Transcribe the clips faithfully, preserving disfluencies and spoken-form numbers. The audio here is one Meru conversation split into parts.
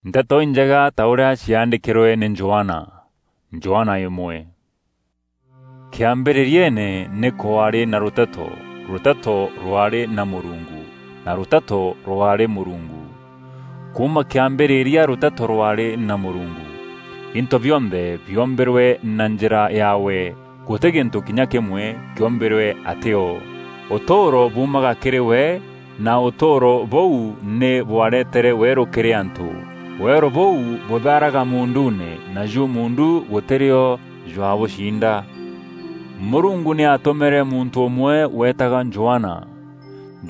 Nteto Injega ta ûrîa ciaandîkîrwe nî Johana. Johana îmwe. Kîambîrîrieene nî kwaarî na Rûteto, Rûteto rwaarî na Mûrungu, na Rûteto rwaarî Mûrungu. Kuuma kîambîrîria Rûteto rwaarî na Mûrungu. Into bionthe biombîrwe na njîra yaawe, gûtî gîntû kinya kîmwe kîombîrwe atî o. Ûtûûro buumaga kîrî we, na ûtûûro bûu nî bwaretere weerû kîrî antû. Weerû bûu bûthaaraga muunduune, naju muundu gûtî rîo jwabûcinda. Mûrungu nî aatûmîre muntû ûmwe weetaga Johana.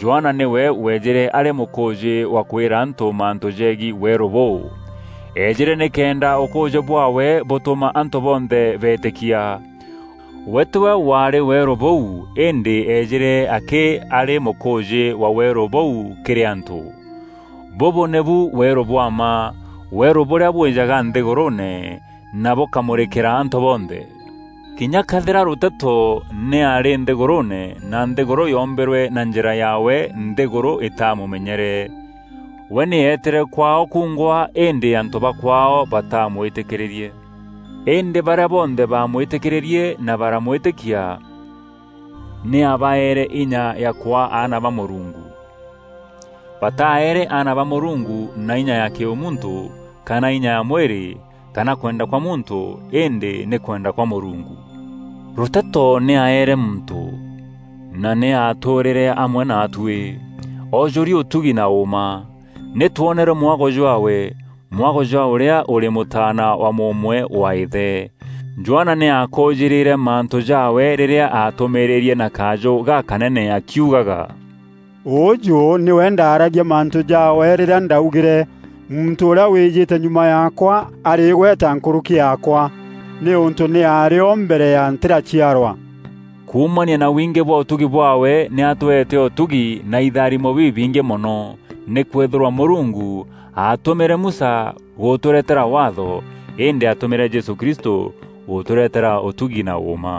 Johana nîwe weejîre arî mûkûûjî wa kwîra antû mantû jegiî weerû bûu. Eejîre nîkenda ûkûûjî bwaawe bûtûma antû bonthe beetîkia. We tîwe waarî weerû bûu, îndî eejîre akî arî mûkûûjî wa weerû bûu kîrî antû. Bûbû nîbu weerû bwa mma, weerû bûrîa bwîjaga nthîgûrûûne na bûkamûrîkîra antû bonthe. Kinya këethîra Rûteto nî aarî nthîgûrûûne, na nthîgûrû yoombîrwe na njîra yaawe, nthîgûrû îtaamûmenyere. We nî eetîre kwaao kuungwa, îndî antû ba kwaao batamwîtîkîrîrie. Îndî barîa bonthe baamwîtîkîrîrie na baramwîtîkia, nî abaeere inya ya kwaa aana ba Mûrungu. Bataaere aana ba Mûrungu na inya ya kîûmuntû, kana inya ya mwîrî, kana kwenda kwa muntû, îndî nî kwenda kwa Mûrungu. Rûteto nî aeere muntû, na nî aatûûrîre amwe naatuî. Oojûri ûtugi na ûûma. Nî twonere mwago jwaawe, mwago jwa ûrîa ûrî mûtaana wa mûûmwe wa îthe. Johana nî aakoojîrîre mantû jaawe rîrîa aatûmîîrîrie na kajû gakanene akiugaga, "Ûûjû nîwe ndaaragia mantû jaawe rîrîa ndaugîre, 'Muntû ûrîa wîjîte nyuma yaakwa arîgweta nkûrûki yaakwa, nîûntû nî aarî o mbere ya ntîraciarwa.'" Kuumania na wingî bwa ûtugi bwaawe, nî atweete ûtugi na itharimo bibingî mono, nîkwîthîrwa Mûrungu aatûmîre Musa gûtûretera Waatho, îndî aatûmîre Jesû Kristû gûtûretera ûtugi na ûûma.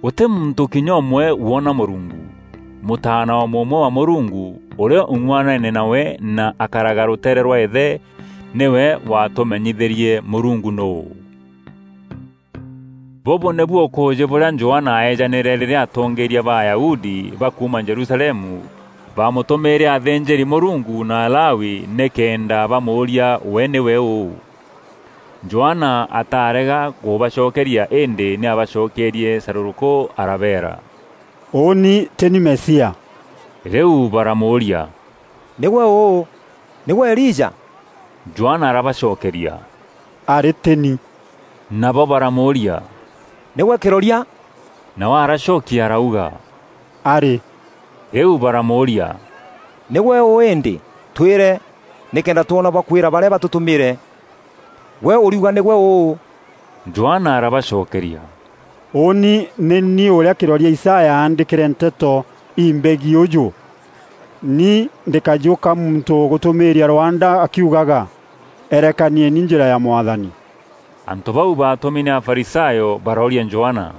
Gûtî muntû kinya ûmwe woona Mûrungu. Mûtaana wa mûûmwe wa Mûrungu, ûrîa ûng'uanene nawe na akaraga rûteere rwa îthe, nîwe waatûmenyithîrie Mûrungu nûû. Bûbû nîbu ûkûûjî bûrîa Johana aejanîre rîrîa atongeeria ba Ayahudi ba kuuma Jerusalemu baamûtûmîîre athînjîri-Mûrungu na Alawi nîkenda bamûûria we nîwe ûû. Johana ataarega kûbacokeria, îndî nî aabacokeerie carûrûkû arabeera, "Ûûni tî ni Mesia." Rîu baramûûria, "Nîgwe ûû? Nîgwe Elija?" Johana arabacokeria, "Arî tî ni." Nabo baramûûria, "Nîgwe kîroria?" Nawe aracokia arauga, "Arî." Rîu baramûûria, "Nîgwe ûû îndî? Twîre, nîkenda twona bakwîra barîa batûtûmîîre. Gwe ûriuga nîgwe ûû?" Johana arabacokeria, "Ûûni nî ni ûrîa kîroria Isaya aandîkîre nteto imbegiî ûjû: 'Ni ndîkajûka muntû ûgûtûmîîria rwanda akiugaga, "Erekanieni njîra ya Mwathani.'" Antû bau baatûmi nî Afarisayo barooria Johana,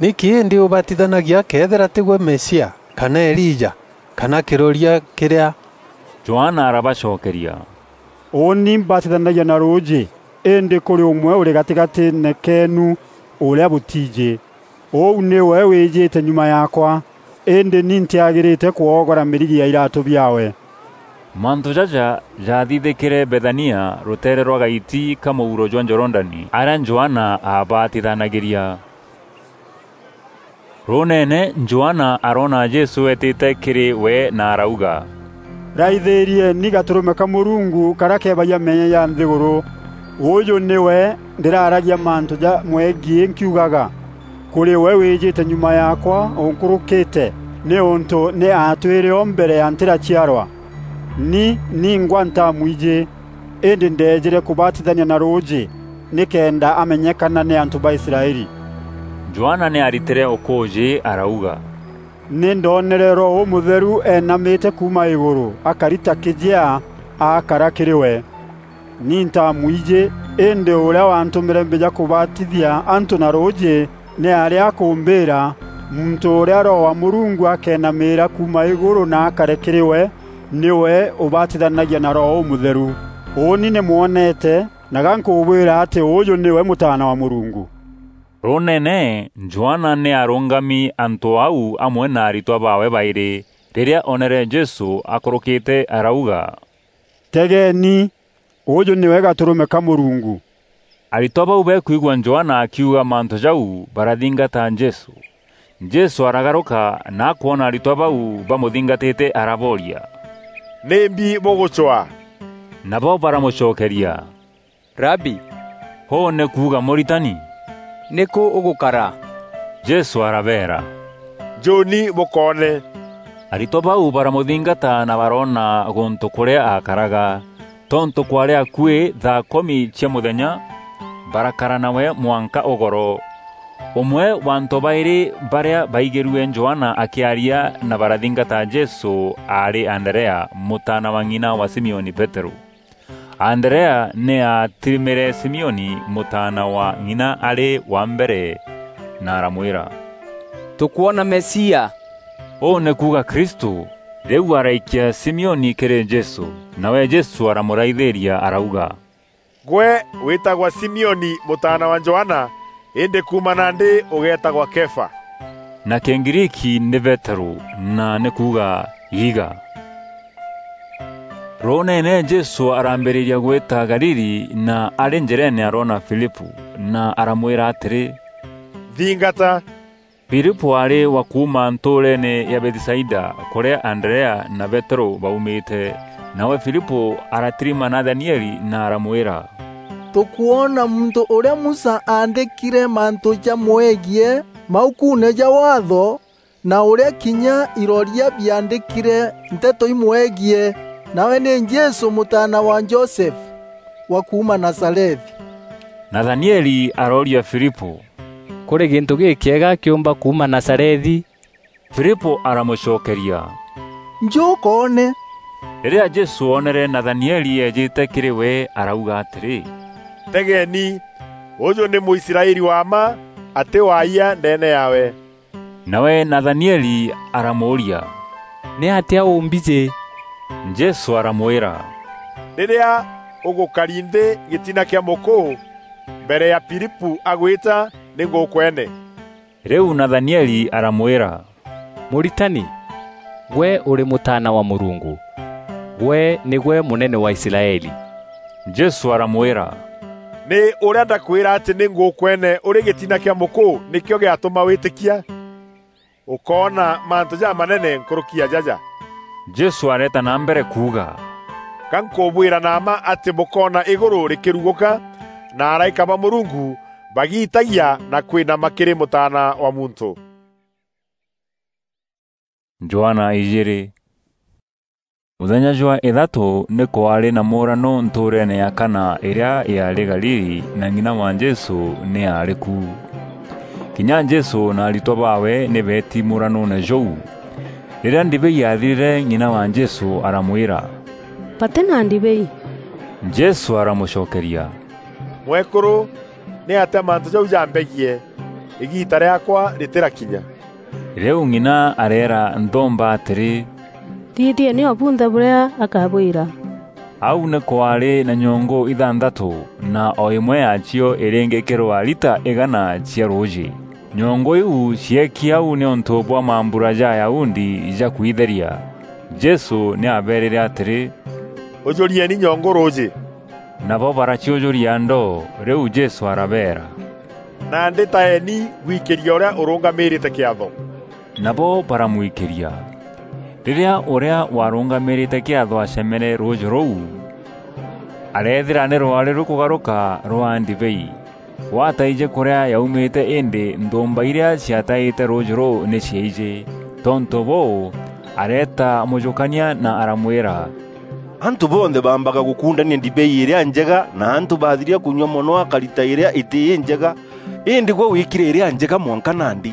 "Nîkî îndî ûbatithanagia këethîra tîgwe Mesia, kana Elija, kana kîroria kîrîa?" Johana arabacokeria, "Ûûni mbatithanagia na rûûjî, îndî kûrî ûmwe ûrî gatîgatîîne keenu ûrîa bûtiijî. Ûu nîwe wîjîte nyuma yaakwa, îndî ni ntîagîrîte kwoogora mîrigi ya îratû biaawe." Mantû jaja jaathithîkîre Bethania, rûteere rwa gaiti ka mûuro jwa Jorodani, arîa Johana aabatithanagîria. Rûûneene, Johana aroona Jesû eetîte kîrî we na arauga, "Raithîrieni Gatûrûme ka Mûrungu karîa keebagia meeyia ja nthîgûrû. Ûûjû nîwe ndîraragia mantû jamwegiî nkiugaga, 'Kûrî we wîjîte nyuma yaakwa ûnkûrûkîte, nîûntû nî aatwîre o mbere ya ntîraciarwa.' Ni ningwa ntamwijî, îndî ndeejîre kûbatithania na rûûjî nîkenda amenyekana nî antû ba Israeli." Johana nî aaritîre ûkûûjî arauga, "Nî ndoonere Roho Ûmûtheru eenamîte kuuma îgûrû, akari ta kîjea, akara kîrî we. Ni ntamwijî, îndî ûrîa waantûmîre mbîja kûbatithia antû na rûûjî nî arî akûmbîîra, 'Muntû ûrîa Roho wa Mûrungu akeenamîîra kuuma îgûrû na akare kîrî we, nîwe ûbatithanagia na Roho Ûmûtheru.'" "Ûûni nî mwonete, na ga nkûbwîra atî ûûjû nîwe Mûtaana wa Mûrungu." Rûûneene, Johana nî aarûngami antû au amwe na aritwa baawe baîrî. Rîrîa oonere Jesû akûrûkîte, arauga, "Tegeeni, ûûjû nîwe Gatûrûme ka Mûrungu!" Aritwa bau bekwigua Johana akiuga mantû jau, barathingata Jesû. Jesû aragarûka na akwona aritwa bau bamûthingatîte, arabooria, "Nîmbi bûgûcwaa?" Nabo baramûcokeria, "Rabi," ûû nî kuuga Mûritani, "nîkû ûgûkara?" Jesû arabeera, "Njûûni bûkoone." Aritwa bau baramûthingata na baroona gûntû kûrîa aakaraga. Tontû kwaarî akuî thaa kûmi cia mûthenya, barakara nawe mwanka ûgoro. Ûmwe wa antû baîrî barîa baigîrue Johana akîaria na barathingata Jesû aarî Anderea, mûtaana wa ng'ina wa Simioni Peterû. Anderea nî aatirimîre Simioni mûtaana wa ng'ina arî wa mbere na aramwîra, "Tûkwona Mesia!" Ûû nî kuuga Kristû. Rîu araikia Simioni kîrî Jesû, nawe Jesû aramûraithîîria arauga, "Gwe wîtagwa Simioni mûtaana wa Johana, îndî kuuma nandî ûgeetagwa Kefa." Na Kîgriiki nî Peterû, na nî kuuga, "Iiga." Rûûneene Jesû arambîrîria gwîta Galili, na arî njîreene aroona Filipû, na aramwîra atîrî, "Nthingata." Filipû aarî wa kuuma ntûûreene ya Bethisaida, kûrîa Anderea na Peterû baumîte. Nawe Filipû aratirima Nathanieli na aramwîra, "Tûkwona muntû ûrîa Musa aandîkîre mantû jamwegiî maukuune ja Waatho, na ûrîa kinya iroria biaandîkîre nteto imwegiî, nawe nî Jesû mûtaana wa Josefu wa kuuma Nazarethi." Nathanieli arooria Filipû, "Kûrî gîntû gîkîega kîûmba kuuma Nazarethi?" Filipû aramûcokeria, "Njû ûkoone." Rîrîa Jesû oonere Nathanieli eejîte kîrî we, arauga atîrî, "Tegeeni, ûjû nî Mûisraeli wa mma, atî waayia ndeene yaawe." Nawe Nathanieli aramûûria, "Nîatîa ûmbijî?" Jesû aramwîra, "Rîrîa ûgûkari nthî gîtina kîa mûkû, mbere ya Filipû agwîta, nî ngûkwene." Rîu Nathanieli aramwîra, "Mûritani, gwe ûrî Mûtaana wa Mûrungu, gwe nîgwe Mûnene wa Israeli." Jesû aramwîra, "Nî ûrîa ndakwîra atî nî ngûkwene ûrî gîtina kîa mûkû nîkîo gîatûma wîtîkia? Ûkoona mantû jamanene nkûrûki ya jaja." Jesû areeta na mbere kuuga, "Ga nkûbwîra na mma atî bûkoona îgûrû rîkîrugûka, na araîka ba Mûrungu bagiitagia na kwînama kîrî Mûtaana wa Muntû." Johana ijîîrî. Mûthenya jwa îthatû nî kwaarî na mûûrano ntûûreene ya Kana îrîa yaarî Galili, na ng'ina wa Jesû nî aarî ku. Kinya Jesû na aritwa baawe nî beeti mûûranoone jûu. Rîrîa ndibei yaathirîre, ng'ina wa Jesû aramwîra, "Batî na ndibei." Jesû aramûcokeria, "Mwekûrû, nîatîa mantû jau jambegiî? Îgiita rîaakwa rîtîrakinya." Rîu ng'ina areera nthûûmba atîrî, "Thithieni o bunthe bûrîa akabwîra." Au nî kwaarî na nyongû ithanthatû, na o îmwe yaacio îrîngîkîrwa rita îgana cia rûûjî. Nyongû iu cieeki au nîûntû bwa mambura ja Ayahudi ja kwitheria. Jesû nî aabeerîre atîrî, "Ûjûrieni nyongû rûûjî." Nabo baraciûjûria ndoo, rîu Jesû arabeera, "Nandî taeni bwikîrie ûrîa ûrûngamîrîte kîatho." Nabo baramwikîria. Rîrîa ûrîa warûngamîrîte kîatho acemere rûûjî rûu, areethîra nî rwaarî rûkûgarûka rwaa ndibei. Gwataijî kûrîa yaumîte, îndî nthûûmba irîa ciataîte rûûjî rûu nî ciaijî. Tontû bûû, areeta mûjûkania na aramwîra, "Antû bonthe baambaga gûkundania ndibei îrîa njega, na antû bathiria kûnyua mono akarita îrîa îtî înjega, îndî gwe wîkîre îrîa njega mwanka nandi."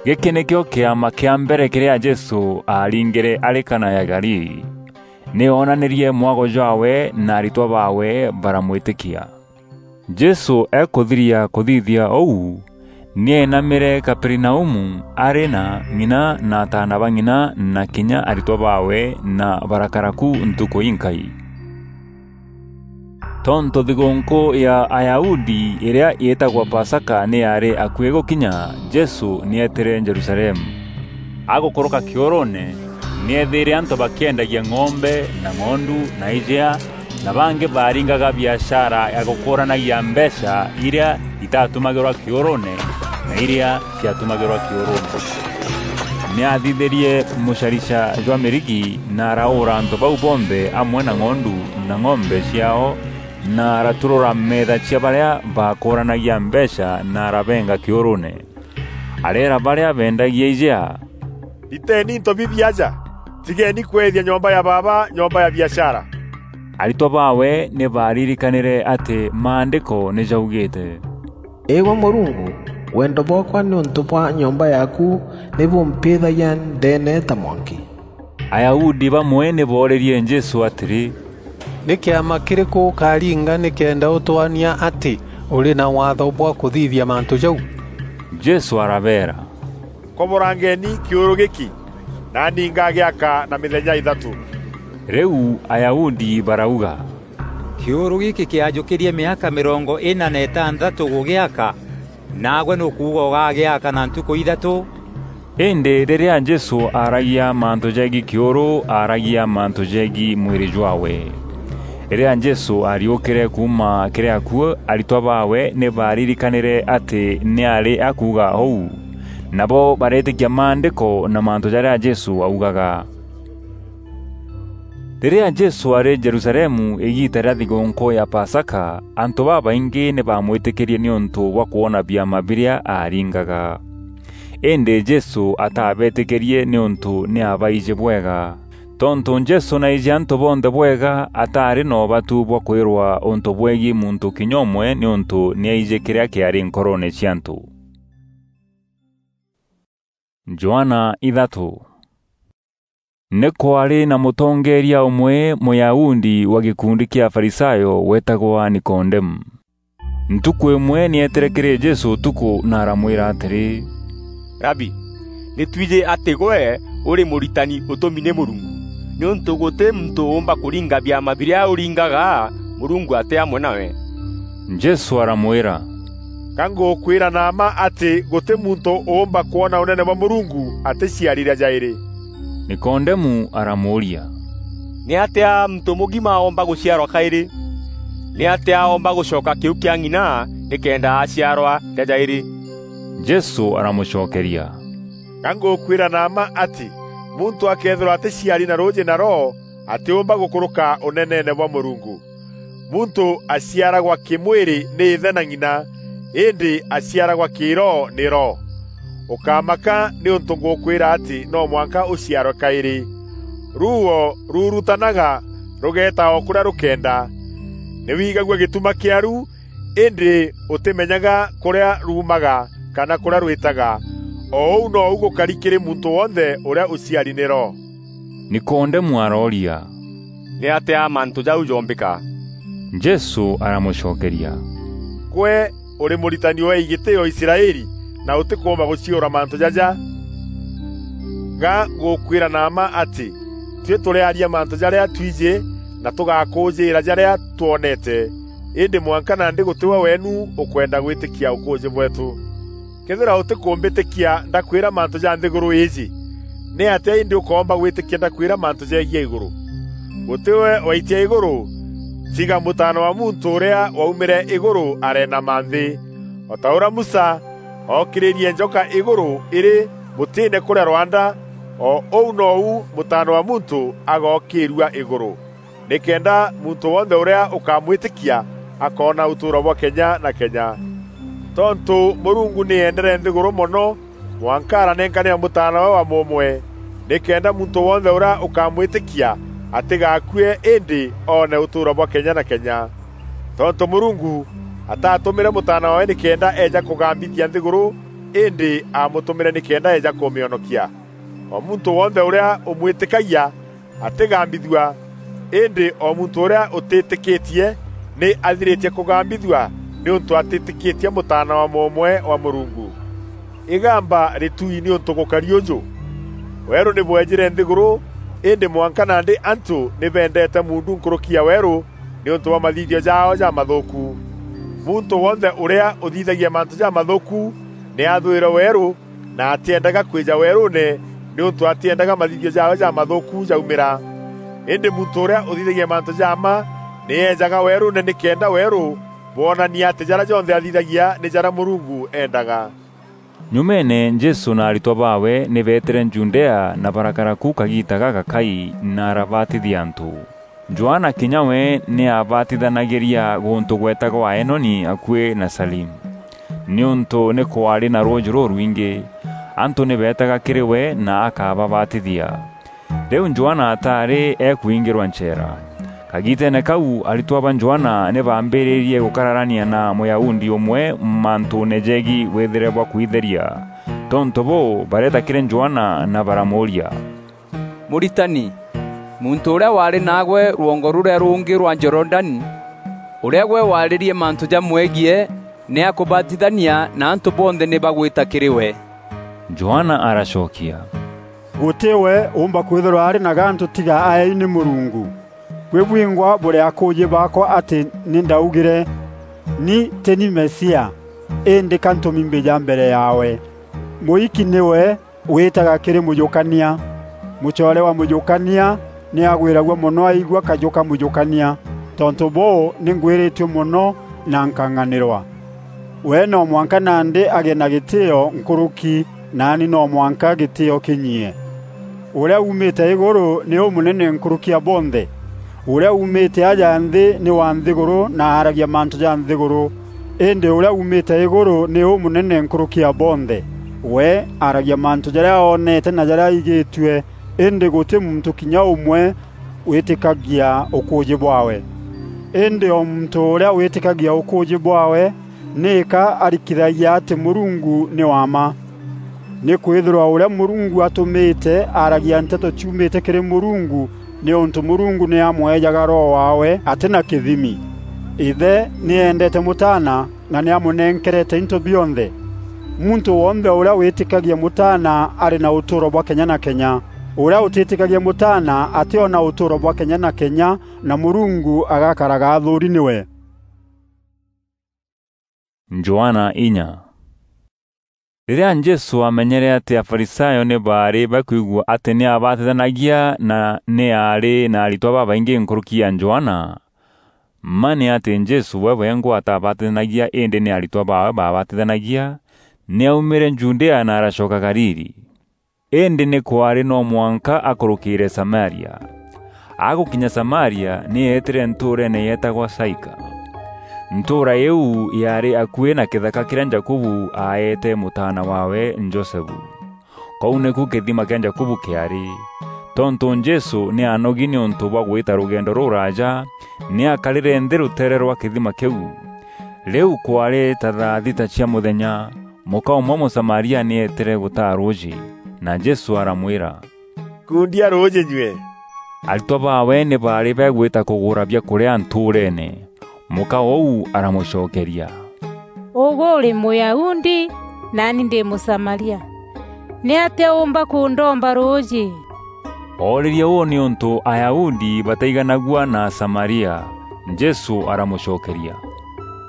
Gîkî nîkîo kîama kîa mbere kîrîa Jesû aaringîre arî Kana ya Galili. Nî oonanîrie mwago jwaawe na aritwa baawe baramwîtîkia. Jesû ekûthiria kûthithia ûu, nî eenamîre Kaperinaumu arî na ng'ina na ataana ba ng'ina na kinya aritwa baawe, na barakara ku ntukû inkai. Tontû thigûnkû ya Ayahudi îrîa îîtagwa Pasaka nî yaarî akuî gûkinya, Jesû nî eetîre Jerusalemu. Agûkûrûka kîûrûûne, nî eethîîre antû bakîendagia ng'ombe na ng'ondu na ijea, na bangî baaringaga biashara ya gûkûûranagia mbeecha irîa itatumagîrwa kîûrûûne na irîa ciatumagîrwa kîûrûûne. Nî aathithîrie mûcarica jwa mîrigi na araûûra antû bau bonthe amwe na ng'ondu na ng'ombe ciaao, na araturûra meetha cia barîa baakûûranagia mbeecha na arabenga kîûrûûne. Areera barîa beendagia ijea, "Riteeni into bibi aja, tigeeni kweethia nyomba ya Baaba nyomba ya biashara." Aritwa baawe nî baaririkanîre atî Maandîko nî jaugîîte, "Îgwe Mûrungu, wendo bwaakwa nîûntû bwa nyomba yaaku nî bûmpîîthagia ndeene ta mwanki." Ayahudi bamwe nî boorîrie Jesû atîrî, "Nî kîama kîrîkû ûkaringa nîkenda ûtwonania atî ûrî na waatho bwa kûthithia mantû jau?" Jesû arabeera, "Koborangeni kîûrû gîkî, naani ngagîaka na mîthenya îthatû." Rîu Ayahudi barauga, "Kîûrû gîkî kîajûkîrie mîaka mîrongo îna na îtantatû gûgîaka, naagwe nûkuuga ûgagîaka na ntukû ithatû?" Îndî rîrîa Jesû aaragia mantû jegiî kîûrû, aaragia mantû jegiî mwîrî jwaawe. Rîrîa Jesû aariûkîre kuuma kîrî akuû, aritwa baawe nî baaririkanîre atî nî aarî akuuga ûu. Nabo bareetîkia Maandîko na mantû jarîa Jesû augaga. Rîrîa Jesû aarî Jerusalemu îgiita rîa thigûnkû ya Pasaka, antû babaingî nî baamwîtîkîrie nîûntû bwa kwona biama birîa aaringaga. Îndî Jesû atabeetîkîrie nîûntû nî aabaijî bwega. Tontû Jesû naaijî antû bonthe bwega, ataarî na ûbatu bwa kwîrwa ûntû bwegiî muntû kinya ûmwe nîûntû nî aijî kîrîa kîaarî nkoroone cia antû. Johana ithatû. Nî kwaarî na mûtongeeria ûmwe Mûyahudi wa gîkundi kîa Afarisayo weetagwa Nikodemu. Ntukû îmwe nî eetîre kîrî Jesû ûtukû na aramwîra atîrî, "Rabi, nî twijî atî gwe ûrî mûritani ûtûmi nî Mûrungu, nîûntû gûtî muntû ûûmba kûringa biama birîa ûringaga Mûrungu atî amwe nawe." Jesû aramwîra, "Ka ngûkwîra na mma atî gûtî muntû ûûmba kwona ûnene bwa Mûrungu atîciari rîa jaîrî?" Nikodemu aramûûria, "Nîatîa muntû mûgima oomba gûciarwa kaîrî? Nîatîa oomba gûcoka kîu kîa ng'ina nîkenda aciarwa rîa jaîrî?" Jesû aramûcokeria, "Ka ngûkwîra na mma atî muntû akëethîrwa atîciari na rûûjî na Roho, atîûmba gûkûrûka ûneneene bwa Mûrungu. Muntû aciaragwa kîmwîrî nî îthe na ng'ina, îndî aciaragwa kîroho nî Roho. Ûkamaka nîûntû ngûkwîra atî no mwanka ûciarwe kaîrî. Ruuo rurutanaga rûgeeta o kûrîa rûkenda. Nî wigagua gîtuma kîaru, îndî ûtîmenyaga kûrîa ruumaga kana kûrîa rwîtaga. O ûu nou gûkari kîrî muntû wonthe ûrîa ûciari nî Roho." Nikodemu arooria, "Nîatîa mantû jau joombîka?" Jesû aramûcokeria, "Gwe ûrî mûritani weei gîtîîo Israeli, na ûtîkûûmba gûciûra mantû jaja? Ga ngûkwîra na mma atî, tuî tûrîaria mantû jarîa twijî na tûgakûûjîîra jarîa twoneete, îndî mwanka nandî gûtî we weenu ûkwenda gwîtîkia ûkûûjî bweetû. Këethîra ûtîkûmbîtîkia ndakwîra mantû ja nthîgûrû îîjî, nîatîa îndî ûkoomba gwîtîkia ndakwîra mantû jegiî ya îgûrû? Gûtî we waitia îgûrû, tiga Mûtaana wa Muntû ûrîa waumîre îgûrû areenama nthî. O ta ûrîa Musa ookîrîrie njoka îgûrû îrî mûtîîne kûrîa rwanda, o ûu nou Mûtaana wa Muntû agookîîrua îgûrû, nîkenda muntû wonthe ûrîa ûkamwîtîkia akoona ûtûûro bwa kenya na kenya. Tontû Mûrungu nî eendere nthîgûrû mono, mwanka aranenkanîra Mûtaana we wa mûûmwe, nîkenda muntû wonthe ûrîa ûkamwîtîkia atîgaakue, îndî oone ûtûûro bwa kenya na kenya. Tontû Mûrungu atatûmîre Mûtaana waawe nîkenda eeja kûgambithia nthîgûrû, îndî aamûtûmîre nîkenda eeja kûmîonokia. O muntû wonthe ûrîa ûmwîtîkagia atîgambithua, îndî o muntû ûrîa ûtîtîkîtie nî athirîtie kûgambithua nîûntû atîtîkîtie Mûtaana wa mûûmwe wa Mûrungu. Îgamba rîtui nîûntû gûkari ûjû! Weerû nî bweejîre nthîgûrû, îndî mwanka nandî antû nî bendeete muundu nkûrûki ya weerû, niuntu bwa mathithio jaao jamathuku. Muntu wonthe uria uthithagia mantu jamathuku ni athwire weeru, na atiendaga kwija weeruune, niuntu atiendaga mathithio jaawe jamathuku jaumira. Indi muntu uria uthithagia mantu ja mma ni eejaga weeruune nikenda weeru bwonania ati jaria jonthe athithagia ni jaria Murungu eendaga. Nyumeene, Jesû na aritwa baawe nî beetîre Judea na barakara ku kagiita gagakai na arabatithia antû. Johana kinya we nî aabatithanagîria gûntû gweetagwa Aenoni akuî na Salimu, nîûntû nî kwaarî na rûûjî rûrwingî. Antû nî beetaga kîrî we na akababatithia. Rîu Johana ataarî ekwingîrwa ncheera. Kagiiteene kau, aritwa ba Johana nî baambîrîrie gûkararania na Mûyahudi ûmwe mantûûne jegiî wîthîre bwa kwitheria. Tontû bûû, bareeta kîrî Johana na baramûûria, "Mûritani, muntû ûrîa waarî naagwe rwongo rûrîa rûngî rwa Jorodani, ûrîa gwe waarîrie mantû jamwegiî, nî akûbatithania na antû bonthe nî bagwîta kîrî we." Johana aracokia, "Gûtî we ûûmba kwîthîrwa arî na gantû tiga aeei nî Mûrungu. Buî bwingwa bûrî akûûjî baakwa atî nî ndaugîre, 'Ni tî ni Mesia, îndî ka ntûmi mbîja mbere yaawe.' Mûiki nîwe wîtaga kîrî mûjûkania. Mûcoore wa mûjûkania nî agwîragua mono aigua kajû ka mûjûkania. Tontû bûû, nî ngwîrîtue mono na nkang'anîrwa. We no mwanka nandî agîe na gîtîîo nkûrûki, naani no mwanka gîtîîo kînyie. Ûrîa uumîte îgûrû nî ûmûnene nkûrûki ya bonthe. Ûrîa uumîte aja nthî nî wa nthîgûrû na aaragia mantû ja nthîgûrû. Îndî ûrîa uumîte îgûrû nî ûmûnene nkûrûki ya bonthe. We aaragia mantû jarîa oonete na jarîa aigîtue, îndî gûtî muntû kinya ûmwe wîtîkagia ûkûûjî bwaawe. Îndî o muntû ûrîa wîtîkagia ûkûûjî bwaawe, nîka arikithagia atî Mûrungu nî wa mma. Nîkwîthîrwa ûrîa Mûrungu atûmîte aaragia nteto ciumîte kîrî Mûrungu, nîûntû Mûrungu nî amweejaga Roho waawe atî na kîthimi. Îthe nî eendeete Mûtaana na nî amûnenkerete into bionthe. Muntû wonthe ûrîa wîtîkagia Mûtaana arî na ûtûûro bwa kenya na kenya. Ûrîa ûtîtîkagia Mûtaana atîona ûtûûro bwa kenya na kenya, na Mûrungu agakaraga athûûri nîwe. Johana inya. Rîrîa Jesû aamenyere atî Afarisayo nî baarî bakwigua atî nî aabatithanagia na nî aarî na aritwa babaingî nkûrûki ya Johana, mma nî atî Jesû we wengwa ataabatithanagia îndî nî aritwa baawe baabatithanagia, nî aumîre Judea na aracoka Galili. Îndî nî kwaarî no mwanka akûrûkîîre Samaria. Agûkinya Samaria, nî eetîre ntûûreene yeetagwa Saika. Ntûûra îîu yaarî akuî na kîthaka kîrîa Jakubu aaeete mûtaana waawe Josefu. Kûu nîku kîthima kîa Jakubu kîaarî. Tontû Jesû nî aanogi nîûntû bwa gwîta rûgendo rûraaja, nî aakarîre nthî rûteere rwa kîthima kîu. Rîu kwaarî ta thaa thita cia mûthenya, mûka ûmwe Mûsamaria nî eetîre gûtaa rûûjî, na Jesû aramwîra, "Kundia rûûjî nyue." Aritwa baawe nî baarî bagwîta kûgûra biakûrîa ntûûreene. Mûka ûu aramûcokeria, "Ûgwe ûrî Mûyahudi, naani ndî Mûsamaria. Nîatîa ûûmba kûndomba rûûjî?" Oorîrie ûu nîûntû Ayahudi bataiganagua na Asamaria. Jesû aramûcokeria,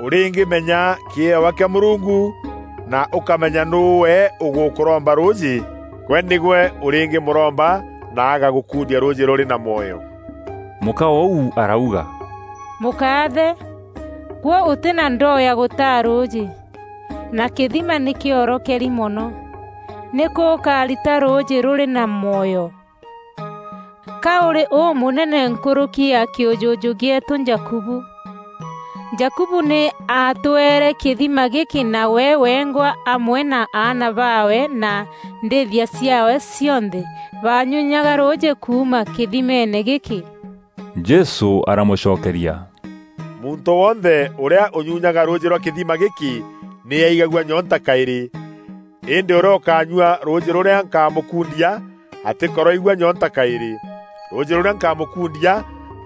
"Ûrîngîmenya kîewa kîa Mûrungu na ûkamenya nûû we ûgûkûromba rûûjî, gwe nîgwe ûrîngîmûromba na agagûkundia rûûjî rûrî na mwoyo." Mûka ûu arauga, "Mûkaathe, gwe ûtî na ndoo ya gûtaa rûûjî, na kîthima nî kîorokeri mono. Nîkû ûkarita rûûjî rûrî na mwoyo? Ka ûrî ûmûnene nkûrûki ya kîûjûjû gîeetû Jakubu? Jakubu nî aatweere kîthima gîkî, na we wengwa amwe na aana baawe na ndîîthia ciaawe cionthe baanyunyaga rûûjî kuuma kîthimeene gîkî." Jesû aramûcokeria, "Muntû wonthe ûrîa ûnyunyaga rûûjî rwa kîthima gîkî nî aigagua nyonta kaîrî. Îndî ûrîa ûkanyua rûûjî rûrîa nkamûkundia atîkoroigua nyonta kaîrî. Rûûjî rûrîa nkamûkundia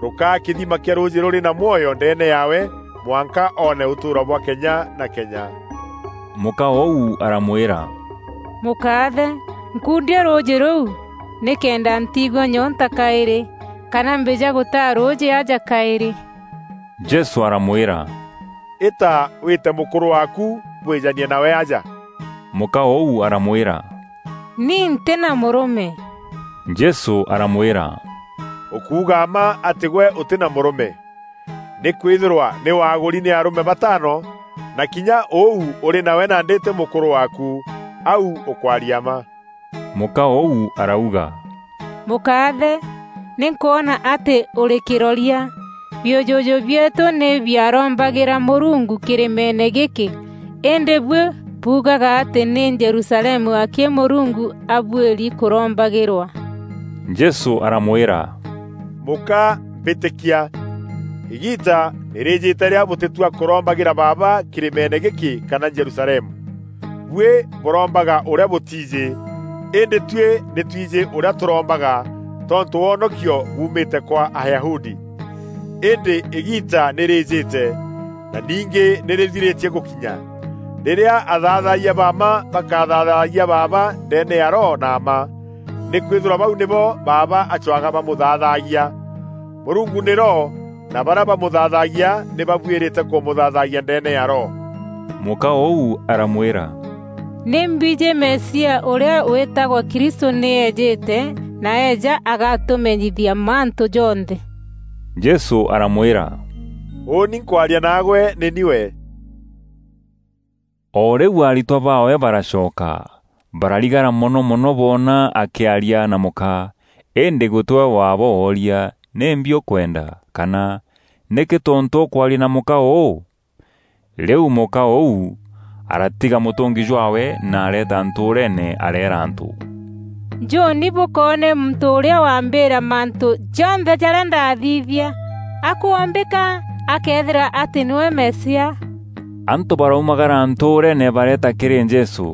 rûkaa kîthima kîa rûûjî rûrî na mwoyo ndeene yaawe, mwanka oone ûtûûro bwa kenya na kenya." Mûka ûu aramwîra, "Mûkaathe, nkundia rûûjî rûu, nîkenda ntiigua nyonta kaîrî, kana mbîja gûtaa rûûjî aja kaîrî." Jesû aramwîra, "Îta wîte mûkûrû waaku bwîjanie nawe aja." Mûka ûu aramwîra, "Ni ntî na mûrûme." Jesû aramwîra, "Ûkuuga mma atî gwe ûtî na mûrûme. Nîkwîthîrwa nî waagûri nî arûme bataano, na kinya ûu ûrî nawe nandî tî mûkûrû waaku, au ûkwaria mma." Mûka ûu arauga, "Mûkaathe, nî nkwona atî ûrî kîroria. Biûjûjû bieetû nî biarombagîra Mûrungu kîrîmeene gîkî, îndî buî buugaga atî nî Jerusalemu akî Mûrungu abuîri kûrombagîrwa." Jesû aramwîra, "Mûka, mbîtîkia. Îgiita nî rîîjîte rîrîa bûtîtua kûrombagîra Baaba kîrîmeene gîkî kana Jerusalemu. Buî bûrombaga ûrîa bûtiijî, îndî tuî nî twijî ûrîa tûrombaga, tontû wonokio buumîte kwa Ayahudi. Îndî îgiita nî rîîjîte, na ningî nî rîthirîtie gûkinya, rîrîa athathayia ba mma bakathathayia Baaba ndeene ya Roho na mma, nîkwîthîrwa bau nîbo Baaba acwaga bamûthathagia. Mûrungu nî Roho, na barîa bamûthathagia nî babuîrîte kûmûthathagia ndeene ya Roho." Mûka ûu aramwîra, "Nî mbijî Mesia ûrîa wîtagwa Kristû nî eejîte, na eeja agatûmenyithia mantû jonthe." Jesû aramwîra, "Ûûni nkwaria naagwe nî ni we." O rîu aritwa baawe baracoka, bararigara mono mono boona akîaria na mûka, îndî gûtî we waabooria, "Nîmbi ûkwenda?" kana, "Nîkî tontû ûkwaria na mûka ûû?" Rîu mûka ûu aratiga mûtûngi jwaawe na areeta ntûûreene areera antû, "Njûûni bûkoone muntû ûrîa wambîîra mantû jonthe jarîa ndathithia. Akwombîka akeethîra atî nîwe Mesia." Antû baraumagara ntûûreene bareeta kîrî Jesû.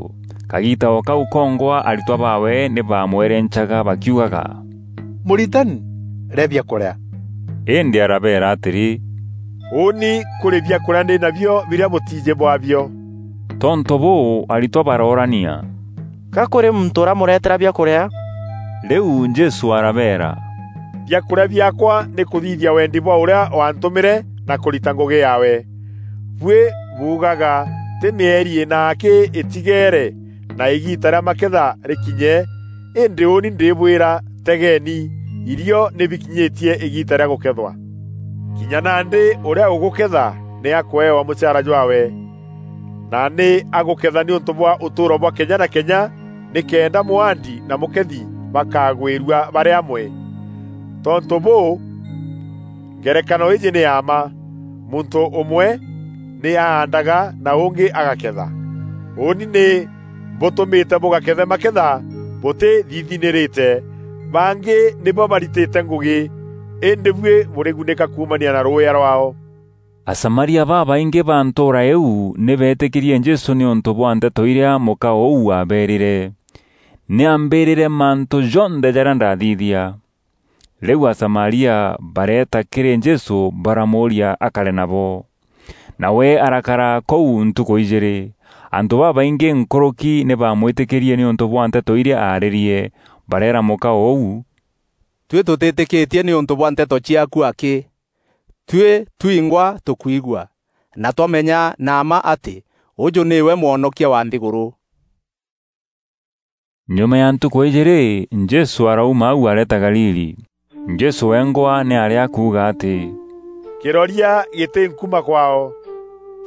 Kagiita o kau kongwa aritwa baawe nî baamwerencaga bakiugaga, "Mûritani, rîa biakûrîa." Îndî arabeera atîrî, "Ûûni kûrî biakûrîa ndî nabio birîa bûtiijî bwabio." Tontû bûû, aritwa baroorania, "Ka kûrî muntû ûramûreetera biakûrîa?" Rîu Jesû arabeera, "Biakûrîa biaakwa nî kûthithia wendi bwa ûrîa waantûmîre na kûrita ngûgî yaawe. Buî buugaga, 'Tî mîeri îna akî îtigeere, na îgiita rîa maketha rîkinye,' îndî ûûni ndîbwîra, tegeeni, irio nî bikinyîtie îgiita rîa gûkethwa. Kinya nandî ûrîa ûgûketha nî akûewa mûchaara jwaawe. Na nî agûketha nîûntû bwa ûtûûro bwa kenya na kenya, nîkenda mûaandi na mûkethi bakagwîrua barî amwe. Tontû bûû, ngerekano îîjî nî ya mma: muntû ûmwe nî aandaga na ûngî agaketha. Ûûni nî mbûtûmîte bûgakethe maketha bûtîthithinîrîte. Bangî nîbo baritîte ngûgî, îndî buî bûrîgunîka kuumania na rûûya rwaao." Asamaria babaingî ba ntûûra îîu nî beetîkîrie Jesû nîûntû bwa nteto irîa mûka ûu aabeerîre, "Nî ambîrîre mantû jonthe jarîa ndathithia." Rîu Asamaria bareeta kîrî Jesû baramûûria akare nabo. Nawe arakara kûu ntukû ijîîrî. Antû babaingî nkûrûki nî baamwîtîkîrie nîûntû bwa nteto irîa aarîrie, bareera mûka ûu, "Tuî tûtîtîkîtie nîûntû bwa nteto ciaaku akî. Tuî twingwa tûkwigua, na twamenya na mma atî ûjû nîwe Mwonokia wa nthîgûrû." Nyuma ya ntukû ijîîrî, Jesû arauma au areeta Galili. Jesû wengwa nî aarî akuuga atî, "Kîroria gîtî nkuma kwaao."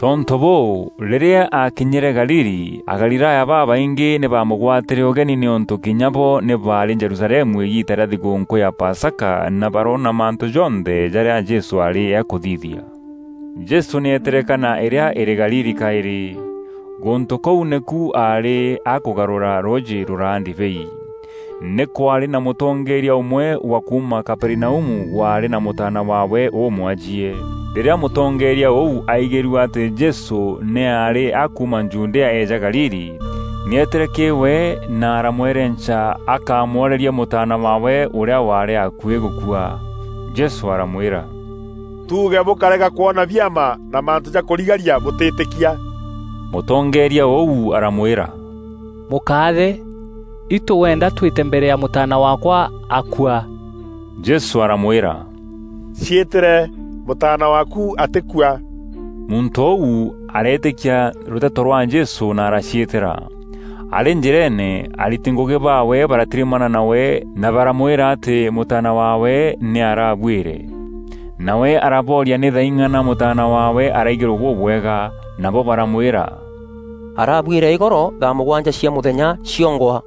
Tontû bûû, rîrîa aakinyîre Galili, Agalilaya babaingî nî baamûgwatîre ûgeni nîûntû kinya bo nî baarî Jerusalemu îgiita rîa thigûûnkû ya Pasaka, na baroona mantû jonthe jarîa Jesû aarî akûthithia. Jesû nî eetîre Kana îrîa îrî Galili kaîrî. Gûntû kûu nîku aarî akûgarûra rûûjî rûraa ndibei. Nî kwaarî na mûtongeeria ûmwe wa kuuma Kaperinaumu waarî na mûtaana waawe ûmwajie. Rîrîa mûtongeeria ûu aigîrue atî Jesû nî aarî akuuma Judea eeja Galili, nî eetîre kîrî we na aramwerenca akamworerie mûtaana waawe ûrîa waarî akuî gûkua. Jesû aramwîra, "Tuuge bûkarega kwona biama na mantû ja kûrigaria bûtîtîkia." Mûtongeeria ûu aramwîra, "Mûkaathe, itû wenda twîte mbere ya mûtaana waakwa akua." Jesû aramwîra, "Ciîtîre, mûtaana waaku atîkua." Muntû ûu areetîkia rûteto rwa Jesû na araciîtîra. Arî njîreene, ariti ngûgî baawe baratirimana nawe na baramwîra atî mûtaana waawe nî arabuîre. Nawe arabooria nî thaing'ana mûtaana waawe araigîrwe bûbwega, nabo baramwîra, "Arabuîre îgoro thaa mûgwanja cia mûthenya ciongwa."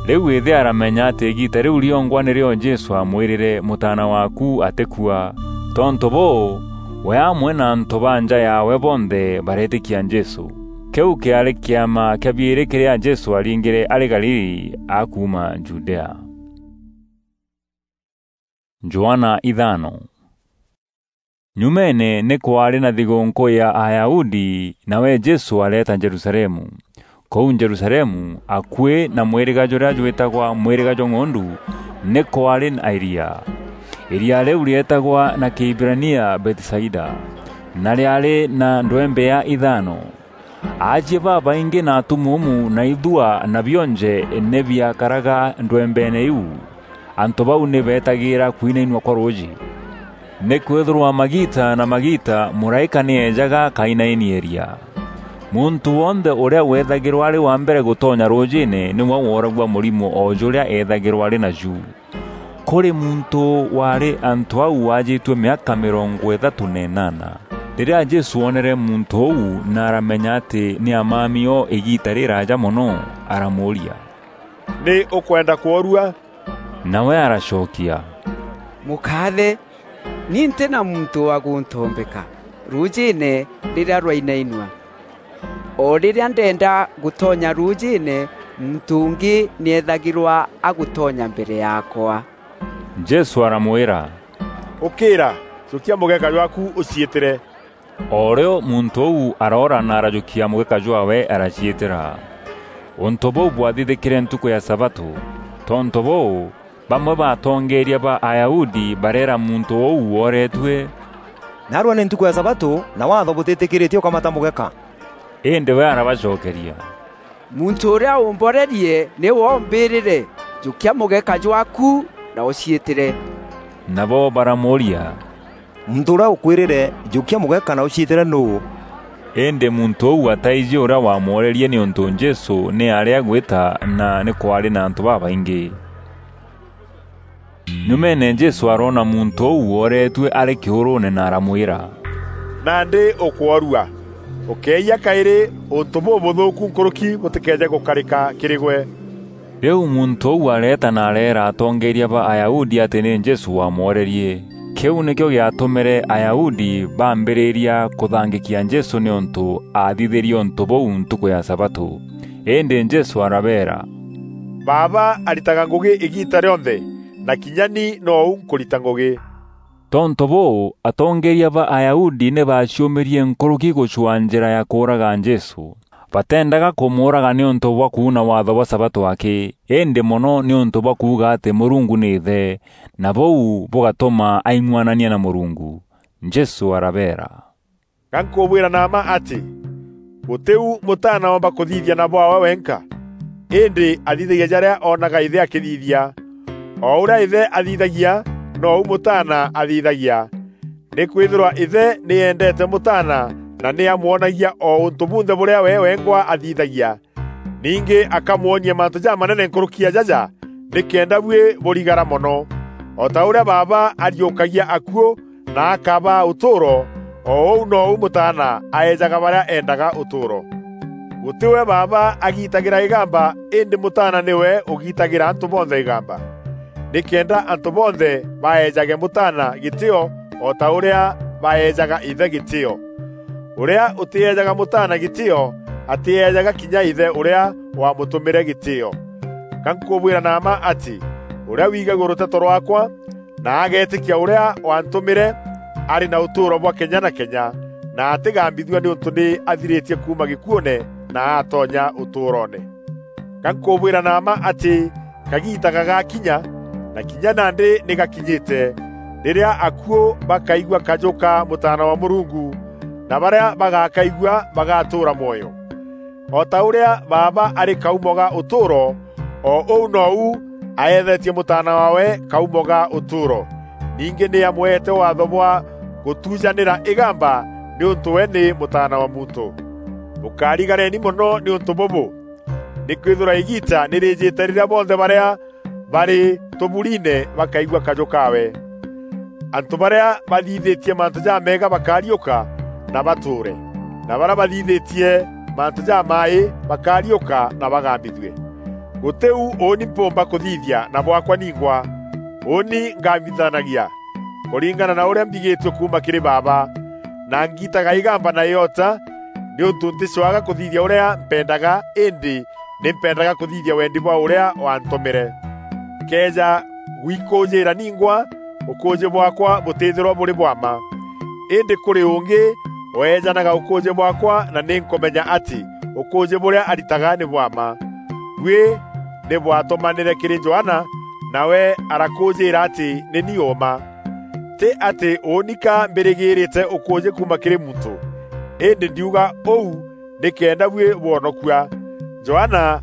Rîu îthe aramenya atî îgiita rîu riongwa nîrîo Jesû aamwîrîre, "Mûtaana waaku atîkua." Tontû bûû, we amwe na antû ba nja yaawe bonthe bareetîkia Jesû. Kîu kîaarî kîama kîa biîrî kîrîa Jesû aringîre arî Galili akuuma Judea. Johana ithano. Nyumeene nî kwaarî na thigûûnkû ya Ayahudi, nawe Jesû areeta Jerusalemu. Kûu Jerusalemu, akuî na mwîrîga jûrîa jwîtagwa Mwîrîga jwa Ng'ondu, nî kwaarî na îria. Îria rîu rîeetagwa na Kîhibirania Bethisaida, na rîaarî na ndwembea ithano. Aajie babaingî na atumuumu na ithua na bionje nî biakaraga ndwembeene iu. Antû bau nî beetagîîra kwinainua kwa rûûjî. Nîkwîthîrwa magiita na magiita mûraîka nî eejaga akainaini îria. Muntû wonthe ûrîa weethagîrwa arî wa mbere gûtonya rûûjîîne nîwe wooragua mûrimo o jûrîa eethagîrwa arî naju. Kûrî muntû waarî antû au waajîtue mîaka mîrongo îthatû na înana. Rîrîa Jesû oonere muntû ûu na aramenya atî nî amami o îgiita rîraaja mono, aramûûria, "Nî ûkwenda kworua?" Nawe aracokia, "Mûkaathe, ni ntî na muntû wa gûntombeka rûûjîîne rîrîa rwainainua. O rîrîa ndenda gûtonya rûûjîîne, muntû ûngî nî eethagîrwa agûtonya mbere yaakwa." Jesû aramwîra, "Ûkîîra, jûkia mûgeka jwaaku ûciîtîre." O rîo muntû ûu aroora na arajûkia mûgeka jwaawe araciîtîra. Ûntû bûu bwathithîkîre ntukû ya sabatû. Tontû bûû, bamwe ba atongeeria ba Ayahudi bareera muntû ûu wooreetue, "Naarua nî ntukû ya sabatû, na Waatho bûtîtîkîrîtie ûkamata mûgeka." Îndî we arabacokeria, "Muntû ûrîa ûmborerie nîwe ûmbîrîre, 'Jûkia mûgeka jwaaku na ûciîtîre.'" Nabo baramûûria, "Muntû ûrîa ûkwîrîre, 'Jûkia mûgeka na ûciîtîre' nûû?" Îndî muntû ûu ataijî ûrîa wamworerie nîûntû Jesû nî aarî agwîta na nî kwaarî na antû babaingî. Nyumeene Jesû aroona muntû ûu wooreetue arî kîûrûûne na aramwîra, "Nandî ûkworua. Ûkeeyia kaîrî ûntû bûbûthûûku nkûrûki bûtîkeeje gûkarîka kîrî gwe." Rîu muntû ûu areeta na areera atongeeria ba Ayahudi atî nî Jesû wamworerie. Kîu nîkîo gîatûmîre Ayahudi baambîrîria kûthangîkia Jesû nîûntû aathithîrie ûntû bûu ntukû ya sabatû. Îndî Jesû arabeera, "Baaba aritaga ngûgî îgiita rîonthe, na kinya ni nou nkûrita ngûgî." Tontû bûû, atongeeria ba Ayahudi nî baaciûmîrie nkûrûki gûcwaa njîra ya kûûraga Jesû. Bateendaga kûmûûraga nîûntû bwa kuuna Waatho bwa sabatû akî, îndî mono nîûntû bwa kuuga atî Mûrungu nî Îthe, na bûu bûgatûma aing'uanania na Mûrungu. Jesû arabeera, "Ga nkûbwîra na mma atî, gûtî u Mûtaana oomba kûthithia na bwaawe wenka, îndî athithagia jarîa oonaga Îthe akîthithia. O ûrîa Îthe athithagia, nou Mûtaana athithagia. Nîkwîthîrwa Îthe nî eendeete Mûtaana na nî amwonagia o ûntû bunthe bûrîa we wengwa athithagia. Ningî akamwonia mantû jamanene nkûrûki ya jaja, nîkenda buî bûrigara mono. O ta ûrîa Baaba ariûkagia akuû na akabaa ûtûûro, o ûu nou Mûtaana aejaga barîa eendaga ûtûûro. Gûtî we Baaba agitagîra îgamba, îndî Mûtaana nîwe ûgitagîra antû bonthe îgamba, nîkenda antû bonthe baeejage Mûtaana gîtîîo o ta ûrîa baeejaga Îthe gîtîîo. Ûrîa ûtîeejaga Mûtaana gîtîîo, atîeejaga kinya Îthe ûrîa waamûtûmîre gîtîîo. Ga nkûbwîra na mma atî, ûrîa wigagua rûteto rwaakwa, na ageetîkia ûrîa waantûmîre, arî na ûtûûro bwa kenya na kenya, na atîgambithua nîûntû nî athirîtie kuuma gîkuûne na atonya ûtûûroone. Ga nkûbwîra na mma atî kagiita gagakinya, na kinya nandî nî gakinyîte, rîrîa akuû bakaigua kajû ka Mûtaana wa Mûrungu, na barîa bagakaigua bagatûûra mwoyo. O ta ûrîa Baaba arî kaumo ga ûtûûro, o ûu nou aeethetie Mûtaana waawe kaumo ga ûtûûro. Ningî nî amweete waatho bwa gutujanira igamba, niuntu we ni Mutaana wa Muntu. Bukarigareni mono niuntu bubu, nikwithirwa igiita ni riijite riria bonthe baria bari tuburiine bakaigua kaju kaawe. Antu baria bathithitie mantu jameega bakariuka na batuure, na baria bathithitie mantu jamaaji bakariuka na bagambithue. Guti u uuni mpumba kuthithia na bwakwa ningwa. Uuni ngambithanagia kuringana na uria mbigitue kuuma kiri Baaba, na ngiitaga igamba na iota, niuntu nticwaga kuthithia uria mpendaga, indi ni mpendaga kuthithia wendi bwa uria wantumire. Nkeeja gwikuujiira ningwa, ukuuji bwakwa butithirwa buri bwa mma. Indi kuri ungi weejanaga ukuuji bwakwa, na ni nkumenya ati ukuuji buria aritaga ni bwa mma. Buî ni bwatumanire kiri Johana, nawe arakuujiira ati ni ni uuma. Ti ati uuni ka mbirigiirite ukuuji kuuma kiri muntu, indi ndiuga uu nikenda buî bwonokua. Johana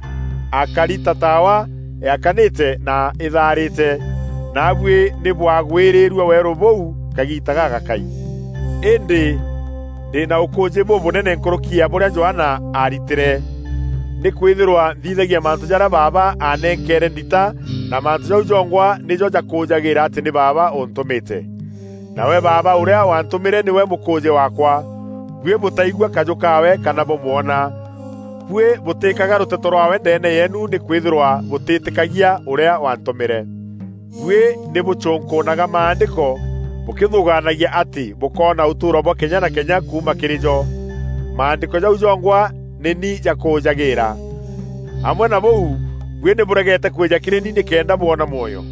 akari ta taawa yakanite na ithaarite, naabuî ni bwagwiriirue weeru buu kagiita gagakai. Indi ndi na ukuuji bubunene nkuruki ya buria Johana aaritire, nikwithirwa nthithagia mantu jaria Baaba aanenkeere ndita, na mantu jau jongwa nijo jakuujagiira ati ni Baaba untumite. Nawe Baaba uria wantumire niwe mukuuji waakwa. Buî butaigua kaju kaawe kana bumwona. Buî butikaga ruteto rwaawe ndeene yeenu, nikwithirwa butitikagia uria wantumire. Buî ni bucunkunaga Maandiko, bukithugaanagia ati bukoona utuuro bwa kenya na kenya kuuma kiri jo. Maandiko jau jongwa ni ni jakuujagiira. Amwe na buu, buî ni buregete kwija kiri ni nikenda bwona mwoyo.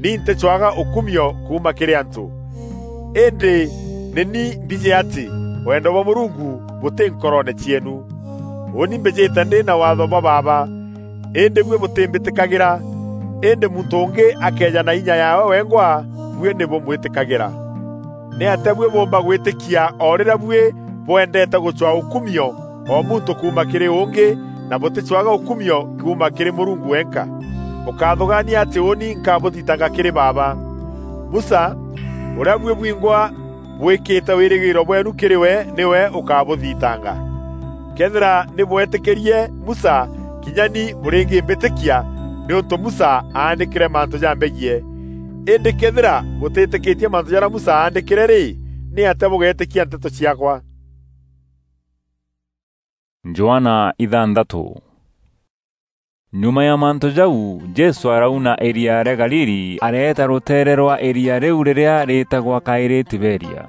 Ni nticwaga ukumio kuuma kiri antu. Indi ni ni mbiji ati wendo bwa Murungu buti nkoroone cieenu. Uuni mbijite ndi na waatho bwa Baaba, indi buî butimbitikagira. Indi muntu ungi akeeja na inya yaawe wengwa, buî ni bumwitikagira. Niatia buî buumba gwitikia o riria buî bwendete gucwaa ukumio o muntu kuuma kiri ungi, na buticwaga ukumio kuuma kiri Murungu wenka? Bukathugaania ati uuni nkabuthitanga kiri Baaba. Musa, uria buî bwingwa bwikite wirigiiro bweenu kiri we, niwe ukabuthitanga. Kethira ni bwetikirie Musa, kinya ni buringimbitikia, niuntu Musa aandikire mantu jambegie. Indi kethira butitikitie mantu jaria Musa aandikire ri, niatia bugetikia nteto ciaakwa? Johana ithanthatu. Nyuma ya mantu jau, Jesu arauna iria ria Galili, areeta ruteere rwa iria riu riria riitagwa kairi Tiberia.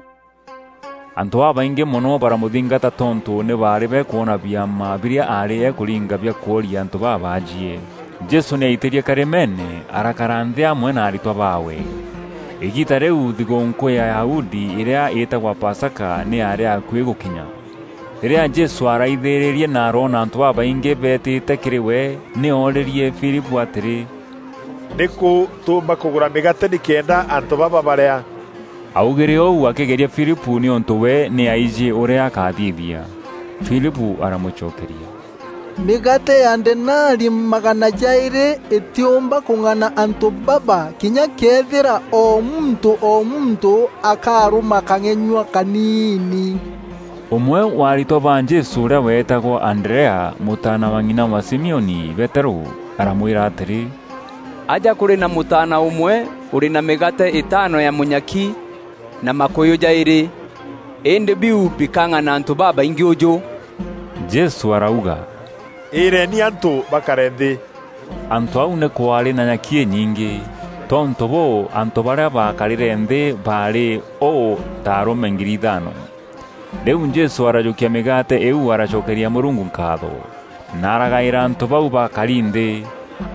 Antu babaingi mono baramuthingata tontu ni baari bekwona biama biria aari ekuringa bia kworia antu babaajie. Jesu ni aitirie karimeene, arakara nthi amwe na aritwa baawe. Igiita riu thigûnkû ya Ayahudi iria iitagwa Pasaka ni yaari akui gukinya. Riria Jesu araithiririe na aroona antu babaingi beetite kiri we, ni ooririe Filipu atiri, "Niku tuumba kugura migate nikenda antu baba baria?" Augire uu akigeria Filipu niuntu we ni aiji uria akathithia. Filipu aramucokeria, "Migate ya denari magana jairi itiumba kung'ana antu baba, kinya kethira o muntu o muntu akaruma kang'enyua kaniini." Umwe wa aritwa ba Jesu uria weetagwa Anderea, mutaana wa ng'ina wa Simioni Petero, aramwira atiri, "Aja kuri na mutaana umwe uri na migate itano ya munyaki na makuyu jairi, indi biu bikang'ana antu babaingi uju." Jesu arauga, "Iireni antu bakare nthi." Antu au ni kwaari na nyaki inyingi. Tontu buu, antu baria baakarire nthi baari uu ta arume ngiri ithano. Riu Jesu arajukia migate iu, aracokeria Murungu nkaatho, na aragaira antu bau bakari nthi.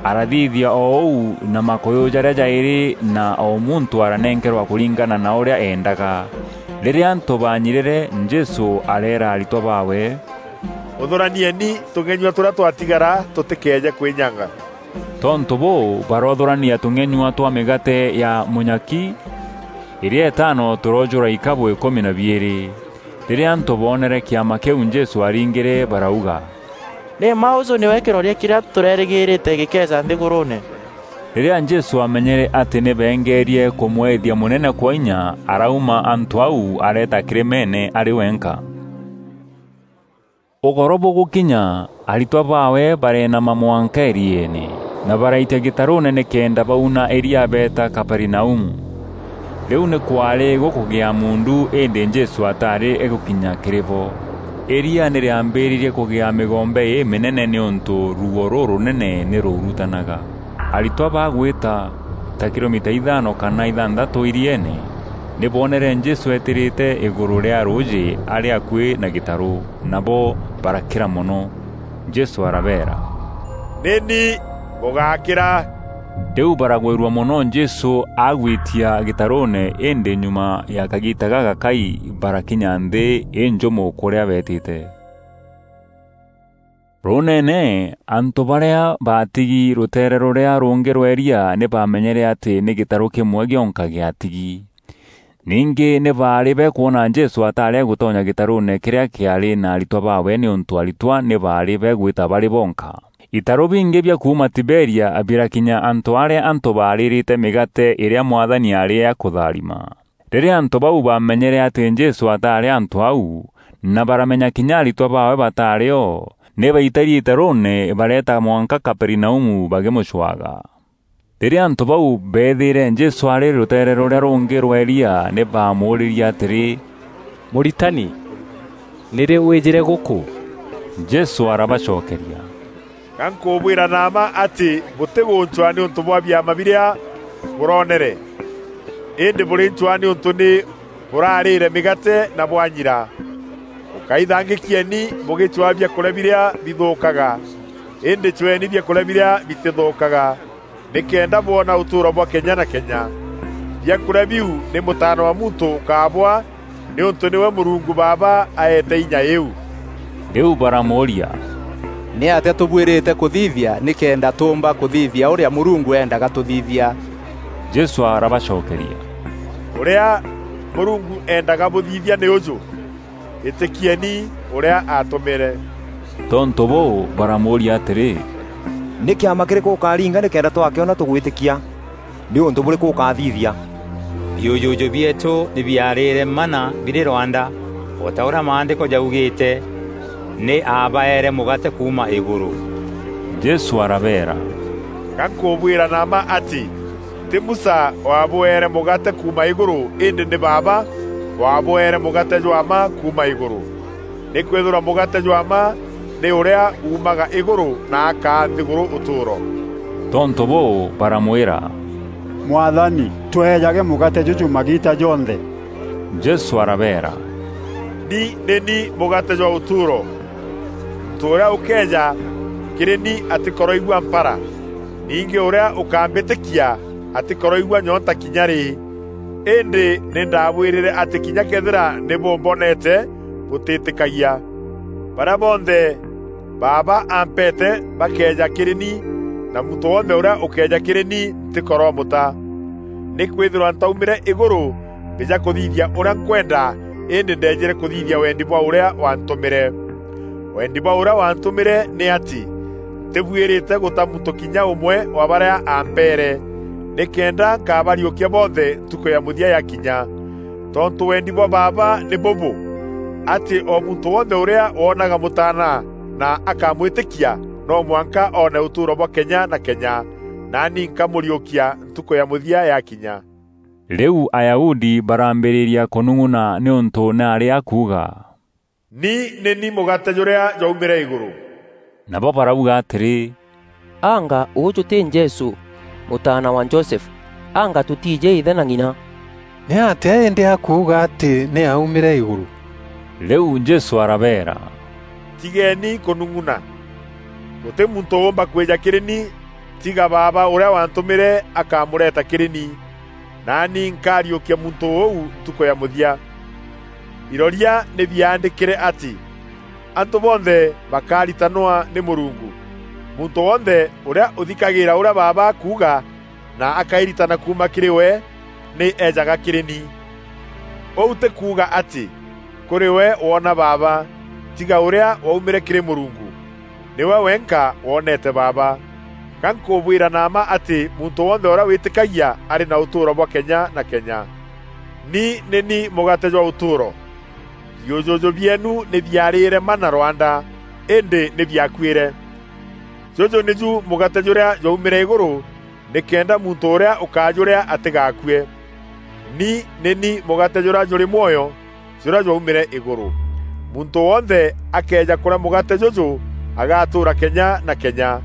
Arathithia o uu, na makuyu jaria jairi, na o muntu aranenkerwa kuringana na uria eendaga. Riria antu baanyirire, Jesu areera aritwa baawe, "Uthuranieni tung'enyua turia twatigara tutikeeje kwinyanga." Tontu buu, barothurania tung'enyua twa migate ya munyaki iria itano turojura ikabu ikumi na biiri. Riria antu boonere kiama kiu Jesu aringire, barauga, "Ni mma uju niwe kiroria kiria turerigirite gikeeja nthiguruune." Rîrîa Jesû aamenyere atî nî beengeerie kûmwethia mûnene kwa inya, arauma antû au areeta kîrîmeene arî wenka. Ûgoro bûgûkinya, aritwa baawe bareenama mwanka îrieene, na baraitia gîtarûûne nîkenda bauna îria beeta Kaperinaumu. Rîu nî kwaarî gûkûgîa muundu, îndî Jesû ataarî egûkinya kîrî bo. Îria nî rîambîrîrie kûgîa mîgombe îmînene nîûntû ruuo rûrûnene nî rûurutanaga. Aritwa bagwîta ta kilomita ithano kana ithanthatû îrieene, nî boonere Jesû eetîrîte îgûrû rîa rûûjî arî akuî na gîtarû, nabo barakîra mono. Jesû arabeera, "Nî ni, bûgakîra." Rîu baragwîrua mono Jesû agwitia gîtarûûne, îndî nyuma ya kagiita gagakai barakinya nthî înjûmû kûrîa beetîte. Rûûneene, antû barîa baatigi rûteere rûrîa rûngî rwa îria nî baamenyere atî nî gîtarû kîmwe gîonka gîatigi. Ningî nî baarî bekwona Jesû ataarî agûtonya gîtarûûne kîrîa kîaarî na aritwa baawe, nîûntû aritwa nî baarî begwîta barî bonka. Itarû bingî bia kuuma Tiberia birakinya antû arîa antû baarîrîte mîgaate îrîa Mwathani aarî akûtharima. Rîrîa antû bau baamenyere atî Jesû ataarî antû au, na baramenya kinya aritwa baawe bataarî o, nî baitarie itarûûne bareeta mwanka Kaperinaumu bagîmûcwaga. Rîrîa antû bau beethîîre Jesû arî rûteere rûrîa rûngî rwa îria, nî baamûûrîrie atîrî, "Mûritani, nîrî wîjîre gûkû?" Jesû arabacokeria, "Ga nkûbwîra na mma atî bûtîgûncwaa nîûntû bwa biama birîa bûroonere, îndî bûrîncwaa nîûntû nî bûrarîîre mîgaate na bwanyira. Bûkaithangîkieni bûgîcwaa biakûrîa birîa bithûûkaga, îndî cweeni biakûrîa birîa bitîthûûkaga, nîkenda bwona ûtûûro bwa kenya na kenya. Biakûrîa biu nî Mûtaana wa Muntû ûkabwaa, nîûntû nîwe Mûrungu Baaba aeete inya îîu." Rîu baramûûria, "Nîatîa tûbuîrîte kûthithia nîkenda tûûmba kûthithia ûrîa Mûrungu eendaga tûthithia?" Jesû arabacokeria, "Ûrîa Mûrungu eendaga bûthithia nî ûjû: Îtîkieni ûrîa aatûmîre." Tontû bûû, baramûûria atîrî, "Nî kîama kîrîkû ûkaringa nîkenda twakîona tûgwîtîkia? Nî ûntû bûrîkû ûkathithia?" Biûjûjû bieetû nî biaarîre manna birî rwanda, o ta ûrîa Maandîko jaugîîte, "Nî aabaeere mûgaate kuuma îgûrû." Jesû arabeera, "Ga nkûbwîra na mma atî, tî Musa waabûeere mûgaate kuuma îgûrû, îndî nî Baaba waabûeere mûgaate jwa mma kuuma îgûrû. Nîkwîthîrwa mûgaate jwa mma nî ûrîa uumaga îgûrû na akaa nthîgûrû ûtûûro." Tontû bûû, baramwîra, "Mwathani, tweejage mûgaate jûjû magiita jonthe." Jesû arabeera, "Ni nî ni mûgaate jwa ûtûûro. Muntû ûrîa ûkeeja kîrî ni atîkoroigua mpara, ningî ûrîa ûkambîtîkia atîkoroigua nyonta kinya rî. Îndî nî ndabwîrîre atî kinya këethîra nî bûmbonete, bûtîtîkagia. Barîa bonthe Baaba ampeete bakeeja kîrî ni, na muntû wonthe ûrîa ûkeeja kîrî ni ntîkoromûta. Nîkwîthîrwa ntaumîre îgûrû mbîja kûthithia ûrîa nkwenda, îndî ndeejîre kûthithia wendi bwa ûrîa waantûmîre. Wendi bwa ûrîa waantûmîre nî atî ntîbuîrîte gûta muntû kinya ûmwe wa barîa ampeere, nîkenda nkabariûkia bonthe ntukû ya mûthia yakinya. Tontû wendi bwa Baaba nî bûbû, atî o muntû wonthe ûrîa woonaga Mûtaana na akamwîtîkia, no mwanka oone ûtûûro bwa kenya na kenya, naani nkamûriûkia ntukû ya mûthia yakinya." Rîu Ayahudi barambîrîria kûnung'una nîûntû nî aarî akuuga, "Ni nî ni mûgaate jûrîa jwaumîre îgûrû." Nabo barauga atîrî, "Anga ûûjû tî Jesû, mûtaana wa Josefu? Anga tûtiijî îthe na ng'ina? Nîatîa îndî akuuga atî nî aaumîre îgûrû?" Rîu Jesû arabeera, "Tigeeni kûnung'una. Gûtî muntû ûûmba kwîja kîrî ni, tiga Baaba ûrîa waantûmîre akamûreta kîrî ni, naani nkariûkia muntû ûu ntukû ya mûthia. Iroria nî biaandîkîre atî, 'Antû bonthe bakaritanwa nî Mûrungu.' Muntû wonthe ûrîa ûthikagîîra ûrîa Baaba akuuga na akairitana kuuma kîrî we, nî eejaga kîrî ni. Ûu tî kuuga atî kûrî we woona Baaba, tiga ûrîa waumîre kîrî Mûrungu. Nîwe wenka woneete Baaba. Ga nkubwira na mma ati muntu wonthe uria witikagia ari na utuuro bwa kenya na kenya. Ni ni ni mugate jwa utuuro. Biujuju bieenu ni biariire mana rwanda, indi ni biakuire. Juju niju mugate juria jwaumire iguru, nikenda muntu uria ukajuria atigakue. Ni ni ni mugate juria juri mwoyo, juria jwaumire iguru. Muntu wonthe akeeja kuria mugate juju, agatuura kenya na kenya.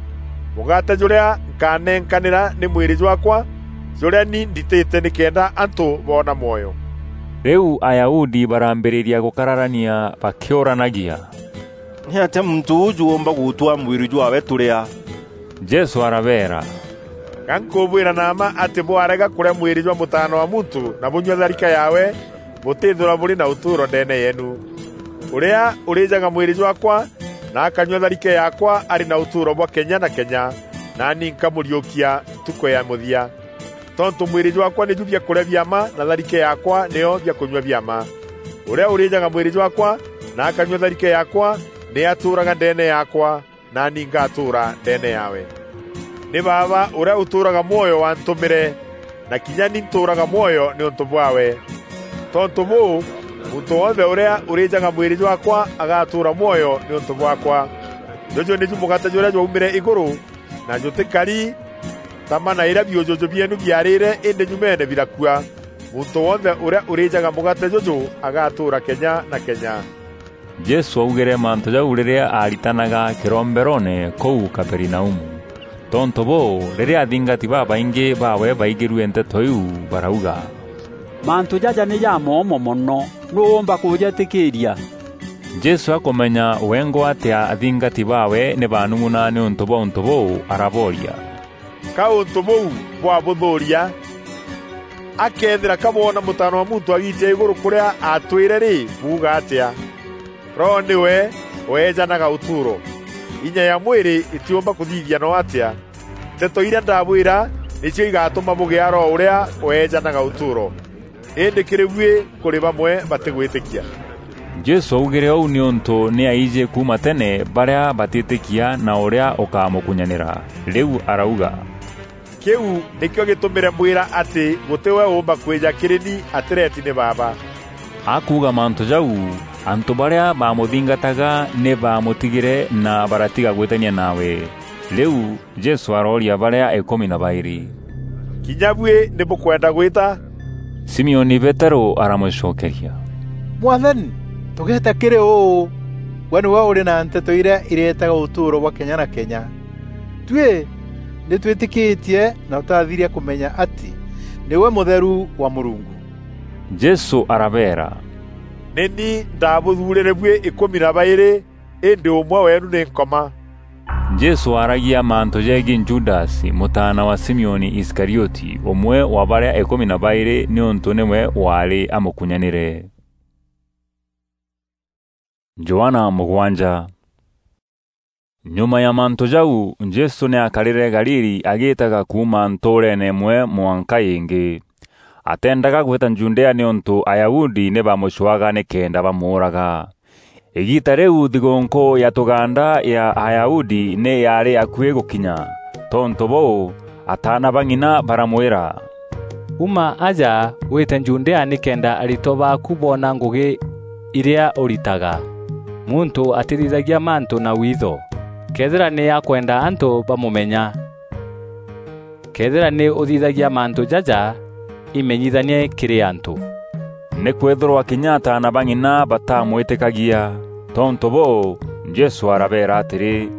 Mugate juria nkanenkanira ni mwiri jwakwa, juria ni nditite nikenda antu boona mwoyo. Riu Ayahudi barambiriria gukararania bakiuranagia, "Niatia muntu uju uumba gutwaa mwiri jwaawe turia?" Jesu arabeera, "Ga nkubwira na mma ati bwarega kuria mwiri jwa Mutaana wa Muntu na bunyua tharike yaawe, butithirwa buri na utuuro ndeene yeenu. Uria urijaga mwiri jwakwa na akanyua tharike yaakwa ari na utuuro bwa kenya na kenya, naani nkamuriukia ntuku ya muthia. Tontu mwiri jwakwa niju biakuria bia mma na tharike yaakwa niyo biakunyua bia mma. Uria urijaga mwiri jwakwa na akanyua tharike yaakwa, ni atuuraga ndeene yaakwa, naani ngatuura ndeene yaawe. Ni Baaba uria utuuraga mwoyo wantumire, na kinya ni ntuuraga mwoyo niuntu bwaawe. Tontu buu, muntu wonthe uria urijaga mwiri jwakwa agatuura mwoyo niuntu bwakwa. Juju niju mugate juria jwaumire iguru, na jutikari ta mana iria biujuju bieenu biariire, indi nyumeene birakua. Muntu wonthe uria urijaga mugate juju agatuura kenya na kenya." Jesu augîre mantû jau rîrîa aaritanaga kîromberoone kûu Kaperinaumu. Tontû bûû, rîrîa athingati babaingî baawe baigîrue nteto iu, barauga, "Mantû jaja nî jamoomo mono. Nûû ûûmba kûjîtîkîîria?" Jesu akûmenya wengwa atîa athingati baawe nî baanung'una nîûntû bwa ûntû bûû, arabooria, "Ka ûntû bûu bwabûthûûria? Akëethîra ka bwoona Mûtaana wa Muntû agiitia îgûrû kûrîa aatwîre rî, buuga atîa? Roho nîwe weejanaga ûtûûro. Inya ya mwîrî îtîûmba kûthithia noo atîa. Nteto irîa ndabwîra nîcio igatûma bûgîa Roho ûrîa weejanaga ûtûûro. Îndî kîrî buî kûrî bamwe batîgwîtîkia." Jesû augîre ûu nîûntû nî aijî kuuma tene barîa batîtîkia na ûrîa ûkamûkunyanîra. Rîu arauga, "Kîu nîkîo gîtûmîre mbwîra atî gûtî we ûûmba kwîja kîrî ni atîreeti nî Baaba." Akuuga mantû jau, antû barîa baamûthingataga nî baamûtigîre na baratiga gwîtania nawe. Rîu Jesû arooria barîa îkûmi na baîrî, "Kinya buî nî bûkwenda gwîta?" Simioni Peterû aramûcokeria, "Mwathani, tûgeeta kîrî ûû? Gwe nîwe ûrî na nteto irîa îreetaga ûtûûro bwa kenya na kenya. Tuî nî twîtîkîtie na tûtathiria kûmenya atî nîwe Mûtheru wa Mûrungu." Jesû arabeera, "Nî ni ndabûthuurîre buî îkûmi na baîrî, îndî ûmwe weenu nî Nkoma." Jesû aaragia mantû jegiî Judasi, mûtaana wa Simioni Iskarioti, ûmwe wa barîa îkûmi na baîrî, nîûntû nîwe waarî amûkunyanîre. Johana mûgwanja. Nyuma ya mantû jau, Jesû nî aakarîre Galili agîîtaga kuuma ntûûreene îmwe mwanka îngî. Ateendaga gwîta Judea nîûntû Ayahudi nî baamûcwaga nîkenda bamûûraga. Îgiita rîu thigûûnkû ya tûgaanda ya Ayahudi nî yaarî akuî gûkinya. Tontû bûû, ataana ba ng'ina baramwîra, "Uma aja wîte Judea nîkenda aritwa baaku boona ngûgî irîa ûritaga. Muntû atîthithagia mantû na witho, këethîra nî akwenda antû bamûmenya. Këethîra nî ûthithagia mantû jaja, imenyithanie kîrî antû." Nîkwîthîrwa kinya ataana ba ng'ina batamwîtîkagia. Tontû bûû, Jesû arabeera atîrî,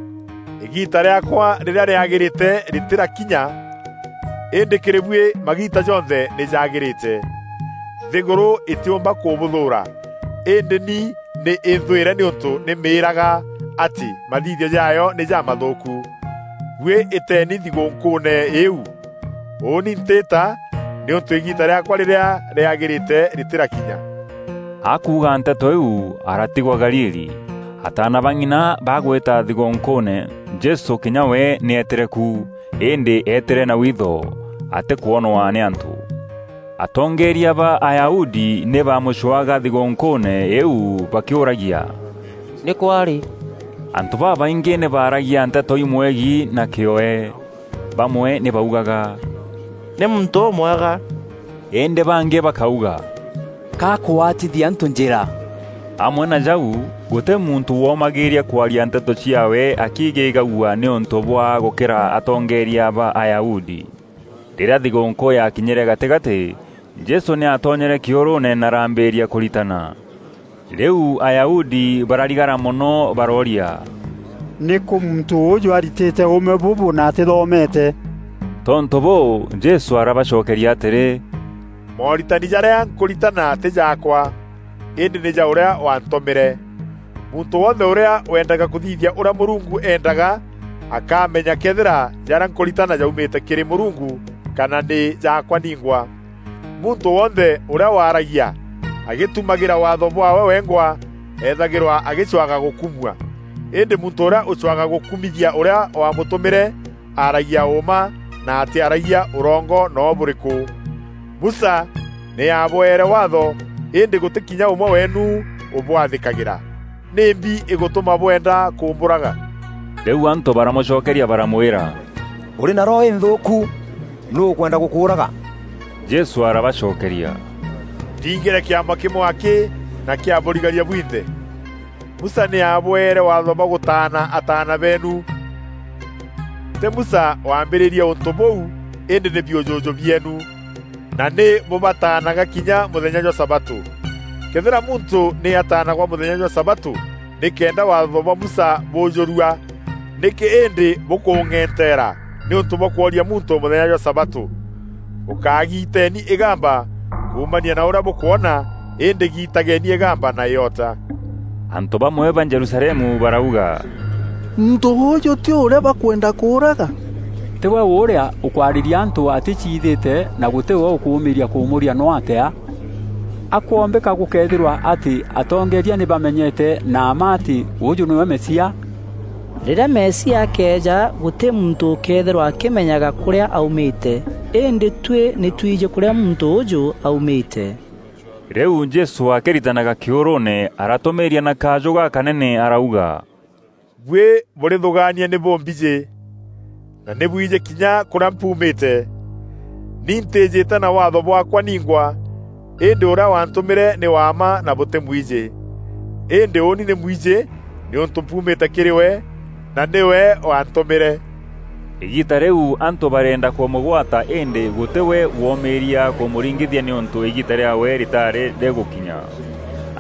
"Îgiita rîaakwa rîrîa rîagîrîte rîtîrakinya, îndî kîrî buî magiita jonthe nî jagîrîte. Nthîgûrû îtîûmba kûbûthûûra, îndî ni nî înthwîre nîûntû nî mîîraga atî mathithio jaayo nî jamathûûku. Buî îteeni thigûûnkûûne îîu. Ûûni ntîîta, nîûntû îgiita rîaakwa rîrîa rîagîrîte rîtîrakinya." Akuuga nteto iu, aratigwa Galili. Ataana ba ng'ina bagwîta thigûûnkûûne, Jesû kinya we nî eetîre ku, îndî eetîre na witho, atîkwonwa nî antû. Atongeeria ba Ayahudi nî baamûcwaga thigûûnkûûne îîu bakîûragia, "Nî kwaarî?" Antû babaingî nî baaragia nteto imwegi na kîoe. Bamwe nî baugaga, "Nî muntû ûmwega." Îndî bangî bakauga, "Ka akûatithia antû njîra." Amwe na jau, gûtî muntû woomagîîria kwaria nteto ciaawe akigîgagua nîûntû bwa gûkîra atongeeria ba Ayahudi. Rîrîa thigûûnkû yaakinyîre gatîgatî, Jesû nî aatonyere kîûrûûne na arambîîria kûritana. Rîu Ayahudi bararigara mono, barooria, "Nîkû muntû ûûjû aritîte ûûme bûbû na atîthomete?" Tontû bûû, Jesû arabacokeria atîrî, "Mooritani jarîa nkûritana tî jaakwa, îndî nî ja ûrîa waantûmîre. Muntû wonthe ûrîa wendaga kûthithia ûrîa Mûrungu eendaga, akamenya këethîra jarîa nkûritana jaumîte kîrî Mûrungu kana nî jaakwa ningwa. Muntû wonthe ûrîa waaragia agîtumagîra waatho bwaawe wengwa, eethagîrwa agîcwaga gûkumua. Îndî muntû ûrîa ûcwaga gûkumithia ûrîa waamûtûmîre, aaragia ûûma na atîaragia ûrongo noo bûrîkû. Musa nî aabweere waatho, îndî gûtî kinya ûmwe weenu ûbwathîkagîra. Nîmbi îgûtûma bwenda kûmbûraga?" Rîu antû baramûcokeria baramwîra, "Ûrî na roho înthûûku, nûû ûkwenda gûkûûraga?" Jesû arabacokeria, "Nthingîre kîama kîmwe akî na kîa bûrigaria bwinthe. Musa nî aabweere waatho bwa gûtaana ataana beenu. Tî Musa waambîrîrie ûntû bûu, îndî nî biûjûjû bieenu, na nî bûbataanaga kinya mûthenya jwa sabatû. Këethîra muntû nî ataanagwa mûthenya jwa sabatû nîkenda waatho bwa Musa bûûjûrua, nîkî îndî bûkûng'enteera nîûntû bwa kworia muntû mûthenya jwa sabatû? Ûkagiteni îgamba kuumania na ûrîa bûkwona, îndî gitageni îgamba na îota." Antû bamwe ba Jerusalemu barauga, "Muntû ûûjû tî ûrîa bakwenda kûûraga? Tî we ûrîa ûkwarîria antû atîciithîte, na gûtî we ûkûûmîîria kûmûria noo atîa? Akombîka gûkeethîrwa atî atongeeria nî bamenyete na mma atî ûûjû nîwe Mesia?" Rîrîa Mesia akeeja, gûtî muntû ûkeethîrwa akîmenyaga kûrîa aumîte, îndî tuî nî twijî kûrîa muntû ûûjû aumîte. Rîu Jesû akîritanaga kîûrûûne, aratûmîîria na kajû gakanene, arauga, "Buî bûrîthûgaania nî bûmbijî, na nî bwijî kinya kûrîa mpuumîte. Ni ntîîjîte na waatho bwaakwa ningwa, îndî ûrîa waantûmîre nî wa mma na bûtîmwijî. Îndî ûûni nî mwijî, nîûntû mpuumîte kîrî we, na nîwe waantûmîre." Îgiita rîu antû bareenda kûmûgwata, îndî gûtî we woomîîria kûmûringithia, nîûntû îgiita rîaawe rîtaarî rîgûkinya.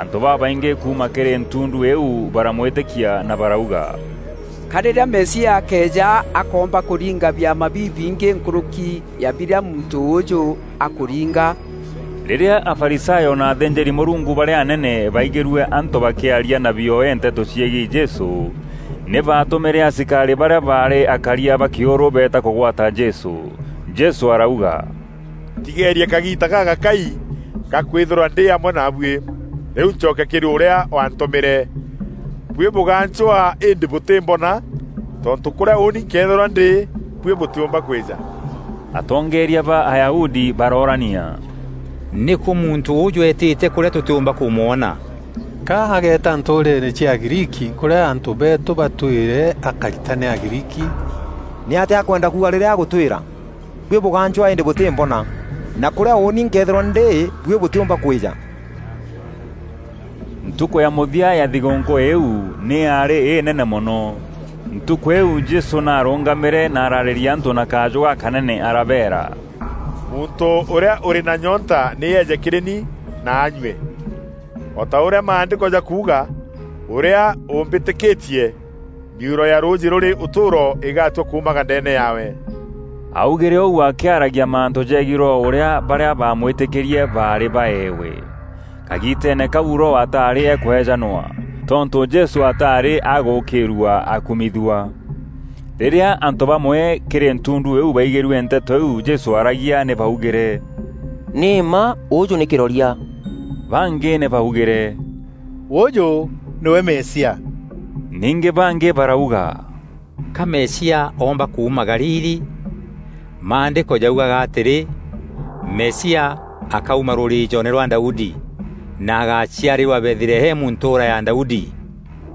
Antû babaingî kuuma kîrî ntundu îîu baramwîtîkia na barauga, "Ka rîrîa Mesia akeeja, akoomba kûringa biama bibingî nkûrûki ya birîa muntû ûûjû akûringa." Rîrîa Afarisayo na athînjîri-Mûrungu barîa anene baigîrue antû bakîaria na bioe nteto ciegiî Jesû, nî baatûmîre asikarî barîa baarî akaria ba kîûrû beeta kûgwata Jesû. Jesû arauga, "Tigeerie kagiita gagakai ga kwîthîrwa ndî amwe naabuî. Rîu ncoke kîrî ûrîa waantûmîre. Buî bûgancwaa îndî bûtîmbona, tontû kûrîa ûûni nkeethîrwa ndî, buî bûtîûmba kwîja." Atongeeria ba Ayahudi baroorania, "Nîkû muntû ûûjû eetîte kûrîa tûtîûmba kûmwona? Ka ageeta ntûûreene cia Agriiki, kûrîa antû beetû batwîre akaritane Agriiki, nîatîa akwenda kuuga rîrîa agûtwîra, 'Buî bûgancwaa îndî bûtîmbona, na kûrîa ûûni nkeethîrwa ndî, buî bûtîûmba kwîja?'" Ntukû ya mûthia ya thigûûnkû îîu nî yaarî înene mono. Ntukû îîu Jesû naarûngamîre na araarîria antû na kajû gakanene, arabeera, "Muntû ûrîa ûrî na nyonta nî eeje kîrî ni na anyue. O ta ûrîa Maandîko jakuuga, 'Ûrîa ûmbîtîkîtie, miuro ya rûûjî rûrî ûtûûro îgatua kuumaga ndeene yaawe.'" Augîre ûu akîaragia mantû jegiî Roho ûrîa barîa baamwîtîkîrie baarî baewe. Kagiiteene kau Roho ataarî ekwejanwa, tontû Jesû ataarî agûkîîrua akumithua. Rîrîa antû bamwe kîrî ntundu îîu baigîrue nteto iu Jesû aaragia, nî baugîre, "Nî mma ûûjû nî kîroria." Bangî nî baugîre, "Ûûjû nîwe Mesia." Ningî bangî barauga, "Ka Mesia oomba kuuma Galili? Maandîko jaugaga atîrî, 'Mesia akauma rûrîîjoone rwa Daudi, na agaciarîrwa Bethlehemu ntûûra ya Daudi.'"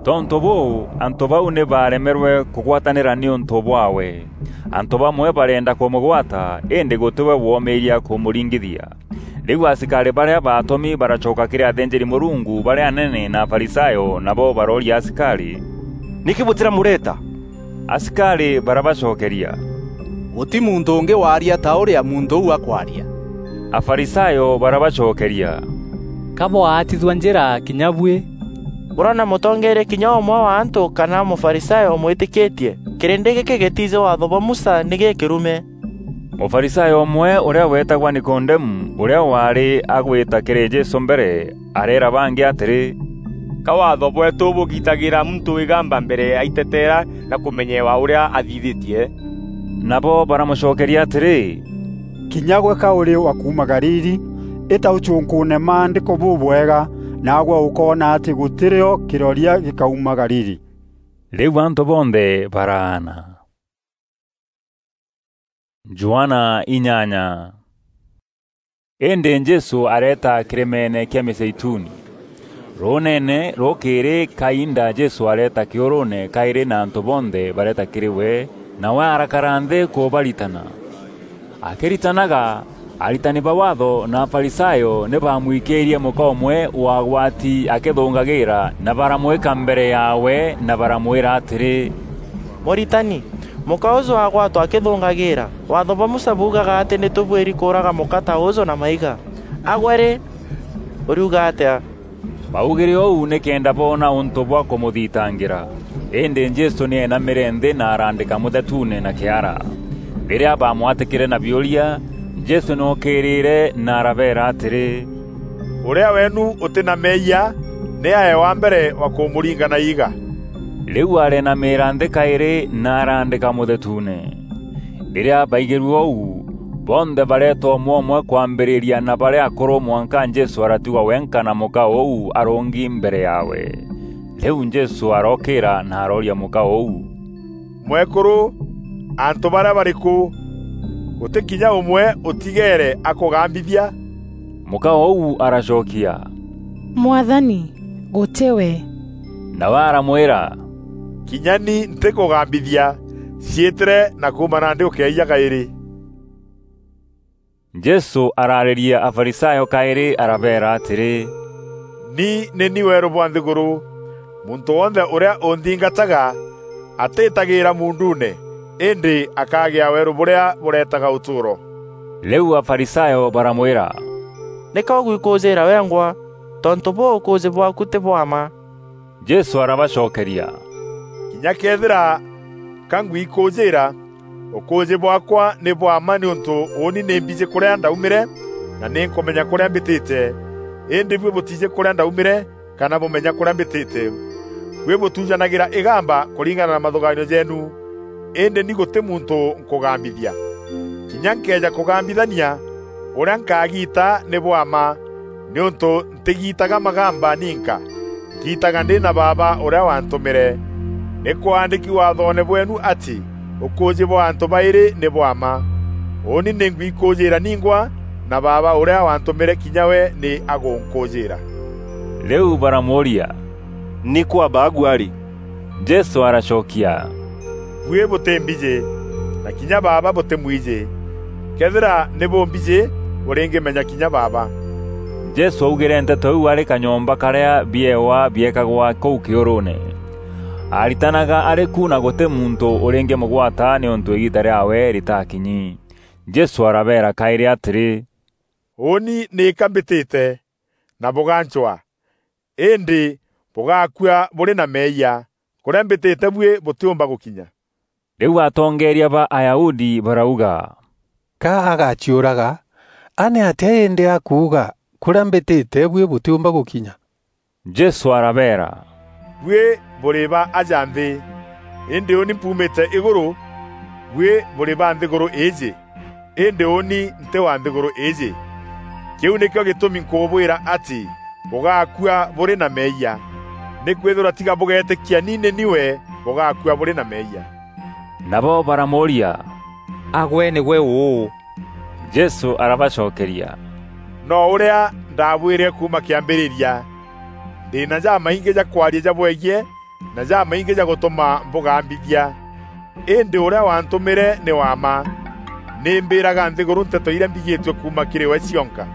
Tontû bûû, antû bau nî baaremerwe kûgwatanîra nîûntû bwaawe. Antû bamwe bareenda kûmûgwata, îndî gûtî we woomiiria kûmûringithia. Rîu asikarî barîa baatûmi baracoka kîrî athînjîri-Mûrungu barîa anene na Afarisayo, nabo barooria asikarî, "Nîkî bûtîramûreta?" Asikarî barabacokeria, "Gûtî muntû ûngî waaria ta ûrîa muntû ûu akwaria." Afarisayo barabacokeria, "Ka bwaatithua njîra kinya buî?" Bûrona mûtongeeria kinya ûmwe wa antû kana Mûfarisayo ûmwîtîkîtie? Kîrîndî gîkî gîtiijî Waatho bwa Musa nî gîkîrume. Mûfarisayo ûmwe ûrîa weetagwa Nikodemu, ûrîa waarî agwîta kîrî Jesû mbere, areera bangî atîrî, "Ka Waatho bweetû bûgitagîra muntû îgamba mbere aiteteera na kûmenyewa ûrîa athithîtie?" Nabo baramûcokeria atîrî, "Kinya gwe ka ûrî wa kuuma Galili, îta ûcûnkûûne Maandîko bûbwega, naagwe ûkoona atî gûtî rîo kîroria gîkauma Galili." Rîu antû bonthe baraana. Johana inyanya. Îndî Jesû areeta kîrîmeene kîa Mîzeituni. Rûûneene rûkîrî kainda Jesû areeta kîûrûûne kaîrî na antû bonthe bareeta kîrî we, nawe arakara nthî kûbaritana. Akîritanaga, aritani ba Waatho na Afarisayo nî baamwikîîrie mûka ûmwe wagwati akîthûngagîîra na baramwîka mbere yaawe na baramwîra atîrî, "Mûritani, mûka ûjû agwatwa akîthûngagîîra. Waatho bwa Musa buugaga atî nî tûbuîri kûûraga mûka ta ûjû na maiga. A gwe rî, ûriuga atîa?" Baugîre ûu nîkenda boona ûntû bwa kûmûthitangîra. Îndî Jesû nî eenamîre nthî na araandîka mûthetuune na kîara. Rîrîa baamwatîkîre na biûria, Jesû nî ookîîrîre na arabeera atîrî, "Ûrîa weenu ûtî na meeyia, nî ae wa mbere wa kûmûringa na iiga." Rîu areenamîîra nthî kaîrî na araandîka mûthetuune. Rîrîa baigîrue ûu, bonthe bareeta ûmwe ûmwe kwambîrîria na barîa akûrû mwanka Jesû aratigwa wenka na mûka ûu arûngi mbere yaawe. Rîu Jesû arookîîra na arooria mûka ûu, "Mwekûrû, antû barîa barî kû? Gûtî kinya ûmwe ûtigeere akûgambithia?" Mûka ûu aracokia, "Mwathani, gûtî we." Nawe aramwîra, "Kinya ni ntîkûgambithia. Ciîtîre na kuuma nandî ûkeeyia kaîrî." Jesû araarîria Afarisayo kaîrî arabeera atîrî, "Ni nî ni weerû bwa nthîgûrû. Muntû wonthe ûrîa ûnthingataga atîîtagîîra muunduune, îndî akagîa weerû bûrîa bûreetaga ûtûûro." Rîu Afarisayo baramwîra, "Nîka ûgwikûûjîîra wengwa, tontû bûû ûkûûjî bwaaku tî bwa mma." Jesû arabacokeria, "Kinya këethîra ka ngwikûûjîîra, ûkûûjî bwaakwa nî bwa mma nîûntû ûûni nî mbijî kûrîa ndaumîre na nî nkûmenya kûrîa mbîtîte. Îndî buî bûtiijî kûrîa ndaumîre kana bûmenya kûrîa mbîtîte. Buî bûtujanagîra îgamba kûringana na mathûgaanio jeenu, îndî ni gûtî muntû nkûgambithia. Kinya nkeeja kûgambithania, ûrîa nkagiita nî bwa mma, nîûntû ntîgiitaga magamba ninka, ngiitaga ndî na Baaba ûrîa wantûmîre. Nî kwaandîki Waathoone bweenu atî ûkûûjî bwa antû baîrî nî bwa mma. Ûûni nî ngwikûûjîîra ningwa, na Baaba ûrîa wantûmîre kinya we nî agûnkûûjîîra." Rîu baramûûria, "Nîkû Abaagu arî?" Jesû aracokia, "Buî bûtî mbijî, na kinya Baaba bûtîmwijî. Këethîra nî bûmbijî, bûrîngîmenya kinya Baaba." Jesû augîre nteto iu arî kanyomba karîa biewa biekagwa kûu kîûrûûne. Aaritanaga arî ku na gûtî muntû ûrîngîmûgwata nîûntû îgiita rîaawe rîtakinyi. Jesû arabeera kaîrî atîrî, "Ûûni nîka mbîtîte, na bûgancwaa, îndî bûgakua bûrî na meeyia. Kûrîa mbîtîte buî bûtîûmba gûkinya." Rîu atongeeria ba Ayahudi barauga, "Ka agaciûraga, a nîatîa îndî akuuga, 'Kûrîa mbîtîte buî bûtîûmba gûkinya'?" Jesû arabeera, "Buî bûrî ba aja nthî, îndî ûûni mpuumîte îgûrû. Buî bûrî ba nthîgûrû îîjî, îndî ûûni ntî wa nthîgûrû îîjî. Kîu nîkîo gîtûmi nkûbwîra atî bûgakua bûrî na meeyia. Nîkwîthîrwa tiga bûgeetîkia ni nî ni we, bûgakua bûrî na meeyia." Nabo baramûûria, "A gwe nîgwe ûû?" Jesû arabacokeria, "No ûrîa ndabwîre kuuma kîambîrîria. Ndî na jamaingî ja kwaria jabwegiî, na jamaingî ja gûtûma mbûgambithia. Îndî ûrîa wantûmîre nî wa mma. Nî mbîraga nthîgûrû nteto irîa mbigîtue kuuma kîrî we cionka.”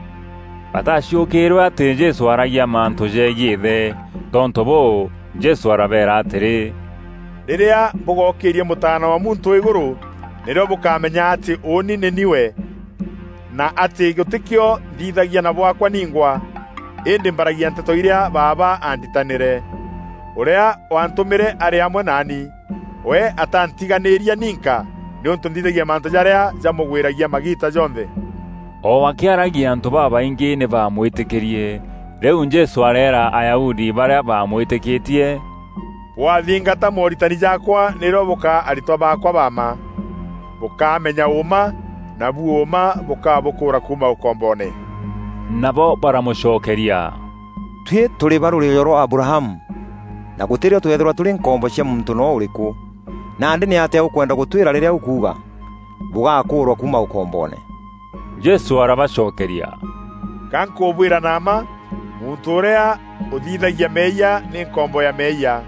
Bataciûkîîrwe atî Jesû aragia mantû jegiî Îthe. Tontû bûû, Jesû arabeera atîrî, “Rîrîa bûgokîîria Mûtaana wa Muntû îgûrû, nîrîo bûkamenya atî ûûni nî ni we, na atî gûtîkîo nthithagia na bwaakwa ningwa, îndî mbaragia nteto irîa Baaba aanditanîre. Ûrîa waantûmîre arî amwe naani. We atantiganîîria ninka, nîûntû nthithagia mantû jarîa jamûgwîragia magiita jonthe.” O akîaragia antû babaingî nî baamwîtîkîrie. Rîu Jesû areera Ayahudi barîa baamwîtîkîtie, “Bwathingata mooritani jaakwa nîrîo bûkaa aritwa baakwa ba mma. Bûkamenya ûûma, nabu ûûma bûkabûkûûra kuuma ûkomboone.” Nabo baramûcokeria, “Tuî tûrî ba rûrîîjo rwa Abrahamu, na gûtî rîo tweethîrwa tûrî nkombo cia muntû noo ûrîkû. Nandî nîatîa ûkwenda gûtwîra rîrîa ûkuuga, 'Bûgakûûrwa kuuma ûkomboone'?” Jesû arabacokeria, “Ga nkûbwîra na mma, muntû ûrîa ûthithagia meeyia nî nkombo ya meeyia.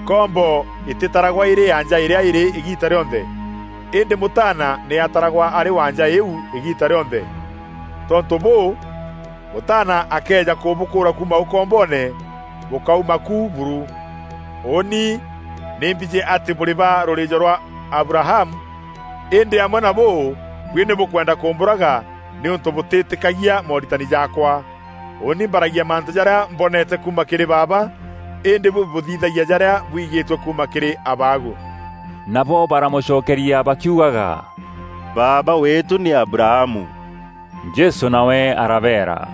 Nkombo îtîtaragwa îrî ya nja îrîa îrî îgiita rîonthe, îndî Mûtaana nî ataragwa arî wa nja îîu îgiita rîonthe. Tontû bûû, Mûtaana akeeja kûbûkûûra kuuma ûkomboone, bûkauma ku buru. Ûûni nî mbijî atî bûrî ba rûrîîjo rwa Abrahamu, îndî amwe na bûû, buî nî bûkwenda kûmbûraga nîûntû bûtîtîkagia mooritani jaakwa. Ûûni mbaragia mantû jarîa mbonete kuuma kîrî Baaba, îndî buî bûthithagia jarîa bwigîtue kuuma kîrî abaagu.” Nabo baramûcokeria bakiugaga, “Baaba weetû nî Abrahamu.” Jesû nawe arabeera,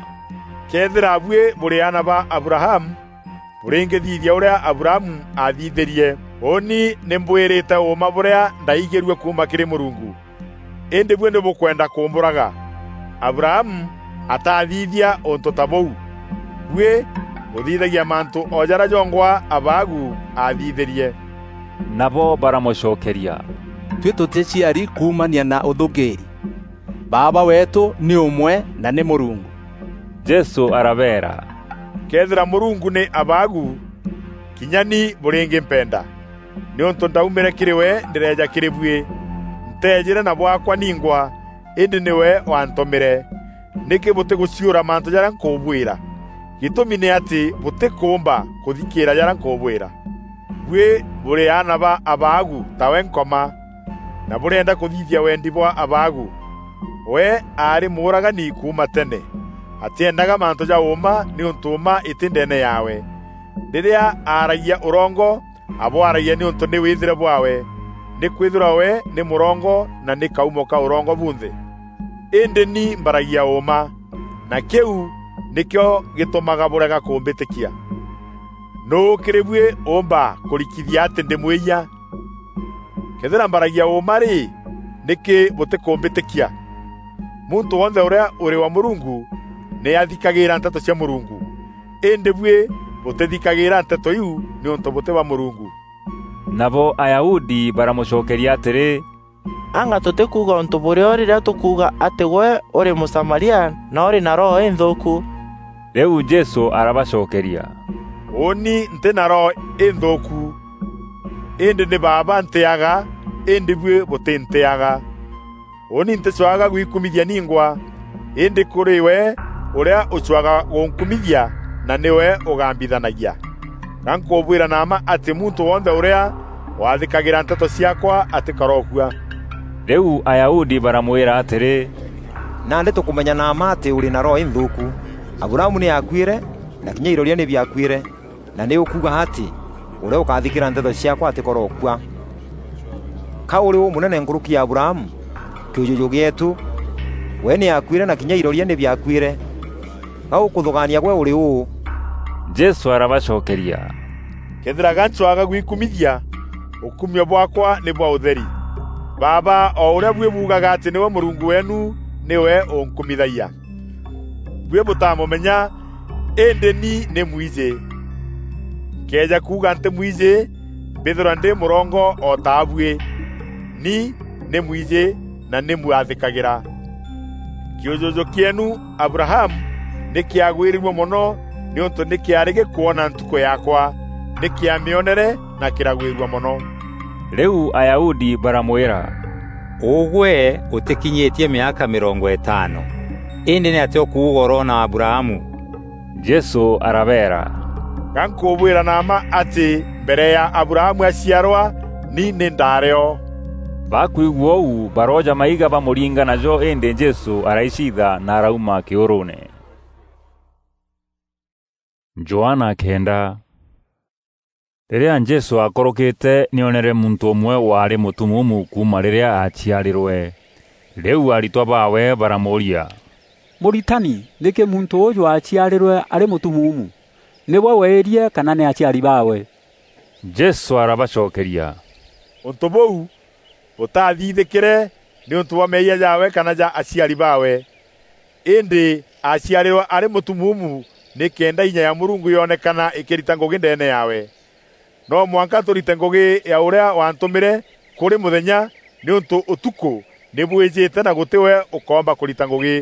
“Këethîra buî bûrî aana ba Abrahamu, bûrîngîthithia ûrîa Abrahamu aathithîrie. Ûûni nî mbwîrîte ûûma bûrîa ndaigîrue kuuma kîrî Mûrungu. Îndî buî nî bûkwenda kûmbûraga. Abrahamu atathithia ûntû ta bûu. Buî bûthithagia mantû o jarîa jongwa abaagu aathithîrie.” Nabo baramûcokeria, “Tuî tûtîciari kuumania na ûthûngîîri. Baaba weetû nî ûmwe na nî Mûrungu.” Jesû arabeera, “Këethîra Mûrungu nî abaagu, kinya ni bûrîngîmpenda, nîûntû ndaumîre kîrî we ndîreeja kîrî buî. Nteejîre na bwaakwa ningwa, îndî nîwe waantûmîre. Nîkî bûtîgûciûra mantû jarîa nkûbwîra? Gîtûmi nî atî bûtîkûûmba kûthikîîra jarîa nkûbwîra. Buî bûrî aana ba abaagu tawe Nkoma, na bûrîenda kûthithia wendi bwa abaagu. We aarî mûûragani kuuma tene, atîendaga mantû ja ûûma nîûntû ûûma îtî ndeene yaawe. Rîrîa aaragia ûrongo, abwaragia nîûntû nî wîthîre bwaawe, nîkwîthîrwa we nî mûrongo na nî kaumo ka ûrongo bunthe. Îndî ni mbaragia ûûma, na kîu nîkîo gîtûmaga bûrega kûmbîtîkia. Nûû kîrî buî ûûmba kûrikithia atî ndî mwîyia? Këethîra mbaragia ûûma rî, nîkî bûtîkûmbîtîkia? Muntû wonthe ûrîa ûrî wa Mûrungu nî athikagîîra nteto cia Mûrungu. Îndî buî bûtîthikagîîra nteto iu nîûntû bûtî ba Mûrungu.” Nabo Ayahudi baramûcokeria atîrî, “Anga tûtîkuuga ûntû bûrîo rîrîa tûkuuga atî gwe ûrî Mûsamaria na ûrî na roho înthûûku?” Rîu Jesû arabacokeria, “Ûûni ntî na roho înthûûku, îndî nî Baaba ntîaga, îndî buî bûtîntîaga. Ûûni ntîcwaga gwikumithia ningwa, îndî kûrî we ûrîa ûcwaga gûnkumithia na nîwe ûgambithanagia. Ga nkûbwîra na mma atî muntû wonthe ûrîa wathîkagîra nteto ciaakwa atîkarookua.” Rîu Ayahudi baramwîra atîrî, “Nandî tûkûmenya na mma atî ûrî na roho înthûûku. Abrahamu nî aakuîre, na kinya iroria nî biakuîre. Na nî ûkuuga atî, 'Ûrîa ûkathikîra nteto ciaakwa atîkorookua.' Ka ûrî ûmûnene nkûrûki ya Abrahamu, kîûjûjû gîeetû? We nî aakuîre na kinya iroria nî biakuîre. Ga ûkûthûgaania gwe ûrî ûû?” Jesû arabacokeria, “Këethîra ga ncwaga gwikumithia, ûkumio bwaakwa nî bwa ûtheri. Baaba o ûrîa buî buugaga atî nîwe Mûrungu weenu nîwe ûnkumithagia. Buî bûtamûmenya, îndî ni nî mwijî. Nkëeja kuuga ntî mwijî, mbîthîrwa ndî mûrongo o ta buî. Ni nî mwijî na nî mwathîkagîra. Kîûjûjû kîeenu Abrahamu nî kîagwîrîrue mono nîûntû nî kîaarî gîkwona ntukû yaakwa. nî kîamîonere na kîragwîrua mono. Rîu Ayahudi baramwîra, "Ûgwe ûtîkinyîtie mîaka mîrongo îtano, îndî nîatîa ûkuuga ûroona Abrahamu?" Jesû arabeera, "Ga nkûbwîra na mma atî mbere ya Abrahamu aciarwa, ni nî ndaarî o." Bakwigua ûu, barooja maiga bamûringa najo, îndî Jesû araicitha na arauma kîûrûûne. Johana kenda. Rîrîa Jesû aakûrûkîte, nî oonere muntû ûmwe waarî mûtumuumu kuuma rîrîa aaciarîrwe. Rîu aritwa baawe baramûûria, "Mûritani, nîkî muntû ûûjû aaciarîrwe arî mûtumuumu? Nî we weerie kana nî aciari baawe?" Jesû arabacokeria, "Ûntû bûu bûtathithîkîre nîûntû bwa meeyia jaawe kana ja aciari baawe. Îndî aaciarîrwe arî mûtumuumu nîkenda inya ya Mûrungu yonekana îkîrita ngûgî ndeene yaawe. No mwanka tûrite ngûgî ya ûrîa waantûmîre kûrî mûthenya, nîûntû ûtukû nî bwîjîte na gûtî we ûkoomba kûrita ngûgî.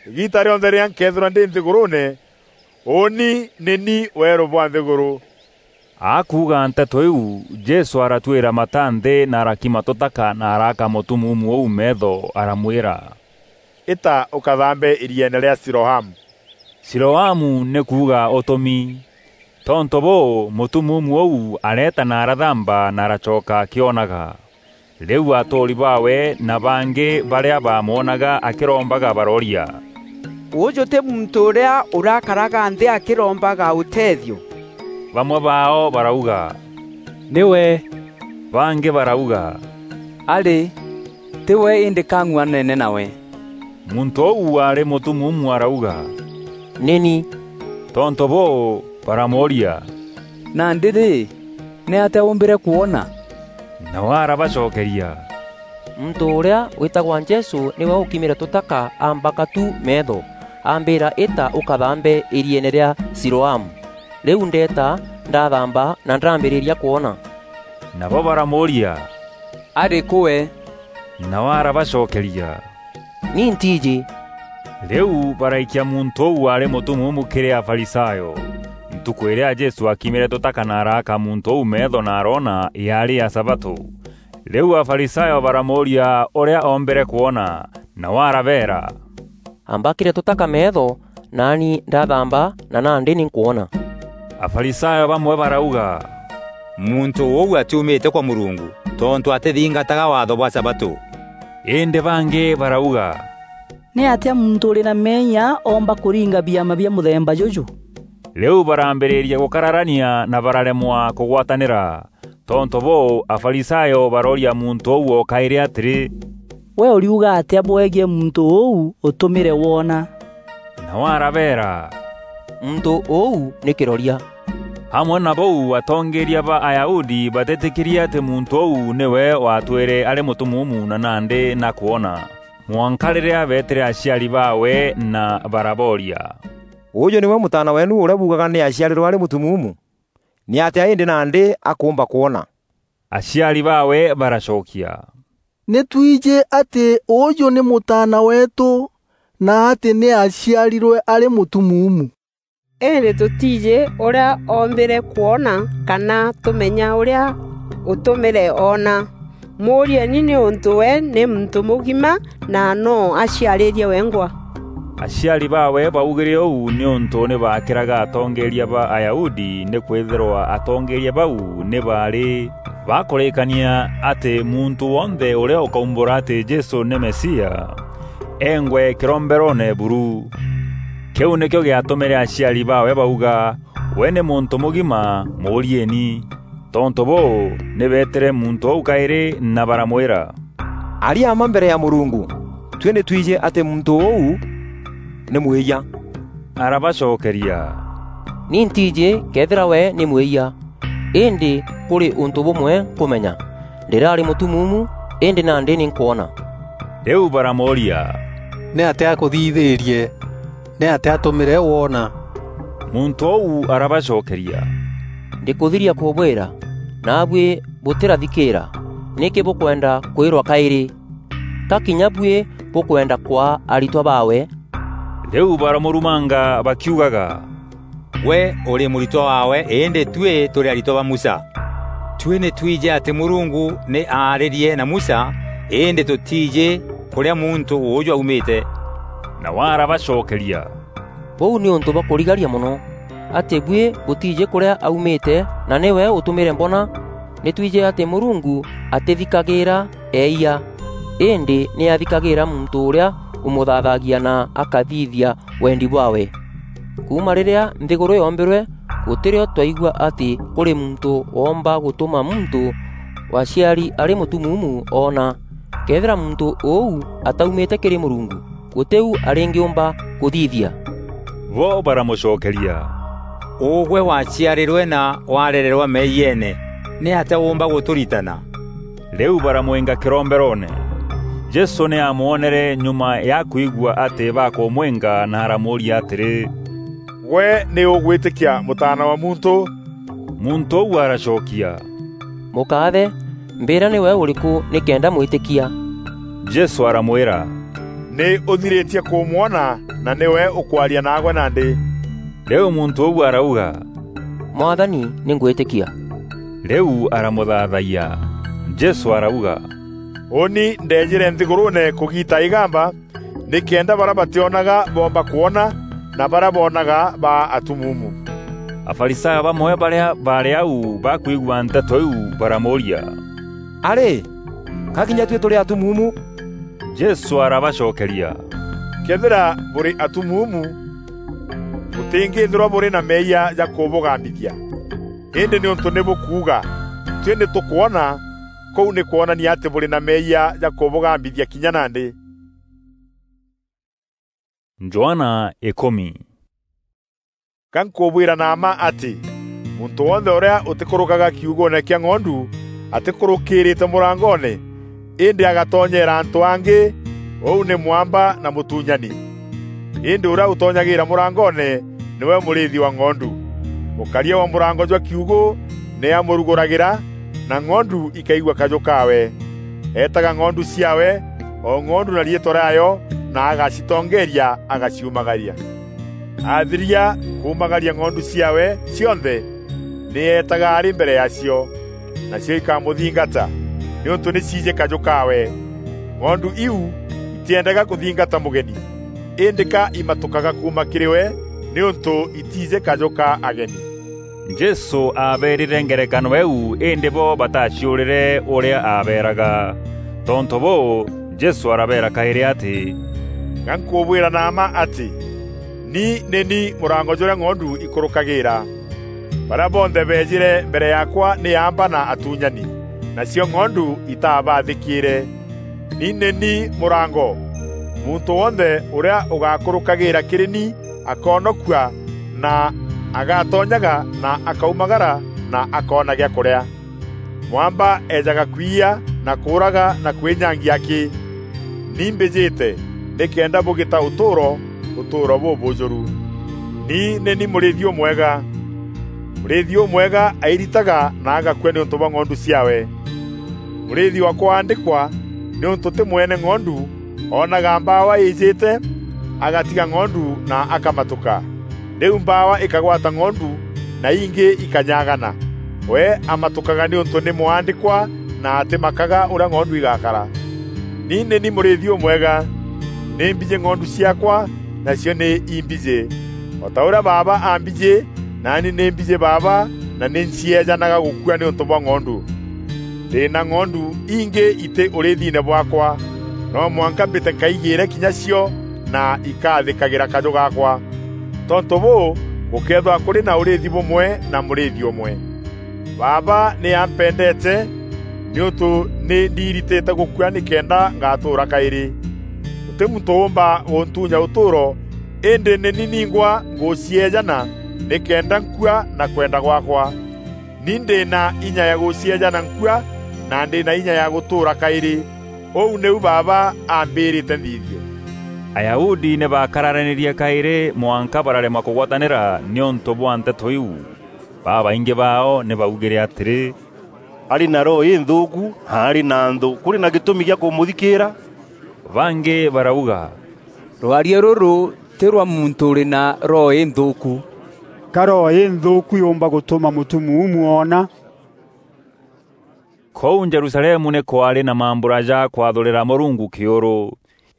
Îgiita rîonthe rîrîa nkeethîrwa ndî nthîgûrûûne, ûûni nî ni weerû bwa nthîgûrû." Akuuga nteto iu, Jesû aratuîra mata nthî na arakima tûtaka na araaka mûtumuumu ûu meetho, aramwîra, "Îta ûkathambe îrieene rîa Siloamu." Siloamu nî kuuga Ûtûmi. Tontû bûû, mûtumuumu ûu areeta na arathamba na aracoka akîonaga. Rîu atûûri baawe na bangî barîa baamwonaga akîrombaga barooria, "Ûûjû tî muntû ûrîa ûrakaraga nthî akîrombaga ûteethio?" Bamwe baao barauga, "Nîwe." Bangî barauga, "Arî, tî we îndî kang'uanene nawe." Muntû ûu waarî mûtumuumu arauga, "Nî ni." Tontû bûû, baramûûria, "Nandî rî, nîatîa ûmbîre kwona?" Nawe arabacokeria, "Muntû ûrîa wîtagwa Jesû nîwe ûkimîre tûtaka aambaka tu meetho, ambîra, 'Îta ûkathambe îrieene rîa Siloamu.' Rîu ndeeta, ndathamba na ndambîrîria kwona." Nabo baramûûria, "Arî kû we?" Nawe arabacokeria, "Ni ntiijî." Rîu baraikia muntû ûu waarî mûtumuumu kîrî Afarisayo. Ntukû îrîa Jesû aakimîre tûtaka na araaka muntû ûu meetho na aroona, yaarî ya sabatû. Rîu Afarisayo baramûûria ûrîa oombîre kwona, nawe arabeera, "Ambakîre tûtaka meetho, naani ndathamba na nandî nî nkwona." Afarisayo bamwe barauga, "Muntû ûu atiumîte kwa Mûrungu, tontû atîthingataga waatho bwa sabatû." Îndî bangî barauga, "Nîatîa muntû ûrî na meeyia oomba kûringa biama bia mûthemba jûjû?" Rîu barambîrîria gûkararania na bararemwa kûgwatanîra. Tontû bûû, Afarisayo barooria muntû ûu o kaîrî atîrî, "Gwe ûriuga atîa bwegiî muntû ûu ûtûmîre woona?" Nawe arabeera, "Muntû ûu nî kîroria." Amwe na bûu, atongeeria ba Ayahudi batîtîkîrie atî muntû ûu nîwe waatwîre arî mûtumuumu na nandî na kwona, mwanka rîrîa beetîre aciari baawe na barabooria, "Ûûjû nîwe mûtaana weenu ûrîa buugaga nî aaciarîrwe arî mûtumuumu? Nîatîa îndî nandî akûûmba kwona?" Aciari baawe baracokia, "Nî twijî atî ûûjû nî mûtaana weetû na atî nî aaciarîrwe arî mûtumuumu. Îndî tûtiijî ûrîa oombîre kwona kana tûmenya ûrîa ûtûmîre oona. Mûûrieni nîûntû we nî muntû mûgima na noo aciarîrie wengwa." Aciari baawe baugîre ûu nîûntû nî baakîraga atongeeria ba Ayahudi, nîkwîthîrwa atongeeria bau nî baarî bakûrîîkania atî muntû wonthe ûrîa ûkaumbûra atî Jesû nî Mesia, eengwe kîromberoone buru. Kîu nîkîo gîatûmîre aciari baawe bauga, "We nî muntû mûgima, mûûrieni." Tontû bûû, nî beetîre muntû ûu kaîrî na baramwîra, "Aria mma mbere ya Mûrungu, tuî nî twijî atî muntû ûu nî mwîyia." Arabacokeria, "Ni ntiijî këethîra we nî mwîyia, îndî kûrî ûntû bûmwe nkûmenya, ndîraarî mûtumuumu, îndî nandî nî nkwona." Rîu baramûûria, "Nîatîa akûthithîrie? Nîatîa atûmîre woona?" Muntû ûu arabacokeria, "Ndîkûthiria kûbwîra, naabuî bûtîrathikîîra. Nîkî bûkwenda kwîrwa kaîrî? Ka kinya buî bûkwenda kwaa aritwa baawe?" Rîu baramûrumanga bakiugaga, "Gwe ûrî mûritwa waawe, îndî tuî tûrî aritwa ba Musa. Tuî nî twîjî atî Mûrungu nî aarîrie na Musa, îndî tûtiijî kûrîa muntû ûûjû aumîte." Nawe arabacokeria, "Bûu nîûntû bwa kûrigaria mono, atî buî bûtiijî kûrîa aumîte, na nîwe ûtûmîre mbona. Nî twîjî atî Mûrungu atîthikagîîra eeyia, îndî nî athikagîîra muntû ûrîa ûmûthaathaagia na akathithia wendi bwaawe. Kuuma rîrîa nthîgûrû yoombîrwe, gûtî rîo twaigua atî kûrî muntû woomba gûtûma muntû waciari arî mûtumuumu oona. Këethîra muntû ûu ataumîte kîrî Mûrungu, gûtî u arîngîûmba kûthithia." Bo baramûcokeria, "Ûgwe waciarîrwe na warererwa meeyiene, nîatîa ûûmba gûtûritana?" Rîu baramwînga kîromberoone. Jesû nî aamwonere nyuma ya kwigua atî bakûmwînga na aramûûria atîrî, "Gwe nî ûgwîtîkia Mûtaana wa Muntû?" Muntû ûu aracokia, "Mûkaathe, mbîra nîwe ûrîkû nîkenda mwîtîkia?" Jesû aramwîra, "Nî ûthirîtie kûmwona na nîwe ûkwaria naagwe nandî." Rîu muntû ûu arauga, "Mwathani, nî ngwîtîkia." Rîu aramûthaathayia. Jesû arauga, "Ûûni ndeejîre nthîgûrûûne kûgiita îgamba, nîkenda barîa batîonaga boomba kwona, na barîa boonaga baa atumuumu." Afarisayo bamwe barîa baarî au bakwigua nteto iu baramûûria, "A rî, ka kinya tuî tûrî atumuumu?" Jesû arabacokeria, "Këethîra bûrî atumuumu, bûtîngîîthîrwa bûrî na meeyia ja kûbûgambithia. Îndî nîûntû nî bûkuuga, 'Tuî nî tûkwona,' kûu nî kwonania atî bûrî na meeyia ja kûbûgambithia kinya nandî." Johana ikûmi. Ga nkûbwîra na mma atî, muntû wonthe ûrîa ûtîkûrûkaga kiugûûne kîa ng'ondu atîkûrûkîîrîte mûrangoone, îndî agatonyeera antû angî, ûu nî mwamba na mûtunyani. Îndî ûrîa ûtonyagîîra mûrangoone nîwe mûrîîthi wa ng'ondu. Mûkaria wa mûrango jwa kiugû nî amûrugûragîra, na ng'ondu ikaigua kajû kaawe. Eetaga ng'ondu ciaawe, o ng'ondu na riîtwa rîaayo, na agacitongeeria, agaciumagaria. Athiria kuumagaria ng'ondu ciaawe cionthe, nî eetaga arî mbere yaacio, nacio ikamûthingata, nîûntû nî ciijî kajû kaawe. Ng'ondu iu itiendaga kûthingata mûgeni, îndî ka imatûkaga kuuma kîrî we, nîûntû itiijî kajû ka ageni. Jesû aabeerîre ngerekano îîu, îndî bo bataciûrîre ûrîa aabeeraga. Tontû bûû, Jesû arabeera kaîrî atî, "Ga nkûbwîra na mma atî, ni nî ni mûrango jûrîa ng'ondu ikûrûkagîîra. Barîa bonthe beejîre mbere yaakwa nî aamba na atuunyani, nacio ng'ondu itaabathîkîîre. Ni nî ni mûrango. Muntû wonthe ûrîa ûgakûrûkagîîra kîrî ni akoonokua, na agatonyaga na akaumagara na akoona gîa kûrîa. Mwamba eejaga kwiya na kûûraga na kwînyangia akî. Ni mbîjîte nîkenda bûgîta ûtûûro, ûtûûro bûbûûjûru. Ni nî ni mûrîîthi ûmwega. Mûrîîthi ûmwega airitaga na agakua nîûntû bwa ng'ondu ciaawe. Mûrîîthi wa kwaandîkwa, nîûntû tî mwene ng'ondu, oonaga mbaawa îîjîte, agatiga ng'ondu na akamatûka. Rîu mbaawa îkagwata ng'ondu, na ingî ikanyagana. We amatûkaga nîûntû nî mwaandîkwa, na atîmakaga ûrîa ng'ondu igakara. Ni nî ni mûrîîthi ûmwega. Nî mbijî ng'ondu ciaakwa, nacio nî imbijî. O ta ûrîa Baaba aambijî, naani nî mbijî Baaba, na nî ncieejanaga gûkua nîûntû bwa ng'ondu. Ndî na ng'ondu ingî itî ûrîîthiine bwaakwa. No mwanka mbîte nkaigîîre kinya cio, na ikathîkagîra kajû gaakwa. Tontû bûû, gûkeethîrwa kûrî na ûrîîthi bûmwe na mûrîîthi ûmwe. Baaba nî ampendeete, nîûntû nî ndiiritîte gûkua nîkenda ngatûûra kaîrî. Gûtî muntû ûûmba gûntuunya ûtûûro, îndî nî ni ningwa ngûcieejana nîkenda nkua na kwenda gwaakwa. Ni ndî na inya ya gûcieejana nkua, na ndî na inya ya gûtûûra kaîrî. Ûu nîu Baaba ambîrîte nthithie. Ayahudi nî baakararanîrie kaîrî mwanka bararema kûgwatanîra nîûntû bwa nteto iu. Babaingî baao nî baugîre atîrî, "Arî na roho înthûûku, na arî na nthû. Kûrî na gîtûmi gîa kûmûthikîîra?" Bangî barauga, "Rwaria rûrû tî rwa muntû ûrî na roho înthûûku." ka roho inthuuku yumba gutuma mutumuumu oona. Kuu Jerusalemu nî kwaarî na mambura ja kwathûrîra Mûrungu kîûrû.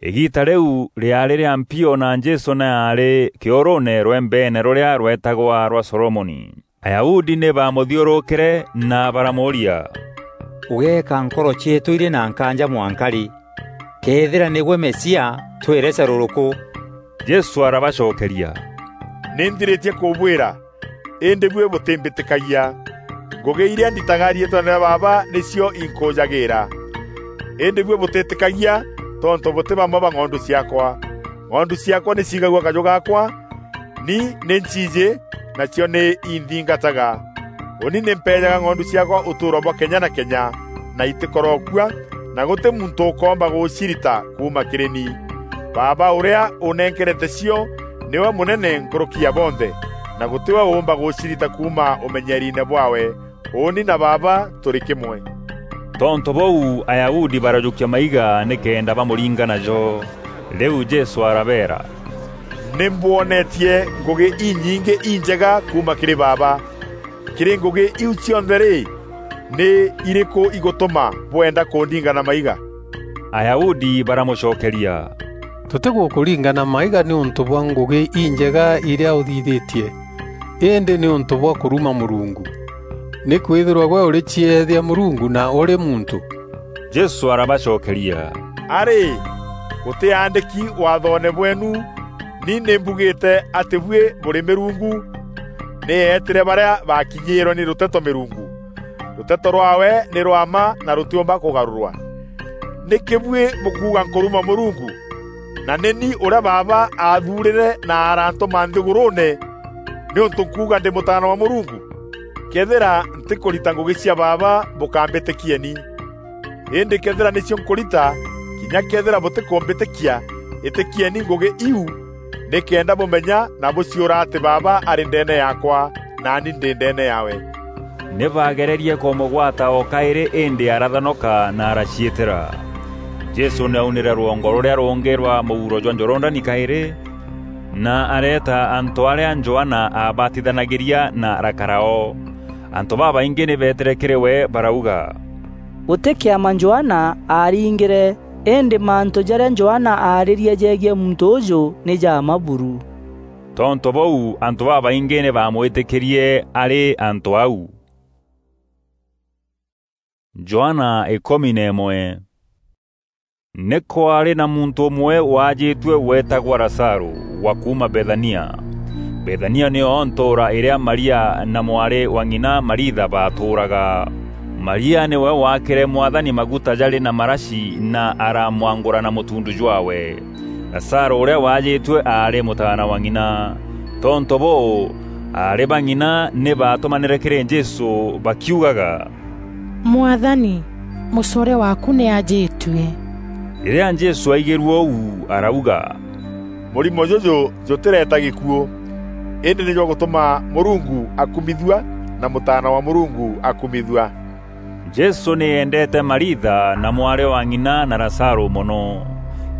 Îgiita rîu rîaarî rîa mpio na Jesû nî aarî kîûrûûne rwembeene rûrîa rweetagwa rwa Solomoni. Ayahudi nî baamûthiûrûkîre na baramûûria, "Ûgeeka nkoro cieetû irî na nkaanja mwanka rî? Këethîra nîgwe Mesia, twîre carûrûkû." Jesû arabacokeria, "Nî nthirîtie kûbwîra, îndî buî bûtîmbîtîkagia. Ngûgî irîa nditaga riîtweene rîa Baaba nîcio inkûûjagîîra. Îndî buî bûtîtîkagia tontû bûtî bamwe ba ng'ondu ciaakwa. Ng'ondu ciaakwa nî ciigagua kajû gaakwa, ni nî nciijî, nacio nî inthingataga. Ûni nî mpeejaga ng'ondu ciaakwa ûtûûro bwa kenya na kenya, na itîkorokua, na gûtî muntû ûkoomba gûcirita kuuma kîrî ni. Baaba ûrîa ûnenkerete cio nîwe mûnene nkûrûki ya bonthe, na gûtî we ûûmba gûcirita kuuma ûmenyeriine bwaawe. Ûûni na Baaba tûrî kîmwe." Tontû bûu, Ayahudi barajûkia maiga nîkenda bamûringa najo. Rîu Jesû arabeera, "Nî mbwonetie ngûgî inyingî injega kuuma kîrî Baaba. Kîrî ngûgî iu cionthe rî, nî irîkû igûtûma bwenda kûndinga na maiga?" Ayahudi baramûcokeria, "Tûtîgûkûringa na maiga nîûntû bwa ngûgî injega irîa ûthithîtie, îndî nîûntû bwa kûruma Mûrungu. Nîkwîthîrwa gwe ûrî cieethia Mûrungu na ûrî muntû." Jesû arabacokeria, "Arî, gûtî aandîki waathoone bweenu, ni nî mbugîte atî buî bûrî mîrungu? Nî eetîre barîa baakinyîîrwe nî rûteto mîrungu. Rûteto rwaawe nî rwa mma na rûtîûmba kûgarûrwa. Nîkî buî bûkuuga nkûruma Mûrungu? Na nî ni ûrîa Baaba aathuurîre na arantûma nthîgûrûûne nîûntû nkuuga ndî Mûtaana wa Mûrungu? Këethîra ntîkûrita ngûgî cia Baaba, bûkambîtîkieni. Îndî këethîra nîcio nkûrita, kinya këethîra bûtîkûmbîtîkia, îtîkieni ngûgî iu, nîkenda bûmenya na bûciûra atî Baaba arî ndeene yaakwa, naani ndî ndeene yaawe." Nî baagererie kûmûgwata o kaîrî, îndî arathanoka na araciîtîra. Jesû nî aunîre rwongo rûrîa rûngî rwa mûuro jwa Jorodani kaîrî, na areeta antû arîa Johana aabatithanagîria na arakara o. Antû babaingî nî beetîre kîrî we barauga, "Gûtî kîama Johana aaringîre, îndî mantû jarîa Johana aarîrie jegiî muntû ûjû nî ja mma buru." Tontû bûu, antû babaingî nî baamwîtîkîrie arî antû au. Johana îkûmi na îmwe. Nî kwaarî na muntû ûmwe waajîtue weetagwa Lazarû, wa kuuma Bethania. Bethania nîyo ntûûra îrîa Maria na mwarî wa ng'ina Maritha baatûûraga. Maria nîwe waakîre Mwathani maguta jarî na marashi na aramwangûra na mûtundu jwaawe. Lazarû ûrîa waajîtue aarî mûtaana wa ng'ina. Tontû bûû, aarî ba ng'ina nî baatûmanîre kîrî Jesû bakiugaga, "Mwathani, mûcoore waaku nî aajîtue." Rîrîa Jesû aigîrue ûu, arauga, "Mûrimo jûjû jûtîreeta gîkuû, îndî nî jwagûtûma Mûrungu akumithua na Mûtaana wa Mûrungu akumithua." Jesû nî eendeete Maritha na mwarî wa ng'ina na Lazarû mono.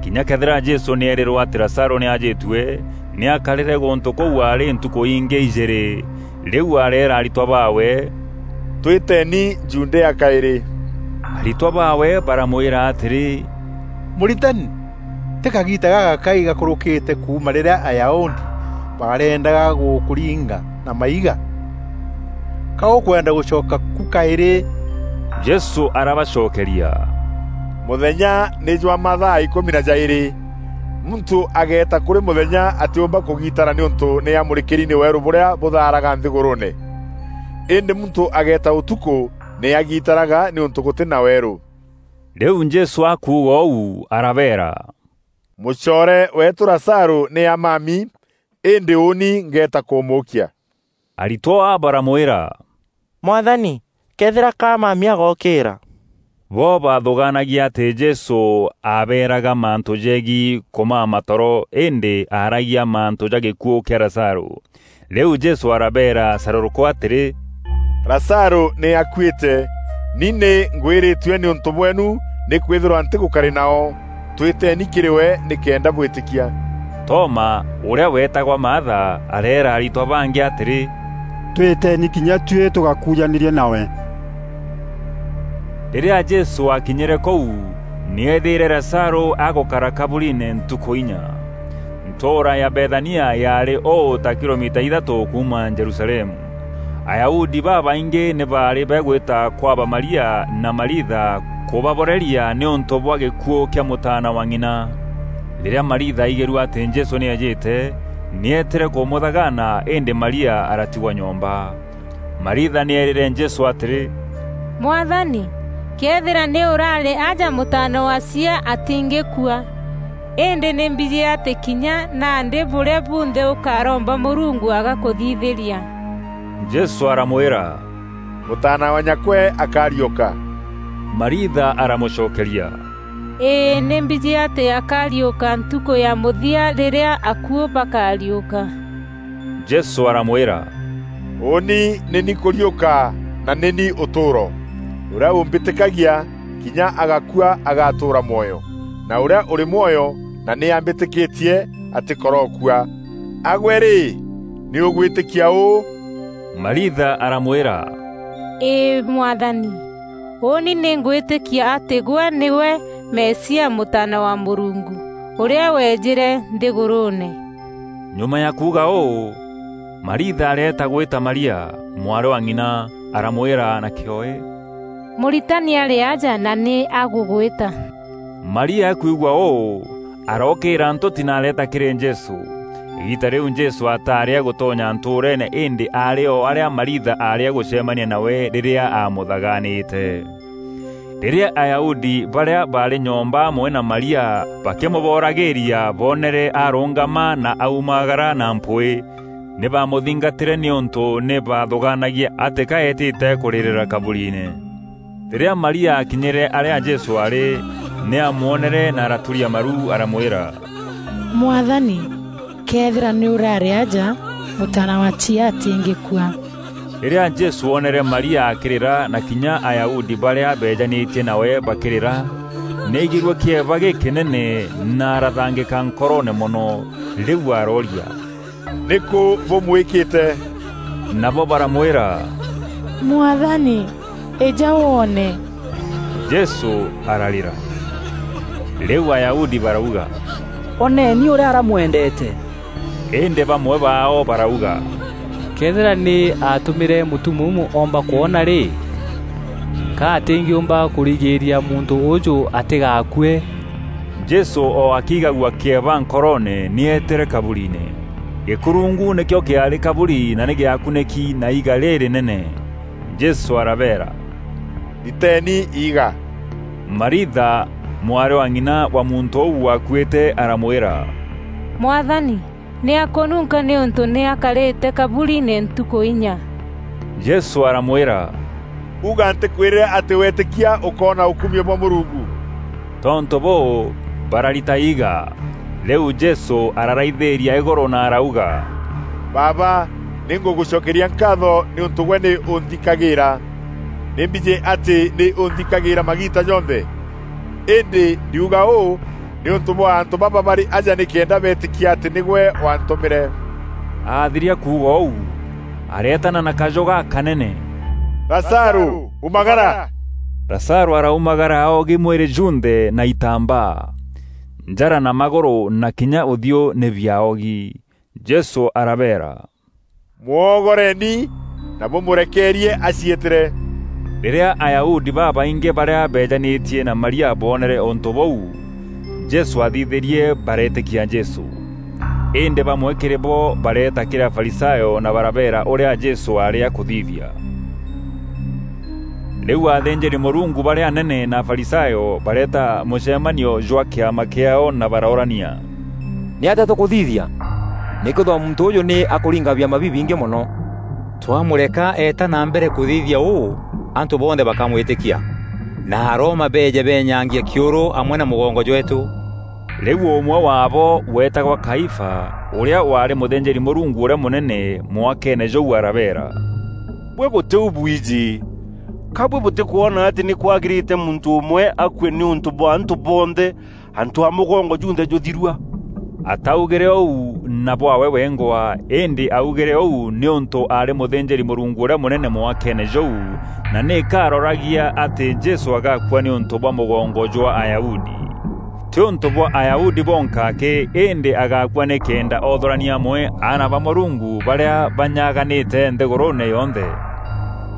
Kinya këethîra Jesû nî eerîrwe atî Lazarû nî aajîtue, nî aakarîre gûntû kûu aarî ntukû ingî ijîîrî. Rîu areera aritwa baawe, "Twîteeni Judea kaîrî." Aritwa baawe baramwîra atîrî, "Mûritani, tî kagiita gagakai gakûrûkîte kuuma rîrîa Ayahudi barendaga gûkûringa na maiga? Ka ûkwenda gûcoka ku kaîrî?" Jesû arabacokeria, "Mûthenya nî jwa mathaa îkûmi na jaîrî. Muntû ageeta kûrî mûthenya atîûmba kûgitara nîûntû nî amûrîkîri nî weerû bûrîa bûthaaraga nthîgûrûûne. Îndî muntû ageeta ûtukû nî agitaraga nîûntû gûtî na weerû." Rîu Jesû akuuga ûu, arabeera, "Mûcoore weetû Lazarû nî amami, îndî ûûni ngeeta kûmûûkia." Aritwa baramwîra, "Mwathani, këethîra ka amami agokîîra?" Bo baathûgaanagia atî Jesû aabeeraga mantû jegiî kûmama toro, îndî aaragia mantû ja gîkuû kîa Lazarû. Rîu Jesû arabeera carûrûkû atîrî, "Lazarû nî akuîte. Ni nî ngwîrîtue nîûntû bweenu, nîkwîthîrwa ntîgûkarî nao. Twîteeni kîrî we nîkenda bwîtîkia." Toma, ûrîa weetagwa Maatha, areera aritwa bangi atîrî, "Twîteni kinya tuî tûgakujanîrie nawe." Rîrîa Jesû aakinyîre kûu, nî eethîîre Lazarû agûkara kaburiine ntukû inya. Ntûûra ya Bethania yaarî ûû ta kilomita ithatû kuuma Jerusalemu. Ayahudi babaingî nî baarî bagwîta kwaba Maria na Maritha kûbaboreria nîûntû bwa gîkuû kîa mûtaana wa ng'ina. Rîrîa Maritha aigîrue atî Jesû nî eejîte, nî eetîre kûmûthagaana, îndî Maria aratigwa nyomba. Maritha nî eerîre Jesû atîrî, "Mwathani, këethîra nî ûraarî aja mûtaana wa cia atîngîkua. Îndî nî mbijî atî kinya nandî bûrîa bunthe ûkaromba Mûrungu agakûthithîria." Jesû aramwîra, "Mûtaana wa nyakwe akariûka." Maritha aramûcokeria, "Îî, nî mbijî atî akariûka ntukû ya mûthia rîrîa akuû bakariûka." Jesû aramwîra, "Ûûni nî ni kûriûka na nî ni ûtûûro. Ûrîa ûmbîtîkagia, kinya agakua agatûûra mwoyo, na ûrîa ûrî mwoyo na nî ambîtîkîtie atîkorokua. Agwe rî, nî ûgwîtîkia ûû?" Maritha aramwîra, "Îî, Mwathani, ûûni nî ngwîtîkia atî gwe nîgwe Mesia, Mûtaana wa Mûrungu, ûrîa weejîre nthîgûrûûne." Nyuma ya kuuga ûû, Maritha areeta gwîta Maria, mwarî wa ng'ina, aramwîra na kîoe, "Mûritani arî aja na nî agûgwîta." Maria akwigua ûû, arookîîra ntûti na areeta kîrî Jesû. Îgiita rîu Jesû ataarî agûtonya ntûûreene, îndî aarî o arîa Maritha aarî agûcemania nawe rîrîa aamûthagaanîte. Rîrîa Ayahudi barîa baarî nyomba amwe na Maria bakîmûboragîîria boonere arûngama na aumagara na mpwîî, nî baamûthingatîre nîûntû nî baathûgaanagia atî ka eetîte kûrîrîra kaburiine. Rîrîa Maria aakinyîre arîa Jesû aarî, nî aamwonere na araturia maru, aramwîra, "Mwathani, këethîra nî ûraarî aja, mûtaana wa cia atîngîkua." Rîrîa Jesû oonere Maria akîrîra na kinya Ayahudi barîa beejanîtie nawe bakîrîra, nî aigîrue kîeba gîkînene na arathangîka nkoroone mono. Rîu arooria, "Nîkû bûmwîkîte?" Nabo baramwîra, "Mwathani, îja woone." Jesû ararîra. Rîu Ayahudi barauga, "Oneeni ûrîa aramwendeete!" Îndî bamwe baao barauga, "Këethîra nî aatûmîre mûtumuumu oomba kwona rî, ka atîngîûmba kûrigîîria muntû ûûjû atîgakue?" Jesû o akigagua kîeba nkoroone, nî eetîre kaburiine. Gîkurungu nîkîo kîaarî kaburi na nî gîakunîki na iiga rîrînene. Jesû arabeera, "Riteeni iiga." Maritha, mwarî wa ng'ina wa muntû ûu wakuîte, aramwîra, "Mwathani, nî akûnunka nîûntû nî akarîte kaburiine ntukû inya." Jesû aramwîra, "Uga ntîkwîrîre atî weetîkia ûkoona ûkumio bwa Mûrungu?" Tontû bûû, bararita iiga. Rîu Jesû araraithîîria îgûrû na arauga, "Baaba, nî ngûgûcokeria nkaatho nîûntû gwe nî ûnthikagîîra. Nî mbijî atî nî ûnthikagîîra magiita jonthe. Îndî ndiuga ûû nîûntû bwa antû baba barî aja nîkenda beetîkia atî nîgwe waantûmîre." Aathiria kuuga ûu, areetana na kajû gakanene, "Lazarû, umagara!" Lazarû araumagara aogi mwîrî junthe na itambaa. Njara na magûrû na kinya ûthiû nî biaogi. Jesû arabeera, "Mwogoreni na bûmûrekeerie aciîtîre." Rîrîa Ayahudi babaingî barîa beejanîtie na Maria boonere ûntû bûu Jesû aathithîrie, bareetîkia Jesû. Îndî bamwe kîrî bo bareeta kîrî Afarisayo na barabeera ûrîa Jesû aarî akûthithia. Rîu athînjîri-Mûrungu barîa anene na Afarisayo bareeta mûcemanio jwa kîama kîaao na baroorania, "Nîatîa tûkûthithia? Nîkwîthîrwa muntû ûûjû nî akûringa biama bibingî mono. Twamûreka eeta na mbere kûthithia ûû, antû bonthe bakamwîtîkia, na Aroma beeje beenyangie kîûrû amwe na mûgongo jweetû." Rîu ûmwe waabo weetagwa Kaifa, ûrîa waarî mûthînjîri-Mûrungu ûrîa mûnene mwakeene jûu arabeera, "Buî bûtî u bwiji? Ka buî bûtîkwona atî nî kwagîrîte muntû ûmwe akue nîûntû bwa antû bonthe, antû a mûgongo junthe jûthirua?" Ataugîre ûu na bwaawe wengwa, îndî augîre ûu nîûntû aarî mûthînjîri-Mûrungu ûrîa mûnene mwakeene jûu, na nîka aroragia atî Jesû agakua nîûntû bwa mûgongo jwa Ayahudi. Tî ûntû bwa Ayahudi bonka akî, îndî agakua nîkenda oothûrania amwe aana ba Mûrungu barîa banyaganîte nthîgûrûûne yonthe.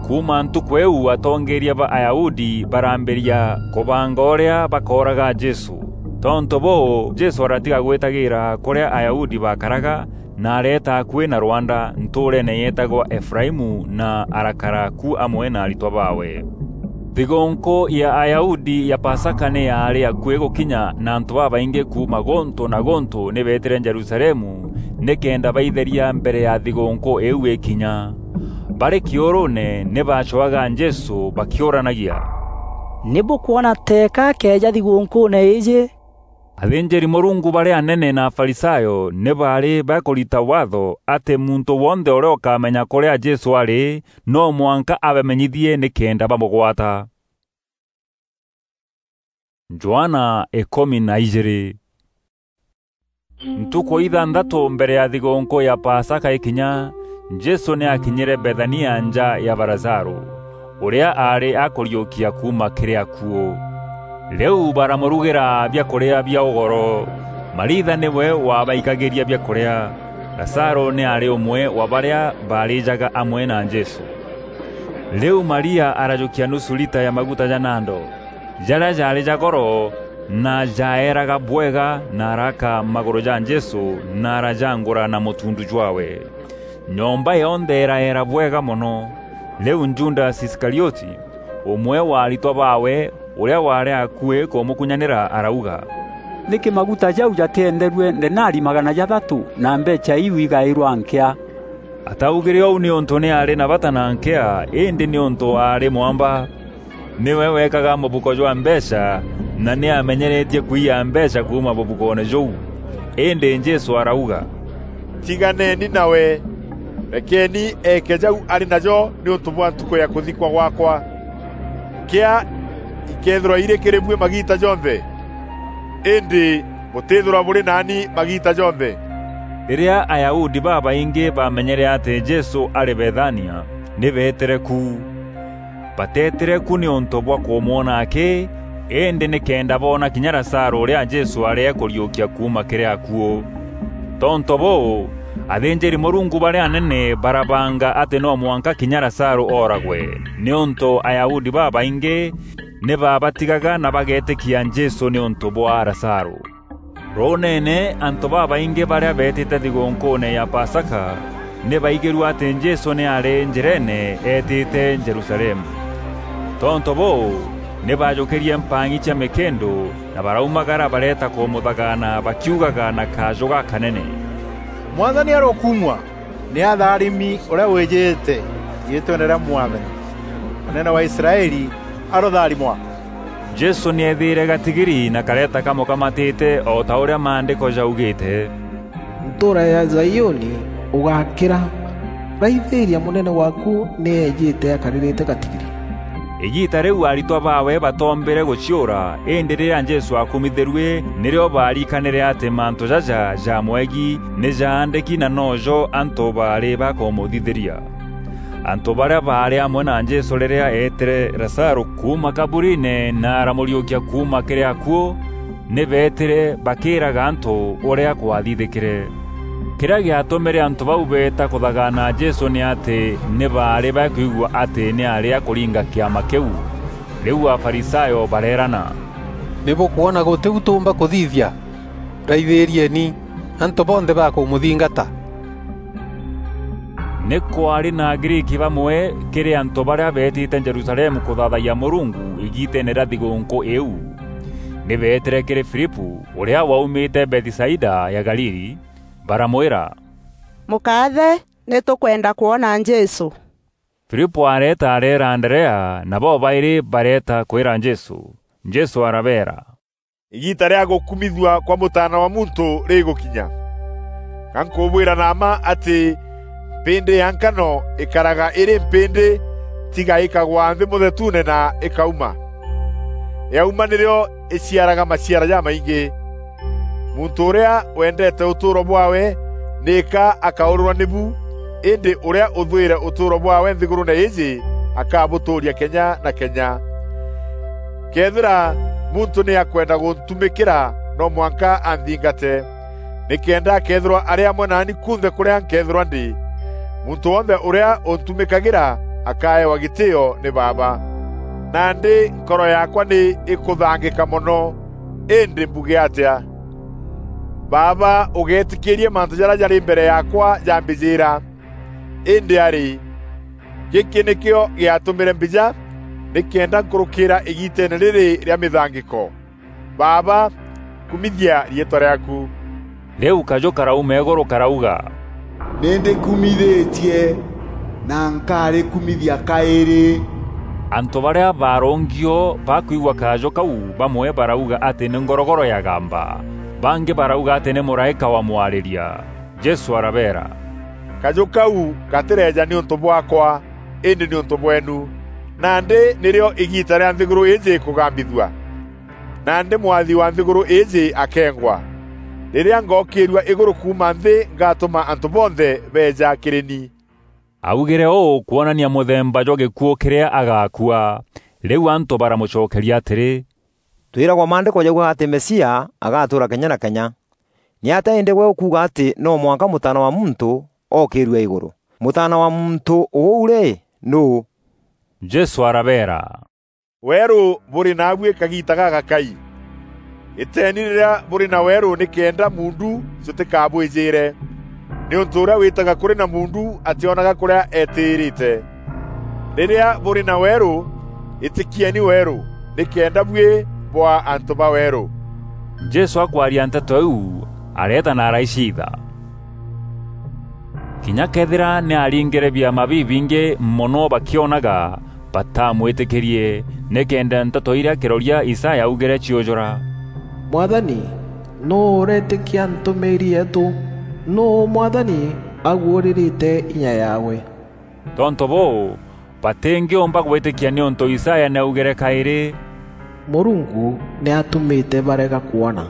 Kuuma ntukû îîu, atongeeria ba Ayahudi barambîria kûbanga ûrîa bakooraga Jesû. Tontû bûû, Jesû aratiga gwîtagîîra kûrîa Ayahudi bakaraga, na areeta akuî na rwanda ntûûreene yeetagwa Efuraimu, na arakara ku amwe na aritwa baawe. Thigûûnkû ya Ayahudi ya Pasaka nî yaarî akuî gûkinya, na antû babaingî kuuma gûntû na gûntû nî beetîre Jerusalemu nîkenda baitheria mbere ya thigûûnkû îîu îkinya. Barî kîûrûûne, nî baacwaga Jesû bakîûranagia, "Nî bûkwona teeka akeeja thigûûnkûûne îîjî?" Athînjîri-Mûrungu barîa anene na Afarisayo nî baarî bakûrita waatho atî muntû wonthe ûrîa ûkamenya kûrîa Jesû arî, no mwanka abamenyithie nîkenda bamûgwata. Johana îkûmi na ijîîrî. Ntukû ithanthatû mbere ya thigûûnkû ya Pasaka îkinya, Jesû nî aakinyîre Bethania nja ya Lazarû, ûrîa aarî akûriûkia kuuma kîrî akuû. Rîu baramûrugîra biakûrîa bia ûgoro. Maritha nîwe wabaikagîria biakûrîa. Lazarû nî aarî ûmwe wa barîa baarîjaga amwe na Jesû. Rîu Maria arajûkia nusu rita ya maguta ja nando, jarîa jaarî ja goro na jaeeraga bwega, na araka magûrû ja Jesû, na arajangûra na mûtundu jwaawe. Nyomba yonthe îraeera bwega mono. Rîu Judasi Iskarioti, ûmwe wa aritwa baawe, ûrîa waarî akuî kûmûkunyanîra, arauga, "Nîkî maguta jau jatîenderue ndenari magana jathatû, na mbeecha iu igaîrwa nkîa?" Ataugîre ûu nîûntû nî aarî na bata na nkîa, îndî nîûntû aarî mwamba. Nîwe weekaga mûbuko jwa mbeecha, na nî aamenyeretie kwiya mbeecha kuuma mûbukoone jûu. Îndî Jesû arauga, "Tiganeeni nawe, rekeeni eeke jau arî najo nîûntû bwa ntukû ya kûthikwa gwaakwa. Nkîa ikeethîrwa irî kîrî buî magiita jonthe, îndî bûtîîthîrwa bûrî naani magiita jonthe." Rîrîa Ayahudi babaingî baamenyere atî Jesû arî Bethania, nî beetîre ku. Bateetîre ku nîûntû bwa kûmwona akî, îndî nîkenda boona kinya Lazarû ûrîa Jesû aarî akûriûkia kuuma kîrî akuû. Tontû bûû, athînjîri-Mûrungu barîa anene barabanga atî no mwanka kinya Lazarû ooragwe, nîûntû Ayahudi babaingî nî baabatigaga na bageetîkia Jesû nîûntû bwa Lazarû. Rûûneene, antû babaingî barîa beetîte thigûûnkûûne ya Pasaka nî baigîrue atî Jesû nî aarî njîreene eetîte Jerusalemu. Tontû bûû, nî baajûkîrie mpang'i cia mîkîndû na baraumagara bareeta kûmûthagaana bakiugaga na kajû gakanene, "Mwathani arokumua! Nî atharimi ûrîa wîjîte riîtweene rîa Mwathani! Mûnene wa Israeli arotharimwa!" Jesû nî eethîîre gatigiri na kareeta kamûkamatîte o ta ûrîa Maandîko jaugîte, "Ntûûra ya Zaiûni ûgakîra! Raithîîria, mûnene waaku nî eejîte akarîrîte gatigiri!" Îgiita rîu aritwa baawe batoombîre gûciûra, îndî rîrîa Jesû aakumithîrue, nîrîo baarikanîre atî mantû jaja jamwegi nî jaandîki na nojo antû baarî bakûmûthithîria. Antû barîa baarî amwe na Jesû rîrîa eetîre Lazarû kuuma kaburiine na aramûriûkia kuuma kîrî akuû, nî beetîre bakîîraga antû ûrîa kwathithîkîre. Kîrîa gîatûmîre antû bau beeta kûthagaana Jesû nî atî nî baarî bakwigua atî nî aarî akûringa kîama kîu. Rîu Afarisayo bareerana, "Nî bûkwona gûtî u tûûmba kûthithia? Raithîîrieni, antû bonthe bakûmûthingata." Nî kwaarî na Agriiki bamwe kîrî antû barîa beetîte Jerusalemu kûthaathayia Mûrungu îgiiteene rîa thigûûnkû îîu. Nî beetîre kîrî Filipû, ûrîa waumîte Bethisaida ya Galili, baramwîra, "Mûkaathe, nî tûkwenda kwona Jesû." Filipû areeta areera Anderea, na bobaîrî bareeta kwîra Jesû. Jesû arabeera, "Îgiita rîa gûkumithua kwa Mûtaana wa Muntû rîgûkinya. Ga nkûbwîra na mma atî mpîndî ya nkano îkaraga îrî mpîndî, tiga îkagwa nthî mûthetuune na îkauma. Yauma nîrîo îciaraga maciara jamaingî. Muntû ûrîa wendete ûtûûro bwaawe nîka akaûrîrwa nîbu, îndî ûrîa ûthwîre ûtûûro bwaawe nthîgûrûûne îîjî akabûtûûria kenya na kenya. Këethîra muntû nî akwenda gûntumîkîra, no mwanka anthingate, nîkenda akeethîrwa arî amwe naani kunthe kûrîa nkeethîrwa ndî. Muntû wonthe ûrîa ûntumîkagîra akaewa gîtîîo nî Baaba. Nandî nkoro yaakwa nî îkûthangîka mono, îndî mbuge atîa? Baaba, ûgeetîkîîrie mantû jarîa jarî mbere yaakwa jambîjîîra. Îndî arî, gîkî nîkîo gîatûmîre mbîja, nîkenda nkûrûkîîra îgiiteene rîrî rîa mîthangîko. Baaba, kumithia riîtwa rîaaku. Rîu kajû karauma îgûrû karauga, "Nî ndîkumithîtie, na nkarîkumithia kaîrî." Antû barîa baarûngi o bakwigua kajû kau, bamwe barauga atî nî ngorogoro yagamba, bangî barauga atî nî mûraîka wamwarîria. Jesû arabeera, "Kajû kau gatîreeja nîûntû bwaakwa, îndî nîûntû bweenu. Nandî nîrîo îgiita rîa nthîgûrû îîjî kûgambithua. Nandî mwathi wa nthîgûrû îîjî akeengwa. Rîrîa ngookîîrua îgûrû kuuma nthî, ngatûma antû bonthe beeja kîrî ni." Augîre ûû kwonania mûthemba jwa gîkuû kîrîa agaakua. Rîu antû baramûcokeria atîrî, "Twîragwa Maandîko jaugaga atî Mesia agatûûra kenya na kenya. Nîatîa îndî gwe ûkuuga atî no mwanka Mûtaana wa Muntû ookîîrua îgûrû? Mûtaana wa Muntû ûu rî, nûû?" Jesû arabeera, "Weerû bûrî naabuî kagiita gagakai. Îteeni rîrîa bûrî na weerû nîkenda muundu jûtîkabwîjîîre. Nîûntû ûrîa wîtaga kûrî na muundu atîonaga kûrîa eetîîrîte. Rîrîa bûrî na weerû, îtîkieni weerû, nîkenda buî bwaa antû ba weerû." Jesû akwaria nteto iu, areeta na araiciitha. Kinya këethîra nî aaringîre biama bibingî mono bakîonaga, batamwîtîkîrie, nîkenda nteto irîa kîroria Isaya augîre ciûjûra, "Mwathani, nûû ûreetîkia ntûmîîri yeetû? Nûû Mwathani aguûrîrîte inya yaawe?" Tontû bûû, batîngîûmba gwîtîkia nîûntû Isaya nî augîre kaîrî, "Mûrungu nî atûmîte barega kwona,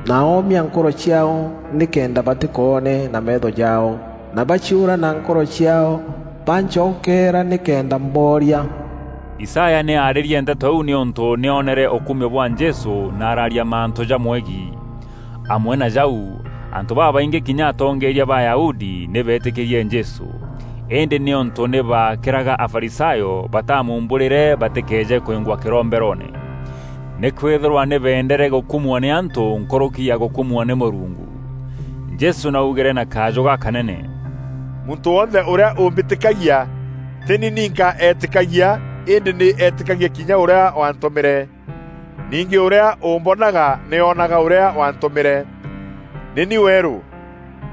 na oomia nkoro ciaao nîkenda batîkoone na meetho jaao, na baciûra na nkoro ciaao bancokeera nîkenda mbooria." Isaya nî aarîrie nteto iu nîûntû nî oonere ûkumio bwa Jesû na araaria mantû jamwegîi. Amwe na jau, antû babaingî kinya atongeeria ba Ayahudi nî beetîkîrie Jesû. Îndî nîûntû nî baakîraga Afarisayo batamuumbûrîre batîkeeje kwîngwa kîromberoone. Nîkwîthîrwa nî beendere gûkumua nî antû nkûrûki ya gûkumua nî Mûrungu. Jesû nî augîre na kajû gakanene, "Muntû wonthe ûrîa ûmbîtîkagia, tî ni ninka eetîkagia, îndî nî eetîkagia kinya ûrîa waantûmîre. Ningî ûrîa ûmbonaga nî oonaga ûrîa waantûmîre. Nî ni weerû,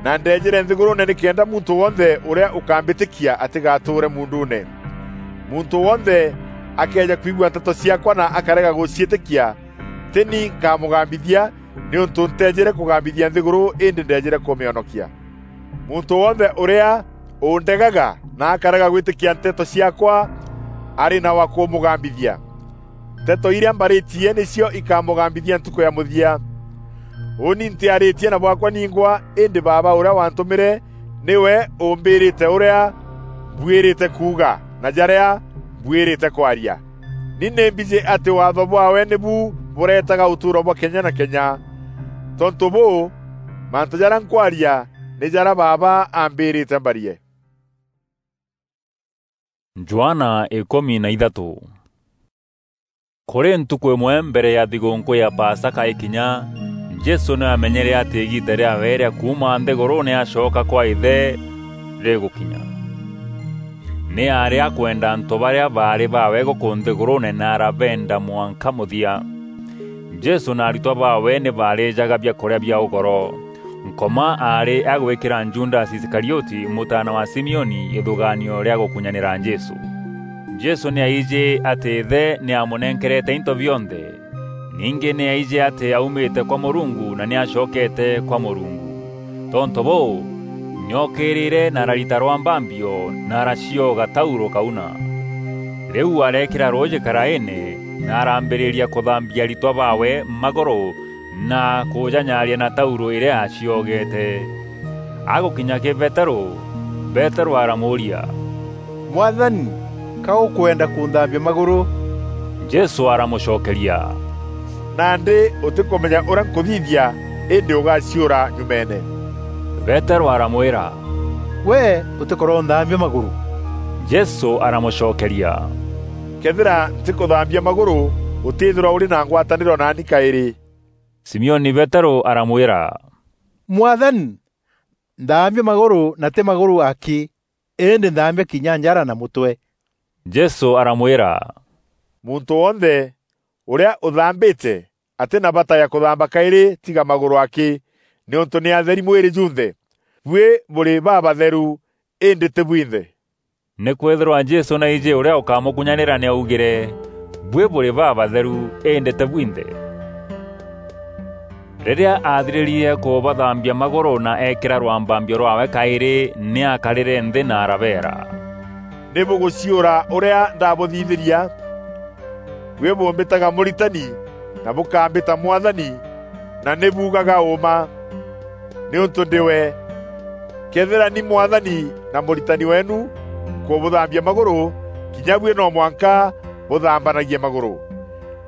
na ndeejîre nthîgûrûûne nîkenda muntû wonthe ûrîa ûkambîtîkia atîgatûûre muunduune. Muntû wonthe akëeja kwigua nteto ciaakwa na akarega gûciîtîkia, tî ni nkamûgambithia, nîûntû nteejîre kûgambithia nthîgûrû, îndî ndeejîre kûmîonokia. Muntû wonthe ûrîa ûndegaga na akarega gwîtîkia nteto ciaakwa, arî na wa kûmûgambithia. Nteto irîa mbarîtie nîcio ikamûgambithia ntukû ya mûthia. Ûûni ntîarîtie na bwaakwa ningwa, îndî Baaba ûrîa waantûmîre nîwe ûmbîrîte ûrîa mbuîrîte kuuga na jarîa mbuîrîte kwaria. Ni nî mbijî atî waatho bwaawe nîbu bûreetaga ûtûûro bwa kenya na kenya. Tontû bûû, mantû jarîa nkwaria nî jarîa Baaba ambîrîte mbarie." Johana ikûmi na ithatû. Kûrî ntukû îmwe mbere ya thigûûnkû ya Pasaka îkinya, Jesû nî aamenyere atî îgiita rîaawe rîa kuuma nthîgûrûûne acoka kwa Îthe rîgûkinya. Nî aarî akwenda antû barîa baarî baawe gûkû nthîgûrûûne na arabeenda mwanka mûthia. Jesû na aritwa baawe nî baarîjaga biakûrîa bia ûgoro. Nkoma aarî agwîkîra Judasi Iskarioti, mûtaana wa Simioni, îthûgaanio rîa gûkunyanîra Jesû. Jesû nî aijî atî Îthe nî amûnenkerete into bionthe. Ningî nî aijî atî aumîte kwa Mûrungu na nî acokeete kwa Mûrungu. Tontû bûû, nî ookîrîre na ararita rwambambio na aracioga taurû kauna. Rîu areekîra rûûjî karaîîne na arambîrîria kûthambia aritwa baawe magûrû na kûjanyaria na taurû îrîa aaciogete. Agûkinya kî Peterû, Peterû aramûûria, "Mwathani, ka ûkwenda kûnthambia magûrû?" Jesû aramûcokeria, "Nandî ûtîkûmenya ûrîa nkûthithia, îndî ûgaciûra nyumeene." Peterû aramwîra, "Gwe ûtîkoronthaambia magûrû." Jesû aramûcokeria, "Këethîra ntîkûthaambia magûrû, ûtîîthîrwa ûrî na ngwatanîro naani kaîrî." Simioni Peterû aramwîra, "Mwathani, nthaambia magûrû na tî magûrû akî, îndî nthaambia kinya njara na mûtwe." Jesû aramwîra, "Muntû wonthe ûrîa ûthambîte atî na bata ya kûthamba kaîrî tiga magûrû akî, nîûntû nî atheri mwîrî junthe. Buî bûrî babatheru, îndî tî bwinthe." Nîkwîthîrwa Jesû nî aijî ûrîa ûkamûkunyanîra, nî aaugîre, "Buî bûrî babatheru, îndî tî bwinthe." Rîrîa aathirîrie kûbathambia magûrû na eekîra rwambambio rwaawe kaîrî, nî aakarîre nthî na arabeera, "Nî bûgûciûra ûrîa ndaabûthithîria? Buî bûmbîtaga Mûritani, na bûkambîta Mwathani, na nî buugaga ûûma, nîûntû ndî we. Këethîra ni Mwathani na Mûritani weenu nkûbûthambia magûrû, kinya buî no mwanka bûthambanagie magûrû.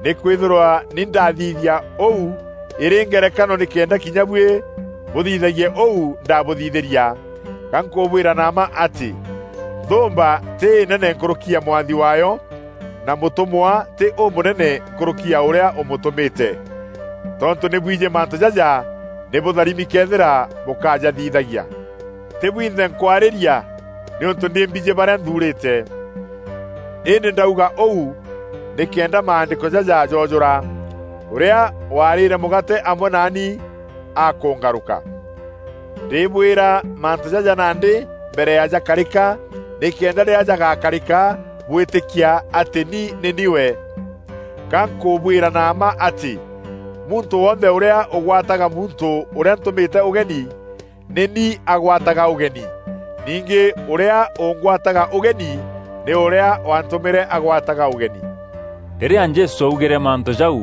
Nîkwîthîrwa ni ndathithia ûu îrî ngerekano nîkenda kinya buî bûthithagie ûu ndabûthithîria. Ga nkûbwîra na mma atî, nthûûmba tî înene nkûrûki ya mwathi waayo, na mûtûmwa tî ûmûnene nkûrûki ya ûrîa ûmûtûmîte. Tontû nî bwijî mantû jaja, nî bûtharimi këethîra bûkajathithagia. Tî bwinthe nkwarîria, nîûntû nî mbijî barîa nthuurîte. Îndî ndauga ûu nîkenda maandîko jaja joojûra, 'Ûrîa waarîre mûgaate amwe naani akûngarûka.' Ndîbwîra mantû jaja nandî mbere ya jakarîka, nîkenda rîrîa jagakarîka, bwîtîkia atî ni nî ni we. Ga nkûbwîra na mma atî, muntû wonthe ûrîa ûgwataga muntû ûrîa ntûmîte ûgeni, nî ni agwataga ûgeni. Ningî ûrîa ûngwataga ûgeni, nî ûrîa waantûmîre agwataga ûgeni." Rîrîa Jesû augîre mantû jau,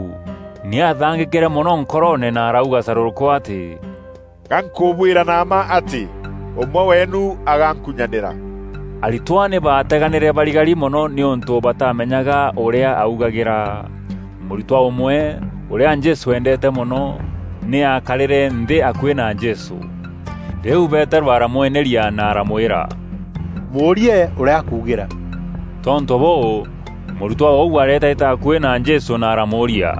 nî aathangîkîre mono nkoroone na arauga carûrûkû atî, "Ga nkûbwîra na mma atî, ûmwe weenu agankunyanîra." Aritwa nî baateganîre barigari mono nîûntû batamenyaga ûrîa augagîra. Mûritwa ûmwe, ûrîa Jesû eendeete mono, nî aakarîre nthî akuî na Jesû. Rîu Peterû aramweneria na aramwîra, "Mûûrie ûrîa akuugîra." Tontû bûû, mûritwa ûu areetaîta akuî na Jesû na aramûûria,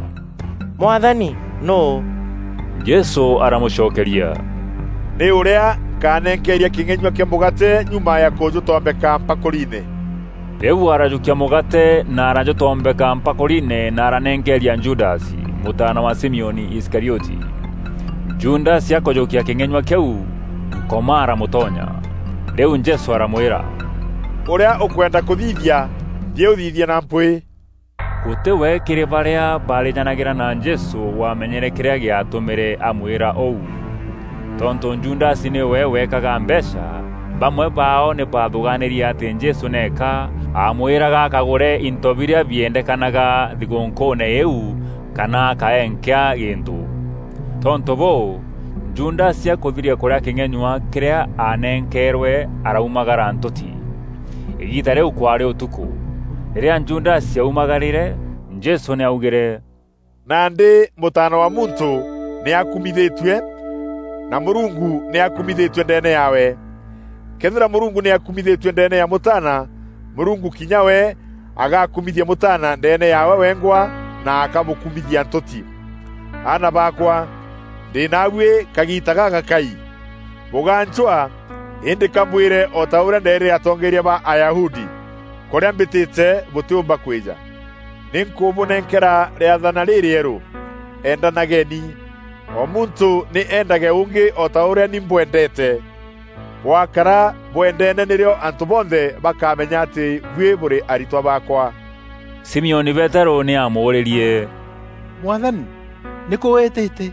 "Mwathani, nûû?" Jesû aramûcokeria, "Nî ûrîa nkanenkeeria kîng'enyua kîa mûgaate nyuma ya kûjûtombeka mpakûriine." Rîu arajûkia mûgaate na arajûtombeka mpakûriine na aranenkeeria Judasi, mûtaana wa Simioni Iskarioti. Judasi akûjûkia kîng'enyua kîu, Nkoma aramûtonya. Rîu Jesû aramwîra, "Ûrîa ûkwenda kûthithia, thiî ûthithie na mpwîî." Gûtî we kîrî barîa baarîjanagîra na Jesû wamenyere kîrîa gîatûmîre amwîra ûu. Tontû Judasi nîwe weekaga mbeecha, bamwe baao nî baathûgaanîrie atî Jesû nîka aamwîraga akagûre into birîa biendekanaga thigûnkûûne îîu kana akaenkea gîntû. Tontû bûû, Judasi akûthiria kûrîa kîng'enyua kîrîa aanenkeerwe, araumagara ntûti. Îgiita rîu kwaarî ûtukû. Rîrîa Judasi aumagarîre, Jesû nî aaugîre, "Nandî Mûtaana wa Muntû nî akumithîtue, na Mûrungu nî akumithîtue ndeene yaawe. Këethîra Mûrungu nî akumithîtue ndeene ya Mûtaana, Mûrungu kinya we agakumithia Mûtaana ndeene yaawe wengwa na akamûkumithia ntûti. Aana baakwa, ndî naabuî kagiita gagakai. Bûgancwaa, îndî ka mbwîre o ta ûrîa ndeerîre atongeeria ba Ayahudi, kûrîa mbîtîte bûtîûmba kwîja. Nî nkûbûnenkera rîathana rîrîerû: Endanageni. O muntû nî eendage ûngî o ta ûrîa ni mbwendeete. Bwakara bwendeene nîrîo antû bonthe bakamenya atî buî bûrî aritwa baakwa." Simioni Peterû nî aamûûrîrie, "Mwathani, nîkû wîtîte?"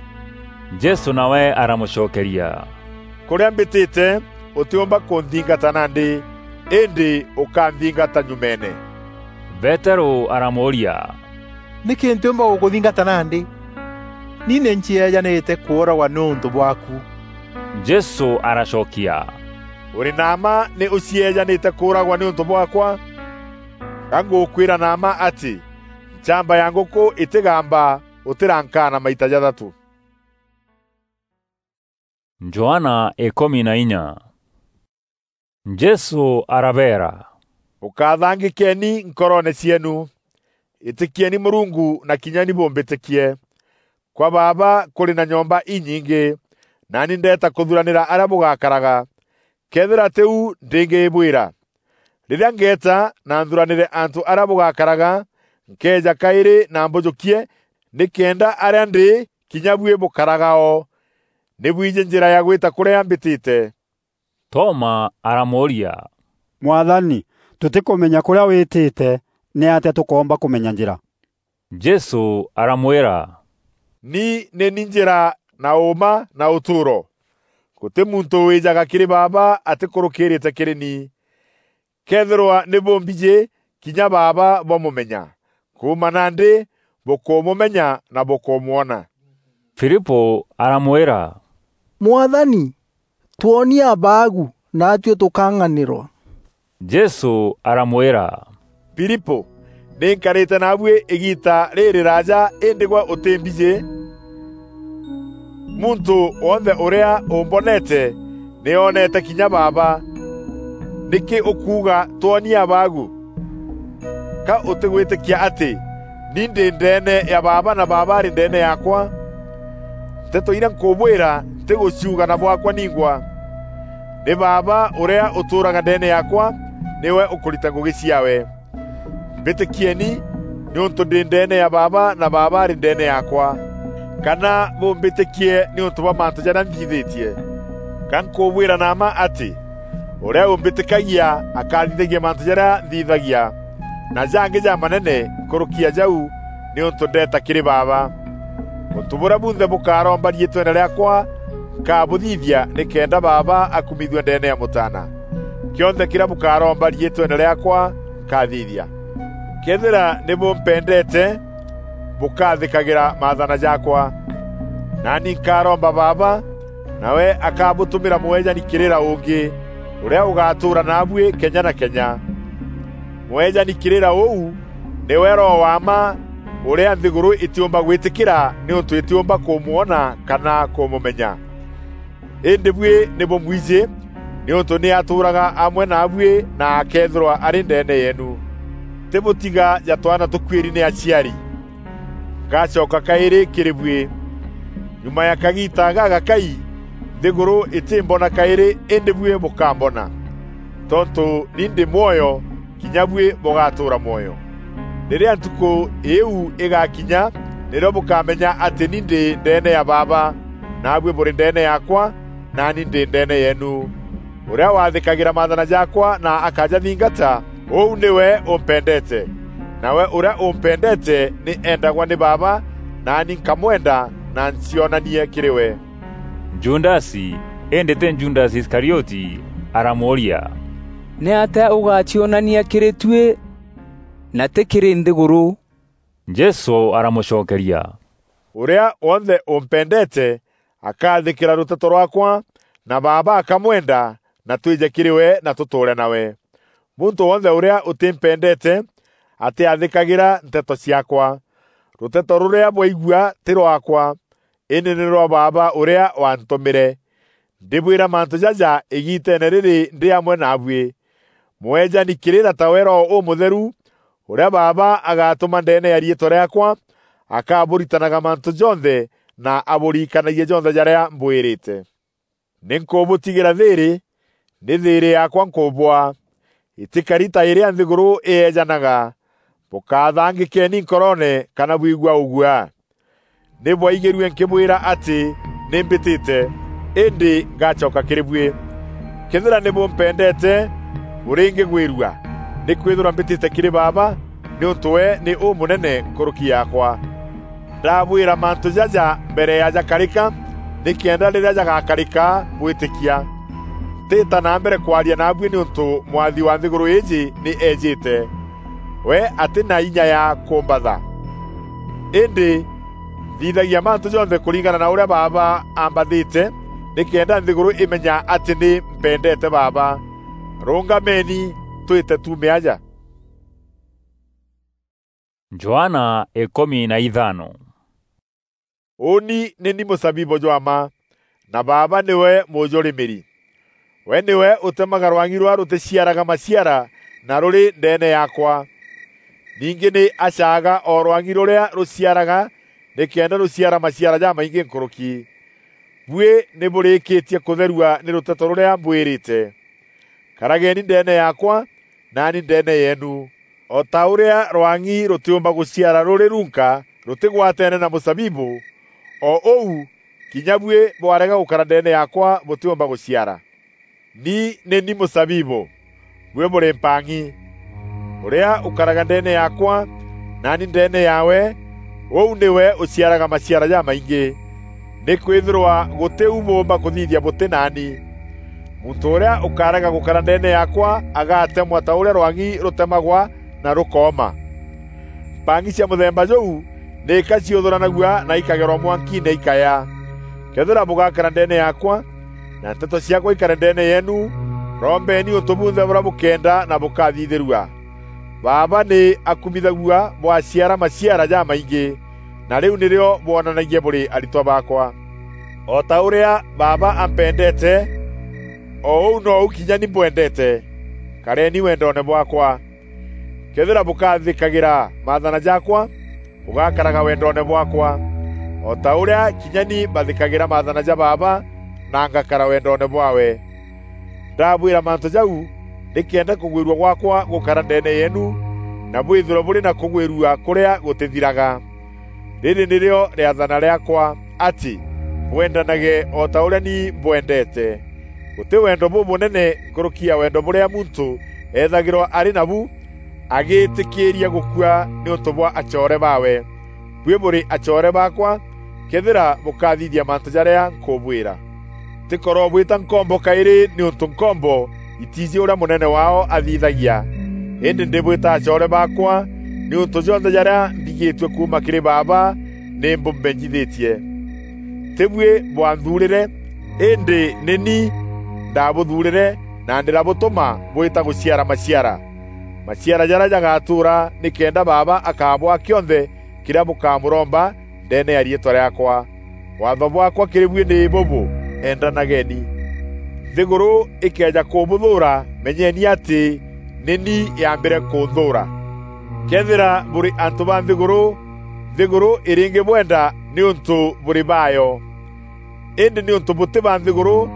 Jesû nawe aramûcokeria, "Kûrîa mbîtîte, ûtîûmba kûnthingata nandî, îndî ûkanthingata nyumeene." Peterû aramûûria, "Nîkî ntîûmba gûkûthingata nandî?" ni nî ncieejanîte kûûragwa nîûntû bwaaku." Jesû aracokia, "Ûrî na mma nî ûcieejanîte kûûragwa nîûntû bwaakwa? Ga ngûkwîra na mma atî, nchamba ya ngûkû îtîgamba ûtîrankaana maita jathatû." Johana ikûmi na inya. Jesû arabeera, "Bûkathangîkeeni nkoroone cieenu. Îtîkieni Mûrungu na kinya ni bûmbîtîkie. Kwa Baaba kûrî na nyomba inyingî, naani ndeeta kûthuranîra arîa bûgakaraga. Këethîra tî u, ndîngîbwîra. Rîrîa ngeeta na nthuranîre antû arîa bûgakaraga, nkeeja kaîrî na mbûjûkie, nîkenda arîa ndî, kinya buî bûkaraga o. Nî bwijî njîra ya gwîta kûrîa mbîtîte." Toma aramûûria, "Mwathani, tûtîkûmenya kûrîa wîtîte, nîatîa tûkoomba kûmenya njîra?" Jesû aramwîra, "Ni nî ni njîra na ûûma na ûtûûro. Gûtî muntû wîjaga kîrî Baaba atîkûrûkîrîte kîrî ni. Këethîrwa nî bûmbijî, kinya Baaba bwamûmenya. Kuuma nandî bûkûmûmenya na bûkûmwona." Filipû aramwîra, "Mwathani, twonie Abaagu, naatuî tûkang'anîrwa." Jesû aramwîra, "Filipû, nî nkarîte naabuî îgiita rîrîraaja, îndî gwe ûtîmbijî? Muntû wonthe ûrîa ûmbonete, nî oonete kinya Baaba. Nîkî ûkuuga, 'Twonie Abaagu'? Ka ûtîgwîtîkia atî ni ndî ndeene ya Baaba na Baaba arî ndeene yaakwa? Nteto irîa nkûbwîra ntîgûciuga na bwaakwa ningwa. Nî Baaba ûrîa ûtûûraga ndeene yaakwa, nîwe ûkûrita ngûgî ciaawe. Mbîtîkieni, nîûntû ndî ndeene ya Baaba na Baaba arî ndeene yaakwa. Kana bûmbîtîkie nîûntû bwa mantû jarîa nthithîtie. Ga nkûbwîra na mma atî, ûrîa ûmbîtîkagia akathithagia mantû jarîa nthithagia, na jangî jamanene nkûrûki ya jau, nîûntû ndeeta kîrî Baaba. Ûntû bûrîa bunthe bûkaromba riîtweene rîaakwa, nkabûthithia nîkenda Baaba akumithua ndeene ya Mûtaana. Kîonthe kîrîa bûkaromba riîtweene rîaakwa, nkathithia. Këethîra nî bûmpendeete, bûkathîkagîra maathana jaakwa. Naani nkaromba Baaba, nawe akabûtûmîra Mûejani kîrîra ûngî, ûrîa ûgatûûra naabuî kenya na kenya. Mûejani kîrîra ûu nîwe Roho wa mma, ûrîa nthîgûrû îtîûmba gwîtîkîra nîûntû îtîûmba kûmwona kana kûmûmenya. Îndî buî nî bûmwijî, nîûntû nî atûûraga amwe naabuî na akeethîrwa arî ndeene yeenu. Ntîbûtiga ja twaana tûkuîri nî aciari. Ngacoka kaîrî kîrî buî. Nyuma ya kagiita gagakai, nthîgûrû îtîmbona kaîrî, îndî buî bûkambona. Tontû ni ndî mwoyo, kinya buî bûgatûûra mwoyo. Rîrîa ntukû îîu îgakinya, nîrîo bûkamenya atî ni ndî ndeene ya Baaba, naabuî bûrî ndeene yaakwa, naani ndî ndeene yeenu. Ûrîa wathîkagîra maathana jaakwa na akajathingata, ûu nîwe ûmpendeete. Nawe ûrîa ûmpendeete nî eendagwa nî Baaba, naani nkamwenda na ncionanie kîrî we." Judasi, îndî tî Judasi Iskarioti, aramûûria, "Nîatîa ûgacionania kîrî tuî, na tî kîrî nthîgûrû?" Jesû aramûcokeria, "Ûrîa wonthe ûmpendeete akathîkîra rûteto rwaakwa, na Baaba akamwenda, na twîje kîrî we na tûtûûre nawe. Muntû wonthe ûrîa ûtîmpendeete atîathîkagîra nteto ciaakwa. Rûteto rûrîa bwaigua tî rwaakwa, îndî nî rwa Baaba ûrîa waantûmîre. Ndîbwîra mantû jaja îgiiteene rîrî ndî amwe naabuî. Mûejani kîrîra tawe Roho Ûmûtheru, ûrîa Baaba agatûma ndeene ya riîtwa rîaakwa, akabûritanaga mantû jonthe na abûririkanagie jonthe jarîa mbwîrîte. Nî nkûbûtigîra thîîrî, nî thîîrî yaakwa nkûbûaa. Îtîkari ta îrîa nthîgûrû îeejanaga. Bûkathangîkeeni nkoroone kana bwigua ûguaa. Nî bwaigîrue nkîbwîra atî nî mbîtîte, îndî ngacoka kîrî buî. Këethîra nî bûmpendeete, bûrîngîgwîrua, nîkwîthîrwa mbîtîte kîrî Baaba, nîûntû we nî ûmûnene nkûrûki yaakwa. Ndabwîra mantû jaja mbere ya jakarîka, nîkenda rîrîa jagakarîka bwîtîkia. Ntîîta na mbere kwaria naabuî nîûntû mwathi wa nthîgûrû îîjî nî eejîte. We atî na inya ya kûmbatha. Îndî Nthithagia mantu jonthe kuringana na uria Baaba ambathite, nikenda nthiguru imenya ati ni mpendete Baaba. Rungameni, twite tuume aja. Johana ikumi na ithano. Uuni ni ni musabibu jwa mma, na Baaba niwe mujurimiri. We niwe utemaga rwangi ruria ruticiaraga maciara na ruri ndeene yaakwa. Ningi ni acaaga o rwangi ruria ruciaraga, nikenda ruciara maciara jamaingi nkuruki. Bui ni burikitie kutherua ni ruteto ruria mbwirite. Karageni ndeene yaakwa, naani ndeene yeenu. O ta uria rwang'i rutiumba guciara ruri runka rutigwateene na musabibu, o uu kinya bui bwarega gukara ndeene yaakwa butiumba guciara. Ni ni ni musabibu, bui buri mpang'i. Uria ukaraga ndeene yaakwa, naani ndeene yaawe, uu niwe uciaraga maciara jamaingi, nikwithirwa guti u buumba kuthithia buti naani. Muntu uria ukarega gukara ndeene yaakwa agatemwa ta uria rwang'i rutemagwa na rukooma. Mpang'i cia muthemba juu niika ciuthuranagua na ikagerwa mwankiine ikaya. Kethira bugakara ndeene yaakwa, na nteto ciaakwa ikare ndeene yeenu, rombeni untu bunthe buria bukenda na bukathithirua. Baaba ni akumithagua bwaciara maciara jamaingi, na riu nirio bwonanagia buri aritwa baakwa. O ta uria Baaba ampendete, o uu nou kinya ni mbwendete. Kareni wendoone bwaakwa. Kethira bukathikagira maathana jaakwa, bugakaraga wendoone bwaakwa, o ta uria kinya ni mbathikagira maathana ja Baaba, na ngakara wendoone bwaawe. Ndabwira mantu jau, nikenda kugwirua gwaakwa gukara ndeene yeenu, na bwithirwe buri na kugwirua kuria gutithiraga. Riri nirio riathana riaakwa, ati bwendanage o ta uria ni mbwendete. Guti wendo bubunene nkuruki ya wendo buria muntu eethagirwa ari nabu agitikiiria gukua niuntu bwa acoore baawe. Bui buri acoore baakwa, kethira bukathithia mantu jaria nkubwira. Ntikorobwita nkombo kairi niuntu nkombo itiiji uria munene waao athithagia. Indi ndibwita acoore baakwa, niuntu jonthe jaria mbigitue kuuma kiri Baaba ni mbumenyithitie. Ti bui bwanthuurire, indi ni ni ndabuthuurire na ndirabutuma bwita guciara maciara. Maciara jaria jagatuura nikenda Baaba akabwaa kionthe kiria bukamuromba ndeene ya riitwa riaakwa. Waatho bwaakwa kiri bui ni bubu, endanageni. Nthiguru ikeeja kubuthuura, menyeni ati ni ni yaambire kunthuura. Kethira buri antu ba nthiguru, nthiguru iringibwenda niuntu buri baayo. Indi niuntu buti ba nthiguru,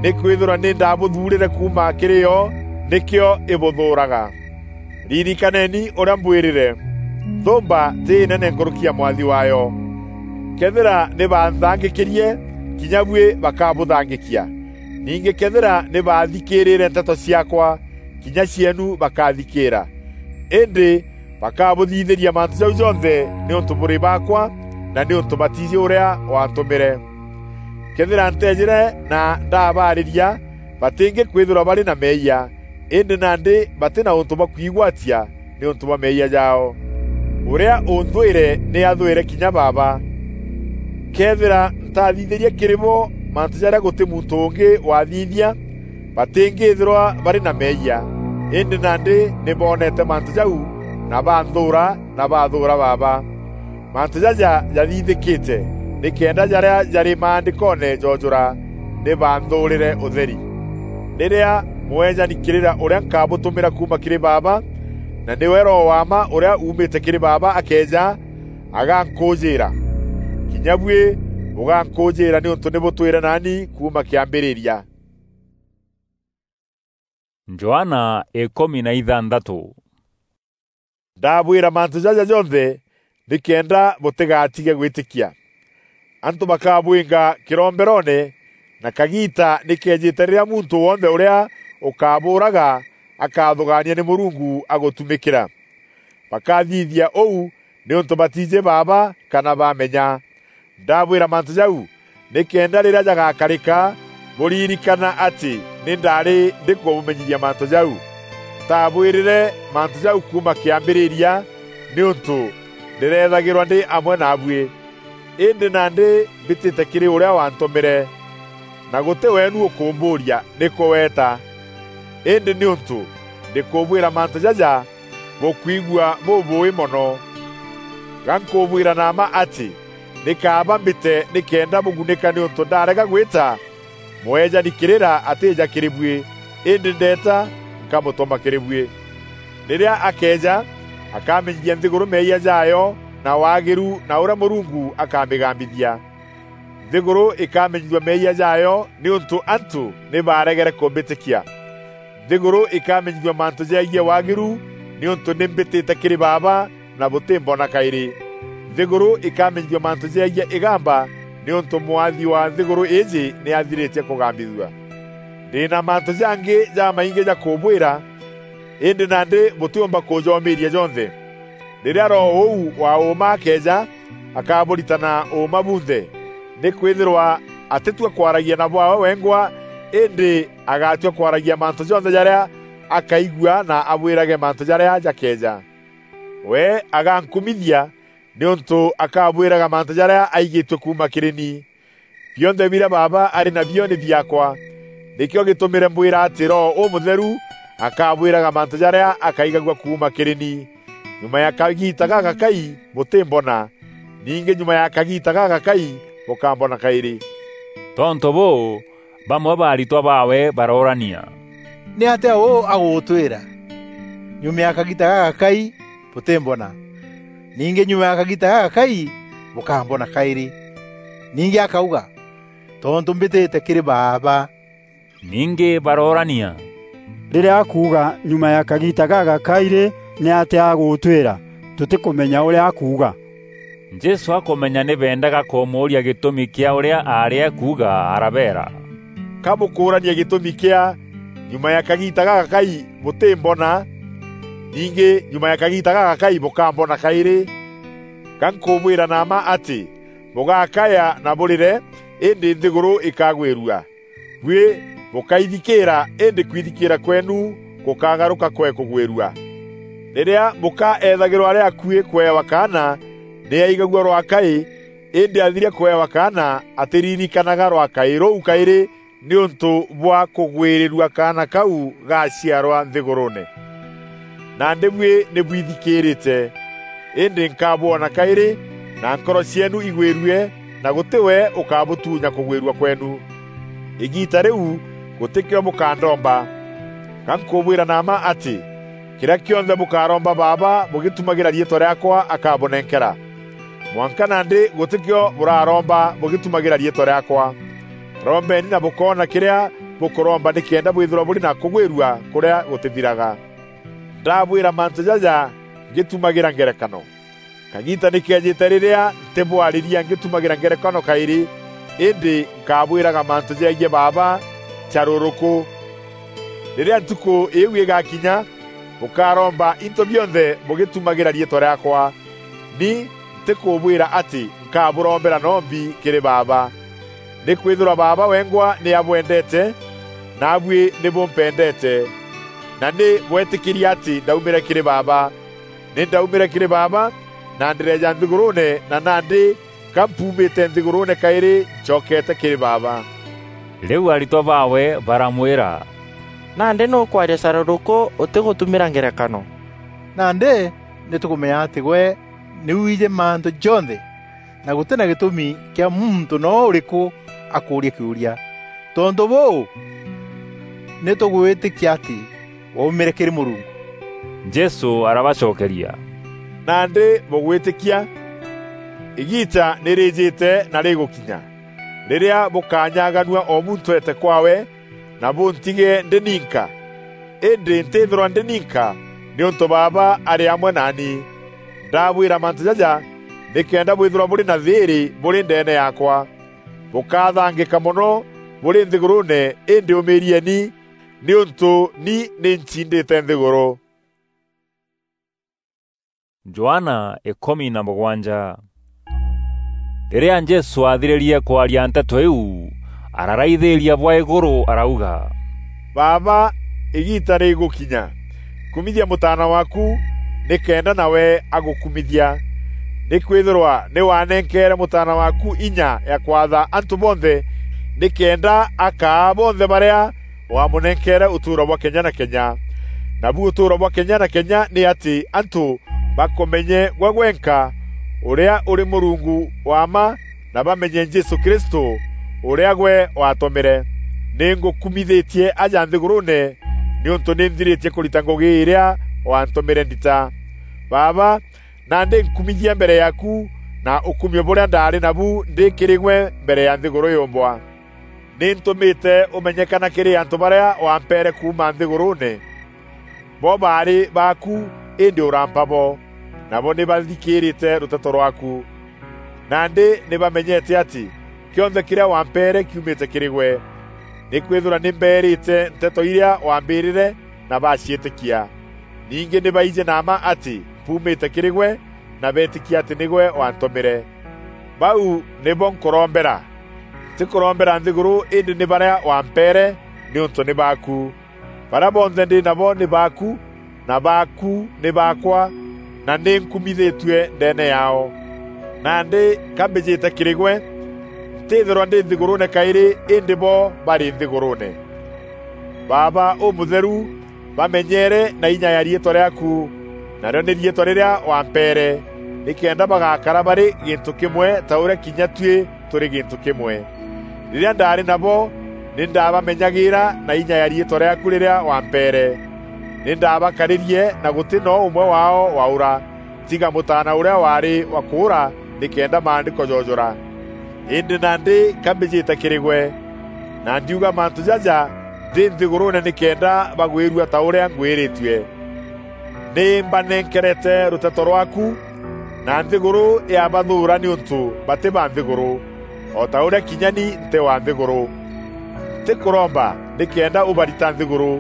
nikwithirwa ni ndabuthuurire kuuma kiri yo, nikio ibuthuuraga. Ririkaneni uria mbwirire, nthumba ti inene nkuruki ya mwathi waayo. Kethira ni banthangikirie, kinya bui bakabuthangikia. Ningi kethira ni baathikiirire nteto ciaakwa, kinya cieenu bakathikiira. Indi bakabuthithiria mantu jau jonthe niuntu buri baakwa, na niuntu batiiji uria waantumire. Kethira nteejire na ndabaariria, batingikwithirwa bari na meeyia, indi nandi bati na untu bwa kwigwatia niuntu bwa meeyia jaao. Uria unthwire ni athwire kinya Baaba. Kethira ntathithirie kiri bo mantu jaria guti muntu ungi wathithia, batingithirwa bari na meeyia, indi nandi ni boonete mantu jau, na banthuura, na bathuura Baaba. Mantu jaja jathithikite, nikenda jaria jari maandikoone joojura, ni banthuurire utheri. Riria mweejani kirira uria nkabutumira kuuma kiri Baaba, na niwe Roho wa mma uria uumite kiri Baaba akeeja, agankuujiira. Kinya bui bugankuujiira niuntu ni butwire naani kuuma kiambiriria. Johana ikumi na ithanthatu. Ndabwira mantu jaja jonthe nikenda butigatige gwitikia. Antu bakabwinga kiromberoone, na kagiita ni keejite riria muntu wonthe uria ukabuuraga akathugaania ni Murungu agutumikira. Bakathithia uu niuntu batiiji Baaba kana bamenya. Ndabwira mantu jau, nikenda riria jagakarika, buririkana ati ni ndaari ndikubumenyithia mantu jau. Ntabwirire mantu jau kuuma kiambiriria, niuntu ndireethagirwa ndi amwe naabui. Îndî nandî mbîtîte kîrî ûrîa waantûmîre, na gûtî weenu ûkûmbûûria, 'Nîkû weeta?' Îndî nîûntû ndîkûbwîra mantû jaja, bûkwigua bûbûûî mono. Ga nkûbwîra na mma atî, nî kaaba mbîte nîkenda bûgunîka nîûntû ndarega gwîta, mûeejani kîrîra atîîja kîrî buî, îndî ndeeta nkamûtûma kîrî buî. Rîrîa akeeja, akamenyithia nthîgûrû meeyia jaayo na waagîru na ûrîa Mûrungu akamîgambithia. Nthîgûrû îkamenyithua meeyia jaayo nîûntû antû nî baaregere kûmbîtîkia. Nthîgûrû îkamenyithua mantû jegiî waagîru nîûntû nî mbîtîte kîrî Baaba na bûtîmbona kaîrî. Nthîgûrû îkamenyithua mantû jegiî îgamba nîûntû mwathi wa nthîgûrû îîjî nî athirîtie kûgambithua. Ndî na mantû jangî jamaingî ja kûbwîra, îndî nandî bûtîûmba kûjomîîria jonthe. Rîrîa Roho ûu wa ûûma akeeja, akabûrita na ûûma bunthe, nîkwîthîrwa atîtua kwaragia na bwaawe wengwa, îndî agatua kwaragia mantû jonthe jarîa akaigua na abwîrage mantû jarîa jakeeja. We agankumithia, nîûntû akabwîraga mantû jarîa aigîtue kuuma kîrî ni. Bionthe birîa Baaba arî nabio nî biaakwa. Nîkîo gîtûmîre mbwîra atî Roho Ûmûtheru akabwîraga mantû jarîa akaigagua kuuma kîrî ni. Nyuma ya kagiita gagakai bûtîmbona, ningî nyuma ya kagiita gagakai bûkambona kaîrî." Tontû bûû, bamwe ba aritwa baawe baroorania, "Nîatîa ûû agûtwîra? Nyuma ya kagiita gagakai bûtîmbona, ningî nyuma ya kagiita gagakai bûkambona kaîrî." Ningî akauga, "Tontû mbîtîte kîrî Baaba." Ningî baroorania, "Rîrîa akuuga, 'Nyuma ya kagiita gagakai rî, nîatîa agûtwîra? Tûtîkûmenya ûrîa akuuga." Jesû akûmenya nî beendaga kûmûûria gîtûmi kîa ûrîa aarî akuuga, arabeera, "Ka bûkûûrania gîtûmi kîa 'Nyuma ya kagiita gagakai bûtîmbona, ningî nyuma ya kagiita gagakai bûkambona kaîrî?' Ga nkûbwîra na mma atî, bûgakaya na bûrîre, îndî nthîgûrû îkagwîrua. Buî bûkaithikîîra, îndî kwithikîîra kweenu gûkagarûka kwee kûgwîrua. Rîrîa mûka eethagîrwa arî akuî kûewa kaana, nî aigagua rwakaî, îndî athiria kûewa kaana, atîririkanaga rwakaî rûu kaîrî nîûntû bwa kûgwîrîrua kaana kau gaciarwa nthîgûrûûne. Nandî buî nî bwithikîîrîte, îndî nkabwona kaîrî, na nkoro cieenu igwîrue, na gûtî we ûkabûtuunya kûgwîrua kweenu. Îgiita rîu gûtîkîo bûkandomba. Ga nkûbwîra na mma atî, kîrîa kîonthe bûkaromba Baaba bûgîtumagîra riîtwa rîaakwa akabûnenkera. Mwanka nandî gûtîkîo bûraromba bûgîtumagîra riîtwa rîaakwa. Rombeni na bûkoona kîrîa bûkûromba nîkenda bwîthîrwa bûrî na kûgwîrua kûrîa gûtîthiraga. Ndabwîra mantû jaja ngîtumagîra ngerekano. Kagiita nî keejîte rîrîa ntîbwarîria ngîtumagîra ngerekano kaîrî, îndî nkabwîraga mantû jegiî Baaba carûrûkû. Rîrîa ntukû îîu îgakinya, bûkaromba into bionthe bûgîtumagîra riîtwa rîaakwa. Ni ntîkûbwîra atî nkabûrombera nombi kîrî Baaba. Nîkwîthîrwa Baaba wengwa nî abwendeete, naabuî nî bûmpendeete, na nî bwetîkîrie atî ndaumîre kîrî Baaba. Nî ndaumîre kîrî Baaba, na ndîreeja nthîgûrûûne, na nandî ka mpuumîte nthîgûrûûne kaîrî ncokeete kîrî Baaba. Rîu aritwa baawe baramwîra, "Nandî nûkwaria carûrûkû ûtîgûtumîra ngerekano? Nandî nî tûkûmenya atî gwe nî wiijî mantû jonthe, na gûtî na gîtûmi kîa muntû noo ûrîkû akûûria kîûria. Tontû bûû, nî tûgwîtîkia atî waumîre kîrî Mûrungu." Jesû arabacokeria, "Nandî bûgwîtîkia? Îgiita nî rîîjîte na rîgûkinya, rîrîa bûkanyaganua o muntû eete kwaawe, na bûntige ndî ninka. Îndî ntîthîrwa ndî ninka, nîûntû Baaba arî amwe naani. Ndabwîra mantû jaja, nîkenda bwîthîrwa bûrî na thîîrî bûrî ndeene yaakwa. Bûkathangîka mono bûrî nthîgûrûûne, îndî ûmîîrieni, nîûntû ni nî ncindîte nthîgûrû." Johana ikûmi na mûgwanja. Rîrîa Jesû aathirîrie kwaria nteto iu, araraithîîria bwa îgûrû arauga, "Baaba, îgiita rîgûkinya. Kumithia Mûtaana waaku, nîkenda nawe agûkumithia. Nîkwîthîrwa nî wanenkeere Mûtaana waaku inya ya kwatha antû bonthe, nîkenda akaa bonthe barîa waamûnenkeere ûtûûro bwa kenya na kenya. Nabu ûtûûro bwa kenya na kenya nî atî antû bakûmenye gwe gwenka, ûrîa ûrî Mûrungu wa mma, na bamenye Jesû Kristû, ûrîa gwe waatûmîre. Nî ngûkumithîtie aja nthîgûrûûne, nîûntû nî nthirîtie kûrita ngûgî îrîa waantûmîre ndita. Baaba, nandî nkumithia mbere yaaku na ûkumio bûrîa ndaarî nabu ndî kîrî gwe mbere ya nthîgûrû yûmbwa. Nî ntûmîte ûmenyekana kîrî antû barîa wampeere kuuma nthîgûrûûne. Bo baarî baaku, îndî ûrampa bo, nabo nî bathikîîrîte rûteto rwaaku. Nandî nî bamenyete atî kîonthe kîrîa wampeere kiumîte kîrî gwe. Nîkwîthîrwa nî mbeerîte nteto irîa waambîrîre na baciîtîkia. Ningî nî baijî na mma atî mpuumîte kîrî gwe na beetîkia atî nîgwe waantûmîre. Bau nîbo nkûrombera. Ntîkûrombera nthîgûrû îndî nî barîa wampeere, nîûntû nî baaku. Barîa bonthe ndî nabo nî baaku, na baaku nî baakwa, na nî nkumithîtue ndeene yaao. Nandî ka mbîjîte kîrî gwe, ntîthîrwa ndî nthîgûrûûne kaîrî îndî bo barî nthîgûrûûne. Baaba Ûmûtheru, bamenyeere na inya ya riîtwa rîaaku, narîo nî riîtwa rîrîa wampeere, nîkenda bagakara barî gîntû kîmwe ta ûrîa kinya tuî tûrî gîntû kîmwe. Rîrîa ndaarî nabo, nî ndaabamenyagîîra na inya ya riîtwa rîaaku rîrîa wampeere. Nî ndaabakarîrie na gûtî noo ûmwe waao waûra, tiga Mûtaana ûrîa waarî wa kûûra, nîkenda Maandîko joojûra. Îndî nandî ka mbîjîte kîrî gwe, na ndiuga mantû jaja ndî nthîgûrûûne nîkenda bagwîrua ta ûrîa ngwîrîtue. Nî mbanenkerete rûteto rwaaku, na nthîgûrû yabathûûra nîûntû batî ba nthîgûrû, o ta ûrîa kinya ni ntî wa nthîgûrû. Ntîkûromba nîkenda ûbarita nthîgûrû,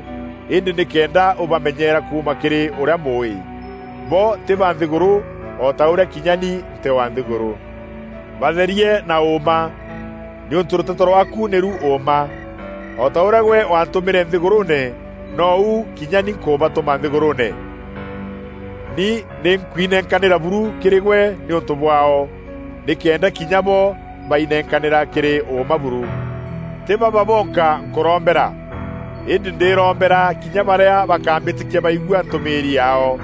îndî nîkenda ûbamenyeera kuuma kîrî ûrîa mûûî. Bo tî ba nthîgûrû, o ta ûrîa kinya ni ntî wa nthîgûrû. Batherie na ûûma, nîûntû rûteto rwaaku nîru ûûma. O ta ûrîa gwe waantûmîre nthîgûrûûne, nou kinya ni nkûbatûma nthîgûrûûne. Ni nî nkwinenkanîra buru kîrî gwe nîûntû bwaao, nîkenda kinya bo bainenkanîra kîrî ûûma buru. Tî baba bonka nkûrombera, îndî ndîrombera kinya barîa bakambîtîkia baigua ntûmîîri yaao.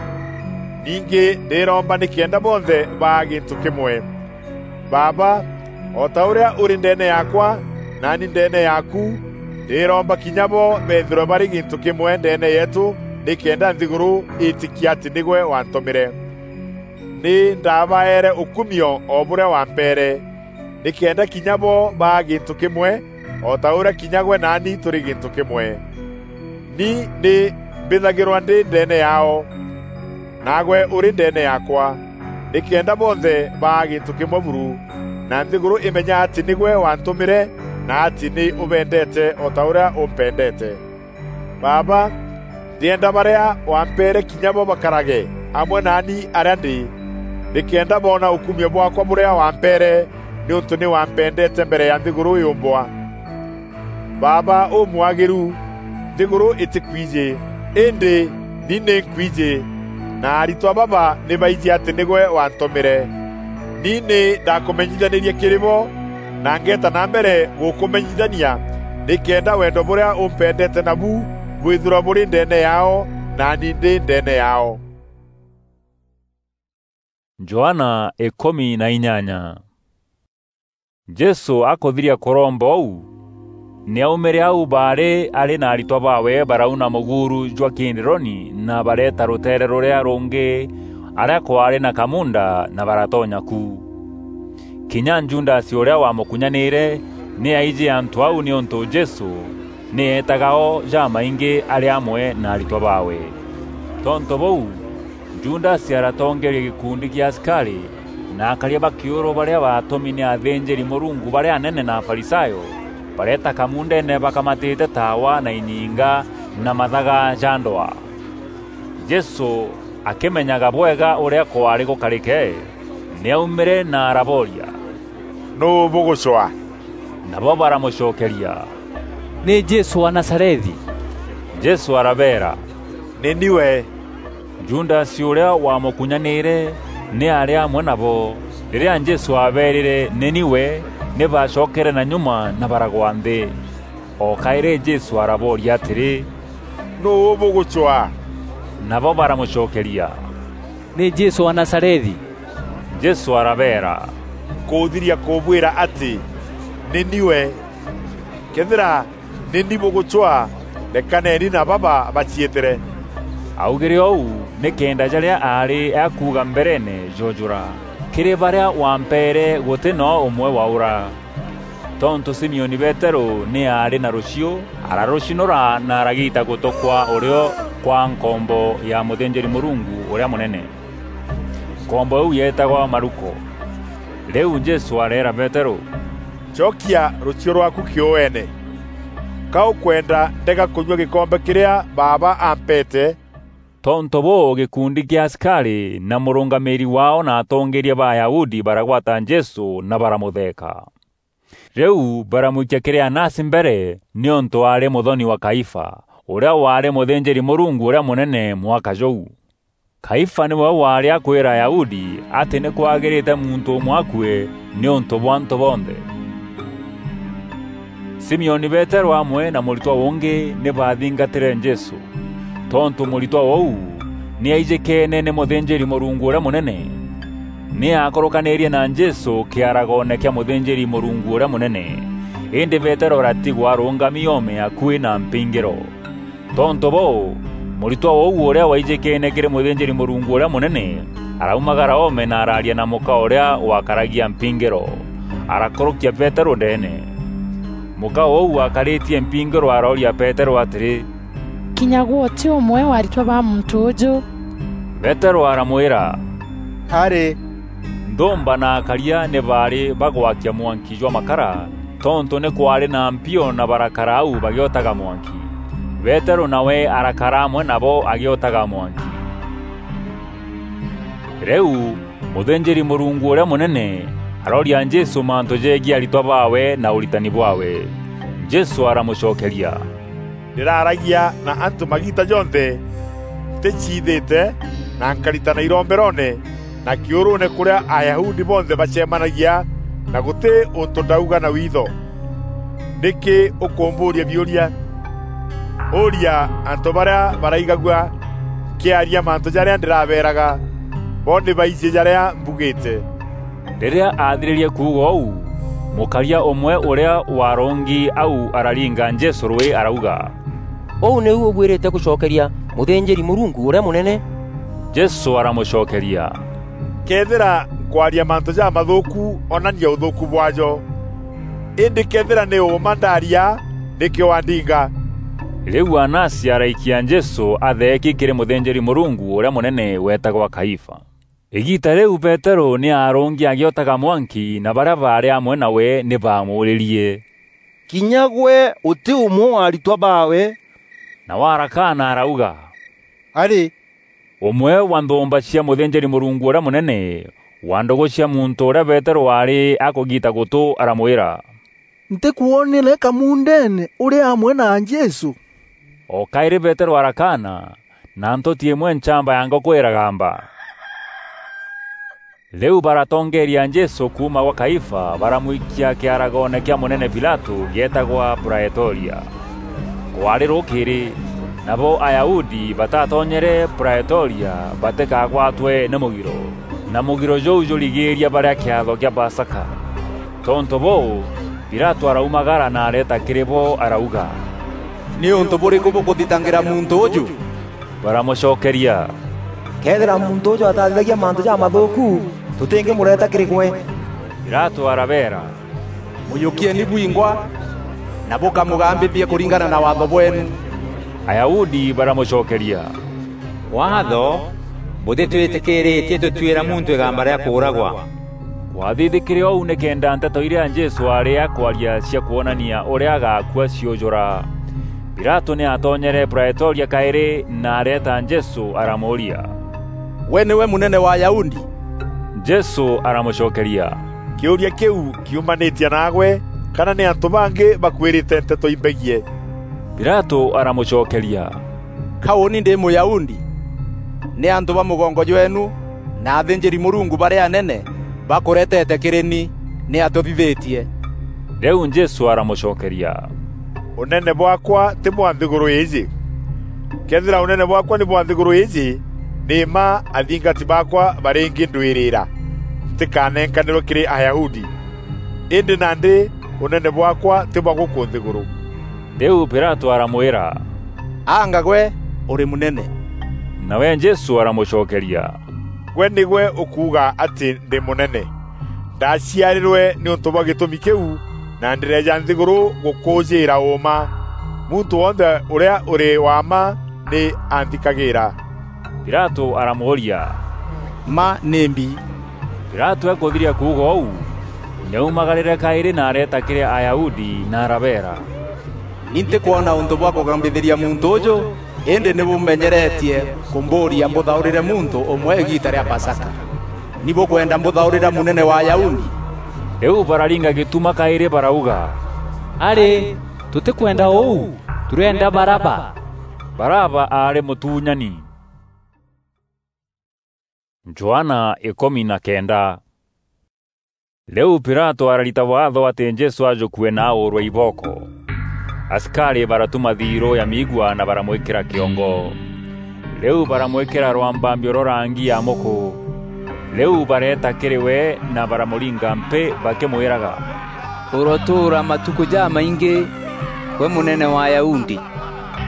Ningî ndîromba nîkenda bonthe baa gîntû kîmwe. Baaba, o ta ûrîa ûrî ndeene yaakwa, naani ndeene yaaku, ndîromba kinya bo beethîrwe barî gîntû kîmwe ndeene yeetû, nîkenda nthîgûrû îtîkie atî nîgwe waantûmîre. Nî ndaabaeere ûkumio o bûrîa wampeere, nîkenda kinya bo baa gîntû kîmwe, o ta ûrîa kinya gwe naani tûrî gîntû kîmwe. Ni nî mbîthagîrwa ndî ndeene yaao, naagwe ûrî ndeene yaakwa, nîkenda bonthe baa gîntû kîmwe buru, na nthîgûrû îmenya atî nîgwe waantûmîre, na atî nî ûbendeete o ta ûrîa ûmpendeete. Baaba, ndîenda barîa wampeere kinya bo bakarage amwe naani arîa ndî, nîkenda boona ûkumio bwaakwa bûrîa wampeere, nîûntû nî wampendeete mbere ya nthîgûrû yûmbwa. Baaba ûmwagîru, nthîgûrû îtîkwijî, îndî ni nî nkwijî, na aritwa baba nî baijî atî nîgwe waantûmîre. Ni nî ndakûmenyithanîrie kîrî bo, na ngeeta na mbere gûkûmenyithania, nîkenda wendo bûrîa ûmpendeete nabu bwîthîrwa bûrî ndeene yaao, naani ndî ndeene yaao. Johana îkûmi na inyanya. Jesû akûthiria kûromba ûu, nî aumîre au baarî arî na aritwa baawe barauna mûguuru jwa Kidironi na bareeta rûteere rûrîa rûngî arîa kwaarî na kamuunda na baratonya ku. Kinya Judasi ûrîa wamûkunyanîîre nî aijî antû au nîûntû Jesû nî eetaga o jamaingî arî amwe na aritwa baawe. Tontû bûu, Judasi aratongeeria gîkundi kîa asikarî na akaria ba kîûrû barîa baatûmi nî athînjîri-Mûrungu barîa anene na Afarisayo, bareeta kamuundeene bakamatîte taawa na inyinga na mathaga ja ndwaa. Jesû akîmenyaga bwega ûrîa kwaarî gûkarîke, nî aumîre na arabooria, "Nûû bûgûcwaa?" Nabo baramûcokeria, "Nî Jesû wa Nazarethi." Jesû arabeera, "Nî ni we." Judasi ûrîa wamûkunyanîîre Nî aarî amwe nabo. Rîrîa Jesû aabeerîre, "Nî ni we," nî baacokere na nyuma na baragwa nthî. O kaîrî Jesû arabooria atîrî, "Nûû bûgûcwaa?" Nabo baramûcokeria, "Nî Jesû wa Nazarethi." Jesû arabeera, "Nkûthiria kûbwîra atî nî ni we. Këethîra nî ni bûgûcwaa, rekaneni na baba baciîtîre." Augîre ûu nîkenda jarîa aarî akuuga mbereene joojûra. Kîrî barîa wampeere gûtî noo ûmwe waûra. Tontû Simioni Peterû nî aarî na rûchiû, ararûcinûra na aragiita gûtû kwa ûrîo kwa nkombo ya mûthînjîri-Mûrungu ûrîa mûnene. Nkombo îîu yeetagwa Maluko. Rîu Jesû areera Peterû, "Cokia rûchiû rwaaku kîûene. Ka ûkwenda ndega kûnyua gîkombe kîrîa Baaba ampeete?" Tontû bûû, gîkundi kîa asikarî na mûrûngamîîri waao na atongeeria ba Ayahudi baragwata Jesû na baramûtheeka. Rîu baramwikia kîrî Anasi mbere, nîûntû aarî mûthoni wa Kaifa, ûrîa waarî mûthînjîri-Mûrungu ûrîa mûnene mwaka jûu. Kaifa nîwe waarî akwîra Ayahudi atî nî kwagîrîte muntû ûmwe akue nîûntû bwa antû bonthe. Simioni Peterû amwe na mûritwa ûngî nî baathingatîre Jesû. Tontû mûritwa ûu nî aijîkeene nî mûthînjîri-Mûrungu ûrîa mûnene, nî aakûrûkanîrie na Jesû kîaragoone kîa mûthînjîri-Mûrungu ûrîa mûnene. Îndî Peterû aratigwa arûngami oome akuî na mpingîro. Tontû bûû, mûritwa ûu ûrîa waijîkeene kîrî mûthînjîri-Mûrungu ûrîa mûnene araumagara oome na araaria na mûka ûrîa wakaragia mpingîro. Arakûrûkia Peterû ndeene. Mûka ûu wakarîtie mpingîro arooria Peterû atîrî, "Kinya gwe ûtî ûmwe wa aritwa ba muntû ûûjû?" Peterû aramwîra, "Arî." Nthûûmba na akaria nî baarî bagwakia mwanki jwa makara, tontû nî kwaarî na mpio na barakara au bagîotaga mwanki. Peterû nawe arakara amwe nabo agîotaga mwanki. Rîu mûthînjîri-Mûrungu ûrîa mûnene arooria Jesû mantû jegiî aritwa baawe na ûritani bwaawe. Jesû aramûcokeria, "Ndîraragia na antû magiita jonthe ntîciithîte, na nkaritana iromberoone na kîûrûûne kûrîa Ayahudi bonthe bacemanagia, na gûtî ûntû ndauga na witho. Nîkî ûkûmbûûria biûria? Ûûria antû barîa baraigagua nkîaria mantû jarîa ndîrabeeraga, bo nî baijî jarîa mbugîte." Rîrîa aathirîrie kuuga ûu, mûkaria ûmwe ûrîa waarongi au araringa Jesû rûî arauga, "Ûu nîu ûbuîrîte gûcokeria mûthînjîri-Mûrungu ûrîa mûnene?" Jesû aramûcokeria, "Këethîra nkwaria mantû jamathûûku, onania ûthûûku bwaajo. Îndî këethîra nî ûûma ndaaria, nîkî wandinga?" Rîu Anasi araikia Jesû atheeki kîrî mûthînjîri-Mûrungu ûrîa mûnene weetagwa Kaifa. Îgiita rîu Peterû nî aarûngi agîotaga mwanki, na barîa baarî amwe nawe nî baamûûrîrie, "Kinya gwe ûtî ûmwe wa aritwa baawe?" Nawe arakaana arauga, "Arî." Ûmwe wa nthûûmba cia mûthînjîri-Mûrungu ûrîa mûnene, wa ndûgû cia muntû ûrîa Peterû aarî akûgiita gûtû aramwîra, "Ntîkwonere kamundeene ûrî amwe na Jesû?" O kaîrî Peterû arakaana, na ntûti îmwe nchamba ya ngûkû îragamba. Rîu baratongeeria Jesû kuuma gwa Kaifa, baramwikia kîaragoone kîa mûnene Pilatû gîeetagwa Praetoria. Kwaarî rûkîîrî, nabo Ayahudi batatonyere Praetoria batîkagwatwe nî mûgiro, na mûgiro jûu jûrigîîria barîa kîatho kîa Pasaka. Tontû bûû, Pilatû araumagara na areeta kîrî bo arauga, "Nî ûntû bûrîkû bûkûthitangîra muntû ûjû?" Baramûcokeria, "Këethîra muntû ûjû atathithagia mantû jamathûûku, tûtîngîmûreeta kîrî gwe." Pilatû arabeera, "Mûjûkieni bwingwa, na bûkamûgambithie kûringana na waatho bweenu." Ayahudi baramûcokeria, "Waatho bûtîtwîtîkîîrîtie tûtuîra muntû îgamba rîa kûûragwa." Kwathithîkîre ûu nîkenda nteto irîa Jesû aarî akwaria cia kwonania ûrîa agaakua ciûjûra. Pilatû nî aatonyere Praetoria kaîrî na areeta Jesû aramûûria, "Gwe nîwe mûnene wa Ayahudi?" Jesû aramûcokeria, "Kîûria kîu kiumanîtie naagwe, kana nî antû bangî bakwîrîte nteto imbegiî?" Pilatû aramûcokeria, "Ka ûûni ndî Mûyahudi? Nî antû ba mûgongo jweenu na athînjîri-Mûrungu barîa anene bakuretete kîrî ni, nî atûthithîtie." Rîu Jesû aramucokeria, "Ûnene bwaakwa tî bwa nthîgûrû îîjî. Këethîra ûnene bwaakwa nî bwa nthîgûrû îîjî, nî mma athingati baakwa barîngîndwîrîîra, ntîkanenkanîrwe kîrî Ayahudi. Îndî nandî ûnene bwaakwa tî bwa gûkû nthîgûrû." Rîu Pilatû aramwîra, "Anga gwe ûrî mûnene?" Nawe Jesû aramûcokeria, "Gwe nîgwe ûkuuga atî ndî mûnene. Ndaciarîrwe nîûntû bwa gîtûmi kîu, na ndîreeja nthîgûrû gûkûûjîîra ûûma. Muntû wonthe ûrîa ûrî wa mma nî anthikagîîra." Pilatû aramûûria, "Mma nîmbi?" Pilatû akûthiria kuuga ûu, nî aumagarîre kaîrî na areeta kîrî Ayahudi na arabeera, "Ni ntîkwona ûntû bwa kûgambithîria muntû ûjû, îndî nî bûmenyeretie kûmbûûria mbûthaûrîre muntû ûmwe îgiita rîa Pasaka. Ni bûkwenda mbûthaûrîre mûnene wa Ayahudi?" Rîu bararinga gîtuma kaîrî barauga, "Arî, tûtîkwenda ûu, tûrîenda Baraba." Baraba aarî mûtuunyani. Johana ikûmi na kenda. Rîu Pilatû ararita waatho atî Jesû ajûkue na aûûrwe ibooko. Asikarî baratuma thiirû ya miigua na baramwîkîra kîongo. Rîu baramwîkîra rwambambio rwa rangi ya mûkû. Rîu bareeta kîrî we na baramûringa mpî bakîmwîraga, "Ûrotûûra matukû jamaingî, gwe mûnene wa Ayahudi!"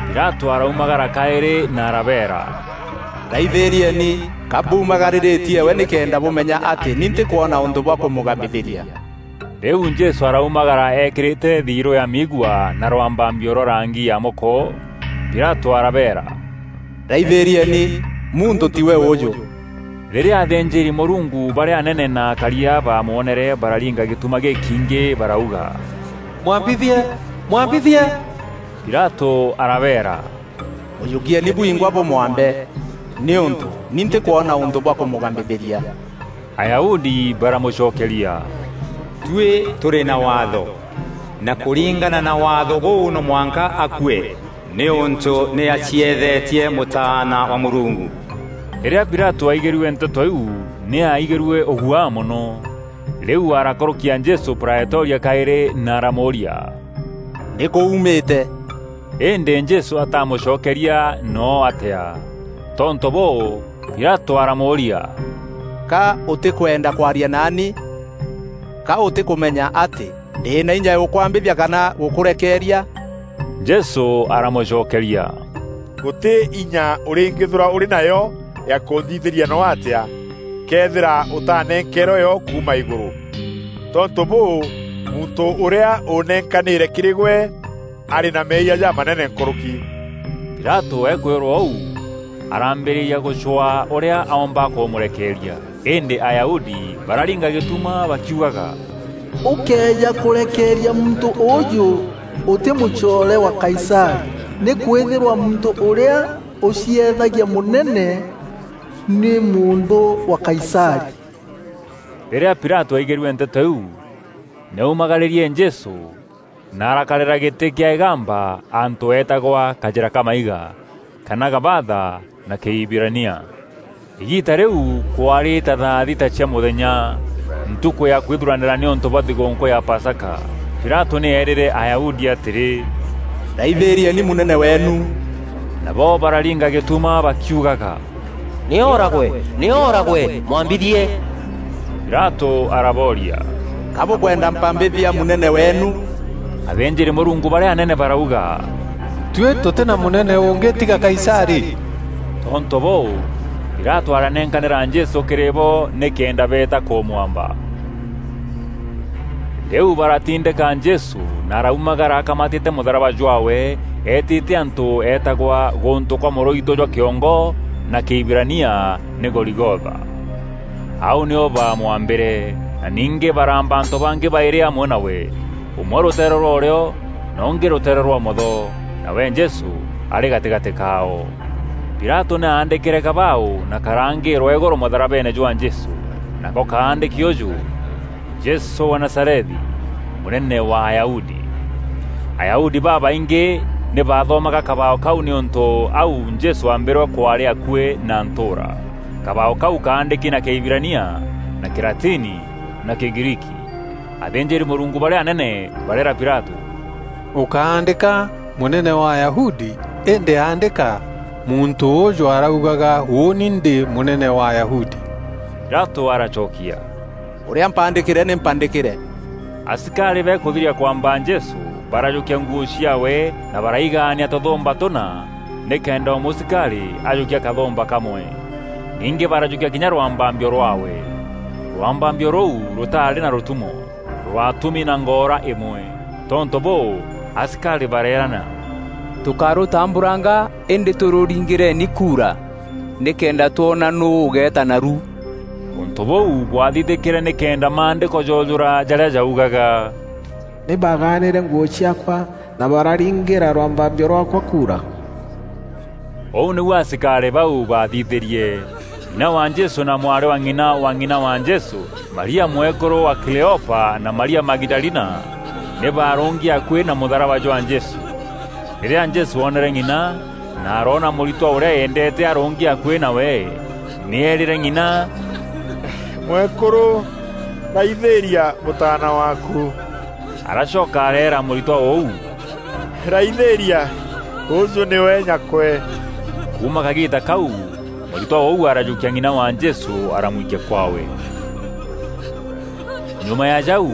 Pilatû araumagara kaîrî na arabeera, "Raithîrieni, ka mbumagarîrîtie we nîkenda bûmenya atî ni ntîkwona ûntû bwa kûmûgambithîria." Rîu Jesû araumagara eekîrîte thiirû ya miigua na rwambambio rwa rangi ya mûkû. Pilatû arabeera, "Raithîrieni, muntû tiwe ûûjû." Rîrîa athînjîri-Mûrungu barîa anene na akaria baamwonere, bararinga gîtuma gîkiingî, barauga, "Mwambithie! Mwambithie!" Pilatû arabeera, "Mûjûkieni bwingwa bûmwambe, nîûntû ni ntîkwona ûntû bwa kûmûgambithîria." Ayahudi baramûcokeria, "Tuî tûrî na waatho, na kûringana na waatho bûu no mwanka akue, nîûntû nî acieethetie Mûtaana wa Mûrungu." Rîrîa Pilatû aigîrue nteto iu, nî aaigîrue ûguaa mono. Rîu arakûrûkia Jesû Praetoria kaîrî na aramûûria, "Nîkû uumîte?" Îndî Jesû atamûcokeria noo atîa. Tontû bûû, Pilatû aramûûria, "Ka ûtîkwenda kwaria naani? Ka ûtîkûmenya atî ndî na inya ya gûkwambîthia kana gûkûrekeeria?" Jesû aramûcokeria, "Gûtî inya ûrîngîthûra ûrî nayo ya kûnthithîria noo atîa, këethîra ûtanenkeerwe yo kuuma îgûrû. Tontû bûû, muntû ûrîa ûnenkanîre kîrî gwe arî na meeyia jamanene nkûrûki." Pilatû ekwîrwa ûu, arambîrîria gûcwaa ûrîa aomba kûmûrekeeria. Îndî Ayahudi bararinga gîtuma bakiugaga, "Ûkëeja kûrekeeria muntû ûûjû, ûtî mûcoore wa Kaisarî, nîkwîthîrwa muntû ûrîa ûciethagia mûnene nî mûnthû wa Kaisarî." Rîrîa Pilatû aigîrue nteto iu, nî aumagarîrie Jesû, na arakarîra gîtî kîa îgamba antû eetagwa Kajîra ka Maiga, kana Gabatha na Kîhibirania. Îgiita rîu kwaarî ta thaa thita cia mûthenya, ntukû ya kwithuranîra nîûntû bwa thigûûnkû ya Pasaka. Pilatû nî eerîre Ayahudi atîrî, "Raithîrieni mûnene weenu." Nabo bararinga gîtuma bakiugaga, "Nî ooragwe! Nî ooragwe! Mwambithie!" Pilatû arabooria, "Ka bûkwenda mpambîthia mûnene weenu?" Athînjîri-Mûrungu barîa anene barauga, "Tuî tûtî na mûnene ûngî tiga Kaisarî." Tontû bûû, Pilatû aranenkanîra Jesû kîrî bo nîkenda beeta kûmwamba. Rîu baratindîka Jesû na araumagara akamatîte mûtharaba jwaawe, eetîte antû eetagwa gûntû kwa mûrûitû jwa kîongo na Kîhibirania nî Goligotha. Au nîo baamwambîre, na ningî baraamba antû bangî baîrî amwe nawe, ûmwe rûteere rwa ûrîo na ûngî rûteere rwa ûmotho, nawe Jesû arî gatîgatî kaao. Pilatû nî aandîkîre kabaû na karangîîrwa îgûrû mûtharabeene jwa Jesû, nako kaandîki ûjû: "Jesû wa Nazarethi, mûnene wa Ayahudi." Ayahudi babaingî nî baathomaga kabaû kau nîûntû au Jesû aambîrwe kwaarî akuî na ntûûra. Kabao kau kaandîki na Kîhibirania, na Kîlatini, na Kîgriiki. Athînjîri-Mûrungu barîa anene bareera Pilatû, "Ûkaandîka, 'Mûnene wa Ayahudi,' îndî aandîka, 'Muntû ûûjû araugaga, ûûni ndî mûnene wa Ayahudi.'" Pilatû aracokia, "Ûrîa mpandîkîre nî mpandîkîre." Asikarî bekûthiria kwamba Jesû, barajûkia nguû ciaawe na baraigaania tûthûmba tûna, nîkenda o mûsikarî ajûkia kathûmba kamwe. Ningî barajûkia kinya rwambambio rwaawe. Rwambambio rûu rûtaarî na rûtumo, rwatumi na ngoora îmwe. Tontû bûû, asikarî bareerana, "Tûkarûtamburanga, îndî tûrûringîreni kuura, nîkenda twona nûû ûgeeta naru." Ûntû bûu bwathithîkîre nîkenda maandîko joojûra jarîa jaugaga, "Nî baagaanîre nguû ciaakwa na bararingîra rwambambio rwaakwa kuura." Ûu nîu asikarî bau baathithîrie. Ng'ina wa Jesû na mwarî wa ng'ina wa ng'ina wa Jesû, Maria mwekûrû wa Kleopa na Maria Magidalina, nî baarûngi akuî na mûtharaba jwa Jesû. Rîrîa Jesû oonere ng'ina na aroona mûritwa ûrîa eendeete arûngi akuî nawe, nî eerîre ng'ina, "Mwekûrû, raithîîria mûtaana waaku." Aracoka areera mûritwa ûu, "Raithîîria, ûûjû nîwe nyakwe." Kuuma kagiita kau, mûritwa ûu arajûkia ng'ina wa Jesû aramwikia kwaawe. Nyuma ya jau,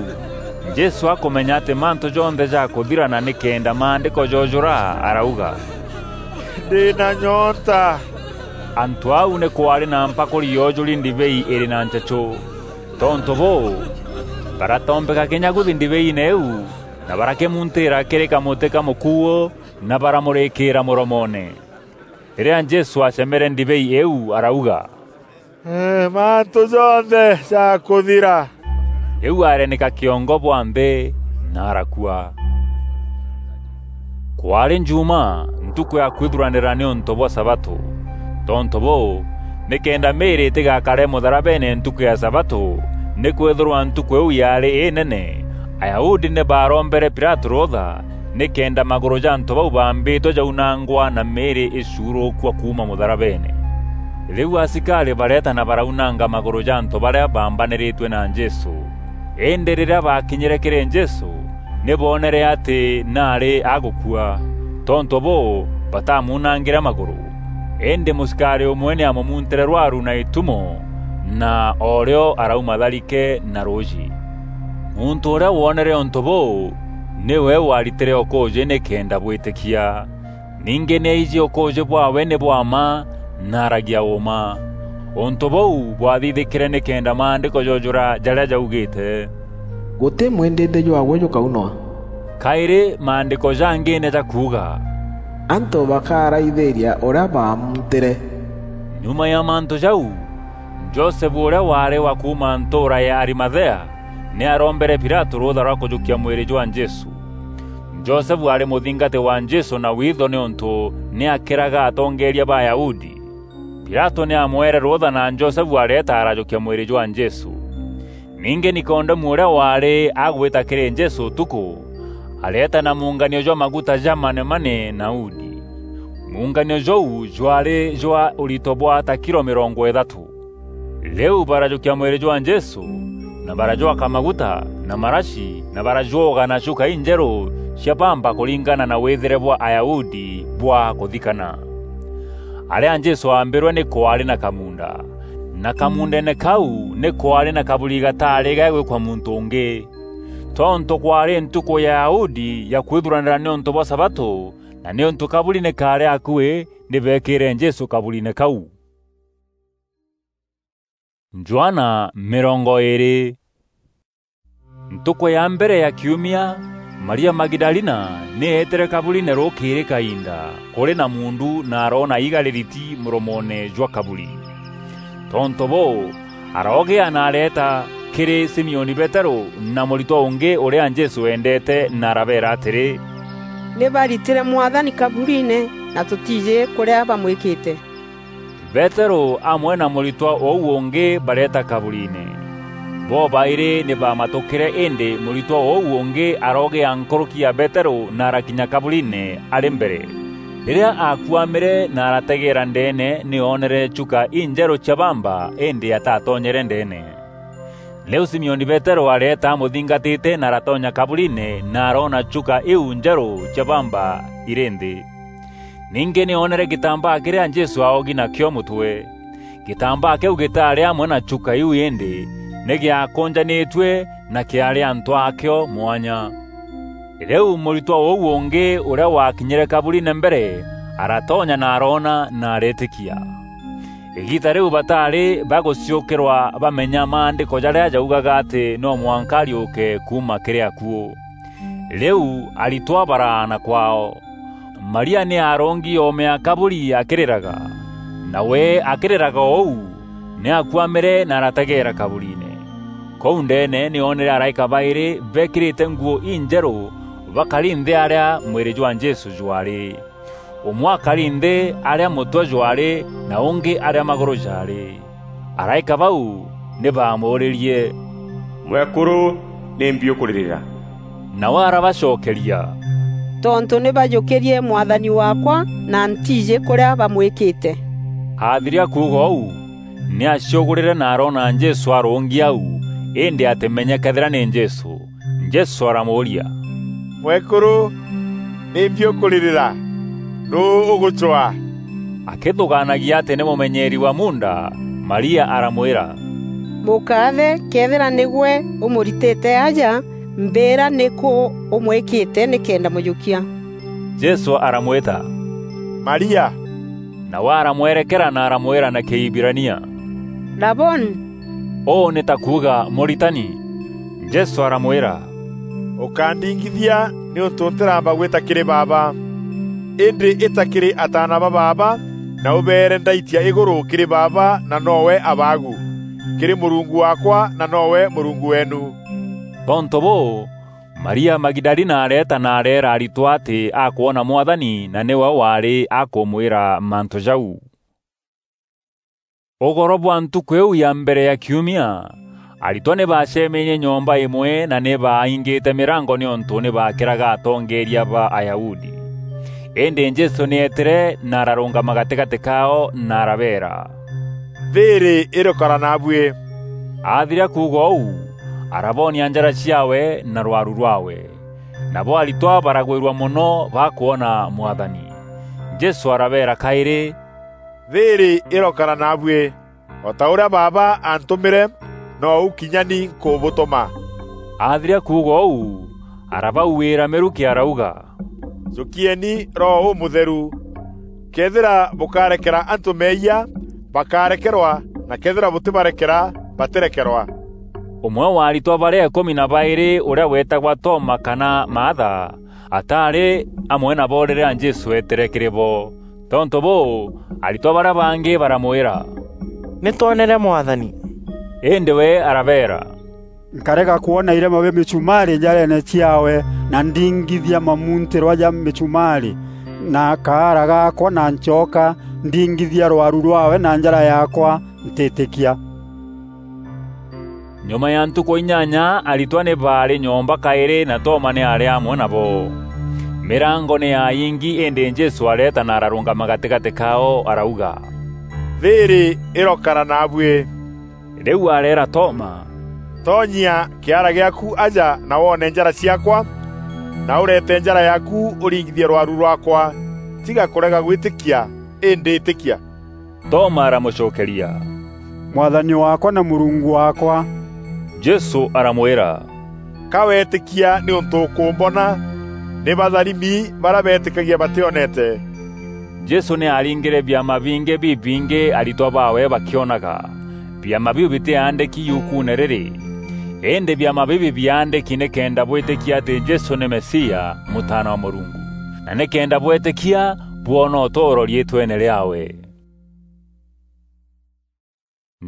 Jesû akûmenya atî mantû jonthe jakûthirana nîkenda maandîko joojûra, arauga, "Ndî na nyonta." Antû au nî kwaarî na mpakûri yoojûri ndibei îrî na nchechû. Tontû bûû, baratombeka kinya guthi ndibeine îîu, na barakîmuntîîra kîrî kamûtî ka mûkuû, na baramûrîkîîra mûromoone. Rîrîa Jesû acemere ndibei îîu, arauga, "Ee, mantû jonthe jakûthira." Rîu arenîka kîongo bwa nthî na arakua. Kwaarî Njuuma, ntukû ya kwithuranîra nîûntû bwa sabatû. Tontû bûû, nîkenda mîîrî îtîgakare mûtharabeene ntukû ya sabatû, nîkwîthîrwa ntukû îîu yaarî înene, Ayahudi nî baarombere Pilatû rûûtha, nîkenda magûrû ja antû bau baambîtwe jaunangwa na mîîrî îcuurûkua kuuma mûtharabeene. Rîu asikarî bareeta na baraunanga magûrû ja antû barîa baambanîrîtue na Jesû. Îndî rîrîa baakinyîre kîrî Jesû, nî boonere atî naarî agûkua. Tontû bûû, batamuunangîre magûrû. Îndî mûsikarî ûmwe nî aamûmuntîre rwaru na îtumo, na o rîo arauma tharike na rûûjî. Muntû ûrîa woonere ûntû bûû, nîwe waaritîre ûkûûjî nîkenda bwîtîkia. Ningî nî aijî ûkûûjî bwaawe nî bwa mma na aragia ûûma. Ûntû bûu bwathithîkîre nîkenda maandîko joojûra jarîa jaugîîte, "Gûtî mwîndîndî jwaawe jûkaunwa." Kaîrî maandîko jangî nî jakuuga, "Antû bakaraithîîria ûrîa baamuntîre." Nyuma ya mantû jau, Josefu ûrîa waarî wa kuuma ntûûra ya Arimathea, nî arombere Pilatû rûûtha rwa kûjûkia mwîrî jwa Jesû. Josefu aarî mûthingati wa Jesû na witho nîûntû nî akîraga atongeeria ba Ayahudi. Pilatû nî aamweere rûûtha na Josefu areeta arajûkia mwîrî jwa Jesû. Ningî Nikodemu ûrîa waarî agwîta kîrî Jesû ûtukû, areeta na muunganio jwa maguta ja manemane na udi. Muunganio jûu jwaarî jwa ûrito bwa ta kilo mîrongo îthatû. Rîu barajûkia mwîrî jwa Jesû, na barajwaka maguta na marashi, na barajwoga na chuka injerû cia bamba kûringana na wîthîre bwa Ayahudi bwa kûthikana. Arîa Jesû aambîrwe nî kwaarî na kamuunda, na kamuundeene kau nî kwaarî na kaburi gataarî gagwîkwa muntû ûngî. Tontû kwaarî ntukû ya Ayahudi ya kwithuranîra nîûntû bwa sabatû, na nîûntû kaburi nî kaarî akuî, nî beekîîre Jesû kaburiine kau. Johana mîrongo îîrî. Ntukû ya mbere ya kiumia, Maria Magidalina nî eetîre kaburiine rûkîîrî kainda kûrî na muundu na aroona iiga rîriti mûromoone jwa kaburi. Tontû bûû, aroogîa na areeta kîrî Simioni Peterû na mûritwa ûngî ûrîa Jesû eendeete na arabeera atîrî, "Nî baritîre Mwathani kaburiine na tûtiijî kûrîa bamwîkîte." Peterû amwe na mûritwa ûu ûngî bareeta kaburiine. Bobaîrî nî baamatûkîre îndî mûritwa ûu ûngî aroogîa nkûrûki ya Peterû na arakinya kaburiine arî mbere. Rîrîa aakuamîre na arategeera ndeene, nî oonere chuka injerû cia bamba, îndî atatonyere ndeene. Rîu Simioni Peterû areeta amûthingatîte na aratonya kaburiine na aroona chuka iu njerû cia bamba irî nthî. Ningî nî oonere gîtambaa kîrîa Jesû aogi nakîo mûtwe. Gîtambaa kîu gîtaarî amwe na chuka iu îndî nî gîakûnjanîtue na kîaarî antû aakîo mwanya. Rîu mûritwa ûu ûngî ûrîa waakinyîre kaburiine mbere aratonya na aroona na areetîkia. Îgiita rîu bataarî bagûciûkîrwa bamenya maandîko jarîa jaugaga atî no mwanka ariûke kuuma kîrî akuû. Rîu aritwa baraana kwaao. Maria nî aarongi oome ya kaburi akîrîraga. Nawe akîrîraga ûu, nî aakuamîre na arategeera kaburiine. Kûu ndeene nî oonere araîka baîrî beekîrîte nguû injerû bakari nthî arîa mwîrî jwa Jesû jwaarî. Ûmwe akari nthî arîa mûtwe jwaarî na ûngî arîa magûrû jaarî. Araîka bau nî baamûûrîrie, "Mwekûrû, nîmbi ûkûrîrîra?" Nawe arabacokeria, "Tontû nî bajûkîrie Mwathani waakwa na ntiijî kûrîa bamwîkîte." Aathiria kuuga ûu, nî aciûgûrîre na aroona Jesû arûngi au, îndî atîmenye këethîra nî Jesû. Jesû aramûûria, "Mwekûrû, nîmbi ûkûrîrîra? Nûû ûgûcwaa?" Akîthûgaanagia atî nî mûmenyeeri wa muunda, Maria aramwîra, "Mûkaathe, këethîra nîgwe ûmûritîte aja, mbîîra nîkû ûmwîkîte nîkenda mûjûkia." Jesû aramwîta, "Maria!" Nawe aramwerekera na aramwîra na Kîhibirania, "Raboni!" Ûû nî ta kuuga, "Mûritani." Jesû aramwîra, "Ûkandingithia nîûntû ntîramba gwîta kîrî Baaba. Îndî îta kîrî ataana ba Baaba, na ûbeere ndaitia îgûrû kîrî Baaba na nowe Abaagu, kîrî Mûrungu waakwa na nowe Mûrungu weenu." Tontû bûû, Maria Magidalina areeta na areera aritwa atî akwona Mwathani na nîwe waarî akûmwîra mantû jau. Ûgoro bwa ntukû îîu ya mbere ya kiumia, aritwa nî baacemenie nyomba îmwe na nî baaingîte mîrango nîûntû nî baakîraga atongeeria ba Ayahudi. Îndî Jesû nî eetîre na ararûngama gatîgatî kaao na arabeera, "Thîîrî îrokara naabuî." Aathiria kuuga ûu, arabonia njara ciaawe na rwaru rwaawe. Nabo aritwa baragwîrua mono bakwona Mwathani. Jesû arabeera kaîrî, "Thîîrî îrokara naabuî. O ta ûrîa Baaba antûmîre, nou kinya ni nkûbûtûma." Aathiria kuuga ûu, arabauîîra mîrukî arauga, "Jûkieni Roho Ûmûtheru. Këethîra bûkarekera antû meeyia, bakarekerwa, na këethîra bûtîbarekera, batîrekerwa." Ûmwe wa aritwa barîa îkûmi na baîrî, ûrîa weetagwa Toma kana Maatha, ataarî amwe nabo rîrîa Jesû eetîre kîrî bo. Tontû bûû, aritwa barîa bangî baramwîra, "Nî twonere Mwathani." Îndî we arabeera, "Nkarega kwona irema bia mîchumaarî njareene ciaawe, na ndingithia mamuntîrwa ja mîchumaarî na kaara gaakwa, na ncoka ndingithia rwaru rwaawe na njara yaakwa, ntîtîkia." Nyuma ya ntukû inyanya, aritwa nî baarî nyomba kaîrî, na Toma nî aarî amwe nabo. Mîrango nî yaayingi, îndî Jesû areeta na ararûngama gatîgatî kaao, arauga, "Thîîrî îrokara naabuî." Rîu areera Toma, "Tonyia kîara gîaaku aja na woone njara ciaakwa, na ûreete njara yaaku ûringithie rwaru rwaakwa. Tiga kûrega gwîtîkia, îndî îtîkia." Toma aramûcokeria, "Mwathani waakwa na Mûrungu waakwa!" Jesû aramwîra, "Ka weetîkia nîûntû ûkûmbona? Nî batharimi barîa beetîkagia batîonete." Jesû nî aaringîre biama bingî bibingî aritwa baawe bakîonaga. Biama biu bitîaandîki yukuune rîrî. Îndî biama bibi biaandîki nîkenda bwîtîkia atî Jesû nî Mesia, Mûtaana wa Mûrungu, na nîkenda bwetîkia bwona ûtûûro riîtweene rîaawe.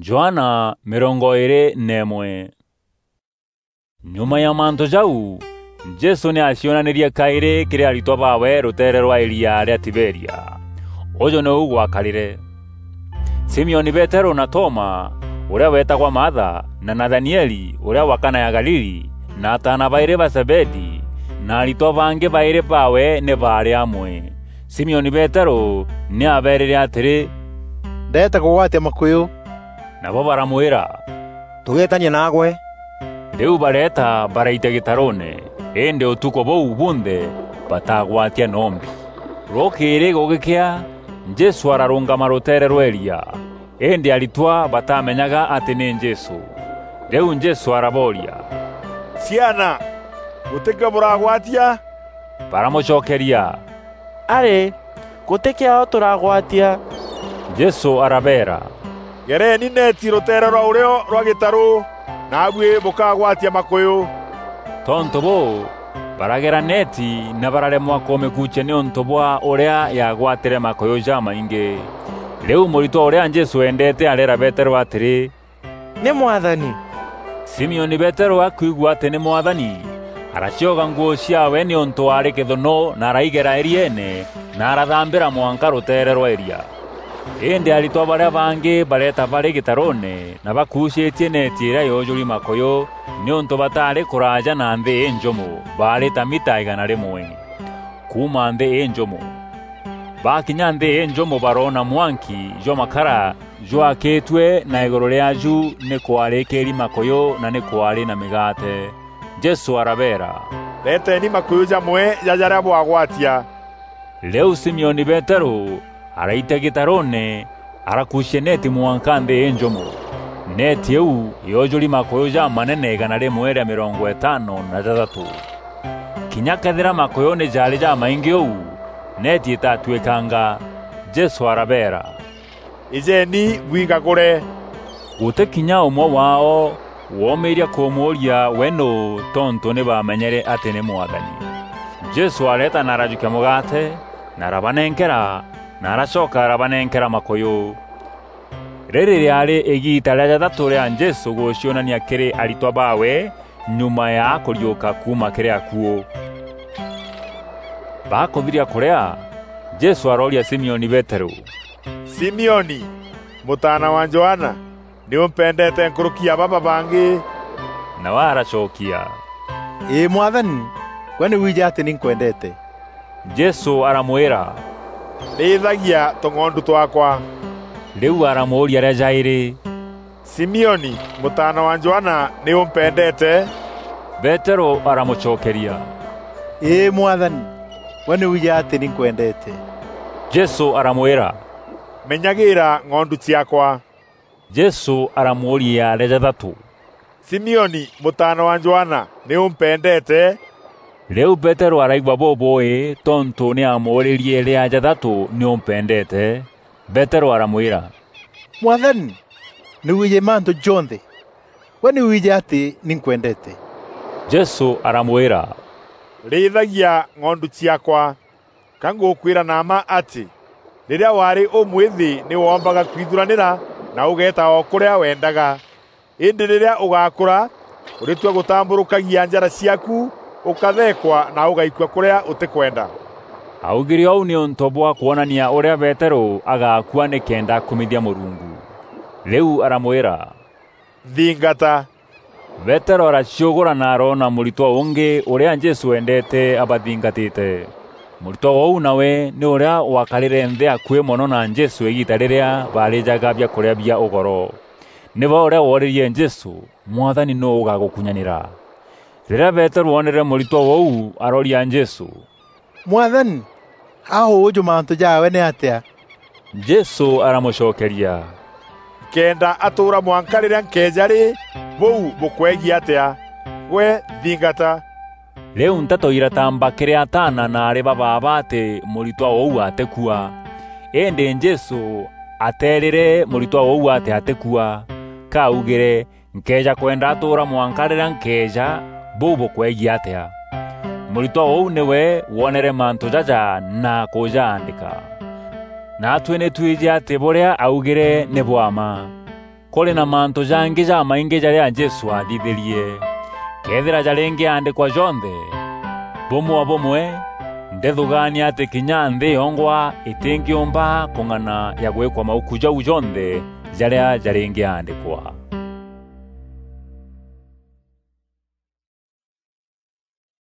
Johana mîrongo îîrî na îmwe. Nyuma ya mantû jau, Jesû nî aacionanîrie kaîrî kîrî aritwa baawe rûteere rwa îria rîa Tiberia. Ûjû nîu gwakarîre. Simioni Peterû na Toma, ûrîa weetagwa Maatha, na Nathanieli, ûrîa wa Kana ya Galili, na ataana baîrî ba Zebedi, na aritwa bangî baîrî baawe nî baarî amwe. Simioni Peteru ni aabeerîre atîrî, "Ndeete kûgwatia makûyû." Nabo baramwîra, "Tûgeetania naagwe." Rîu bareeta, baraitia gîtarûûne, îndî ûtukû bûu bunthe batagwatia nombi. Rûkîîrî gûgîkea, Jesû ararûngama rûteere rwa îria, îndî aritwa batamenyaga atî nî Jesû. Rîu Jesû arabooria, "Ciana, gûtî kîo bûragwatia?" Baramûcokeria, "Arî, gûtî kîao tûragwatia." Jesû arabeera, "Gereeni neeti rûteere rwa ûrîo rwa gîtarû, naabuî bûkagwatia makûyû." Tontû bûû, baragera neeti na bararemwa kûmîkuucia nîûntû bwa ûrîa yaagwatîre makûyû jamaingî. Rîu mûritwa ûrîa Jesû eendeete areera Peterû atîrî, "Nî Mwathani!" Simioni Peterû akwigua atî nî Mwathani, aracioga nguû ciaawe nîûntû aarî kîthûnû na araigera îrieene na arathambîra mwanka rûteere rwa îria. Îndî aritwa barîa bangî bareeta barî gîtarûûne na bakuucîtie neeti îrîa yoojûri makûyû, nîûntû bataarî kûraaja na nthî înjûmo, baarî ta mita îgana rîmwe kuuma nthî înjûmo. Bakinya nthî înjûmo baroona mwanki jwa makara jwakîtue na îgûrû rîaaju nî kwaarî kîri makûyû na nî kwaarî na mîgaate. Jesû arabeera, "Reteeni makûyû jamwe ja jarîa bwagwatia." Rîu Simioni Peterû araitia gîtarûûne, arakuucia neeti mwanka nthî înjûmo. Neeti îîu yoojûri makûyû jamanene îgana rîmwe rîa mîrongo îtano na jathatû. Kinya këethîra makûyû nî jaarî jamaingî ûu, neeti îtatuîkanga. Jesû arabeera, "Îjeeni bwingagûre." Gûtî kinya ûmwe waao woomîîria kûmûûria we nûû, tontû nî baamenyere atî nî Mwathani. Jesû areeta na arajûkia mûgaate, na arabanenkera, na aracoka arabanenkera makûyû. Rîrî rîaarî îgiita rîa jathatû rîa Jesû gûcionania kîrî aritwa baawe nyuma ya kûriûka kuuma kîrî akuû. Bakûthiria kûrîa, Jesû arooria Simioni Peterû, "Simioni, mûtaana wa Johana, nî ûmpendeete nkûrûki ya baba bangî?" Nawe aracokia, "Îî Mwathani, gwe nî wiijî atî nî nkwendeete." Jesû aramwîra, "Rîîthagia tûng'ondu twaakwa." Rîu aramûûria rîa jaîrî, "Simioni, mûtaana wa Johana, nî ûmpendeete?" Peterû aramûcokeria, "Îî Mwathani, gwe nî wiijî atî nî nkwendeete." Jesû aramwîra, "Menyagîîra ng'ondu ciaakwa." Jesû aramûûria rîa jathatû, "Simioni, mûtaana wa Johana, nî ûmpendeete?" Rîu Peterû araigua bûbûûî tontû nî aamûûrîrie rîa jathatû, "Nî ûmpendeete?" Peterû aramwîra, "Mwathani, nî wiijî mantû jonthe. Gwe nî wiijî atî nî nkwendeete." Jesû aramwîra, "Rîîthagia ng'ondu ciaakwa. Ka ngûkwîra na mma atî, rîrîa waarî ûmwîthî nî woombaga kwithuranîra na ûgeeta o kûrîa wendaga. Îndî rîrîa ûgakûra, ûrîtua gûtambûrûkagia njara ciaaku, ûkatheekwa na ûgaikua kûrîa ûtîkwenda." Augîre ûu nîûntû bwa kwonania ûrîa Peterû agakua nîkenda akumithia Mûrungu. Rîu aramwîra, "Nthingata." Peterû araciûgûra na aroona mûritwa ûngî ûrîa Jesû endeete abathingatîte. Mûritwa ûu nawe nî ûrîa wakarîre nthî akuî mono na Jesû îgiita rîrîa baarîjaga biakûrîa bia ûgoro. Nîwe ûrîa woorîrie Jesû, "Mwathani, nûû ûgagûkunyanîra?" Rîrîa Peterû oonere mûritwa ûu, arooria Jesû, "Mwathani, a ûûjû mantû jaawe nîatîa?" Jesû aramûcokeria, "Nkenda atûûra mwanka rîrîa nkeeja rî, bûu bûkwegiî atîa? Gwe nthingata." Rîu nteto iratamba kîrî ataana na aarî ba baaba atî mûritwa ûu atîkua. Îndî Jesû ateerîre mûritwa ûu atî atîkua. Ka augîre, "Nkeeja kwenda atûûra mwanka rîrîa nkeeja, bûu bûkwegiî atîa?" Mûritwa ûu nîwe woonere mantû jaja na kûjaandîka. Naatuî nî twîjî atî bûrîa augîre nî bwa mma. Kûrî na mantû jangî jamaingî jarîa Jesû aathithîrie. Këethîra jarîngîaandîkwa jonthe, bûmwe o bûmwe, ndîthûgaania atî kinya nthî yongwa îtîngîûmba kûng'ana ya gwîkwa mauku jau jonthe jarîa jarîngîaandîkwa.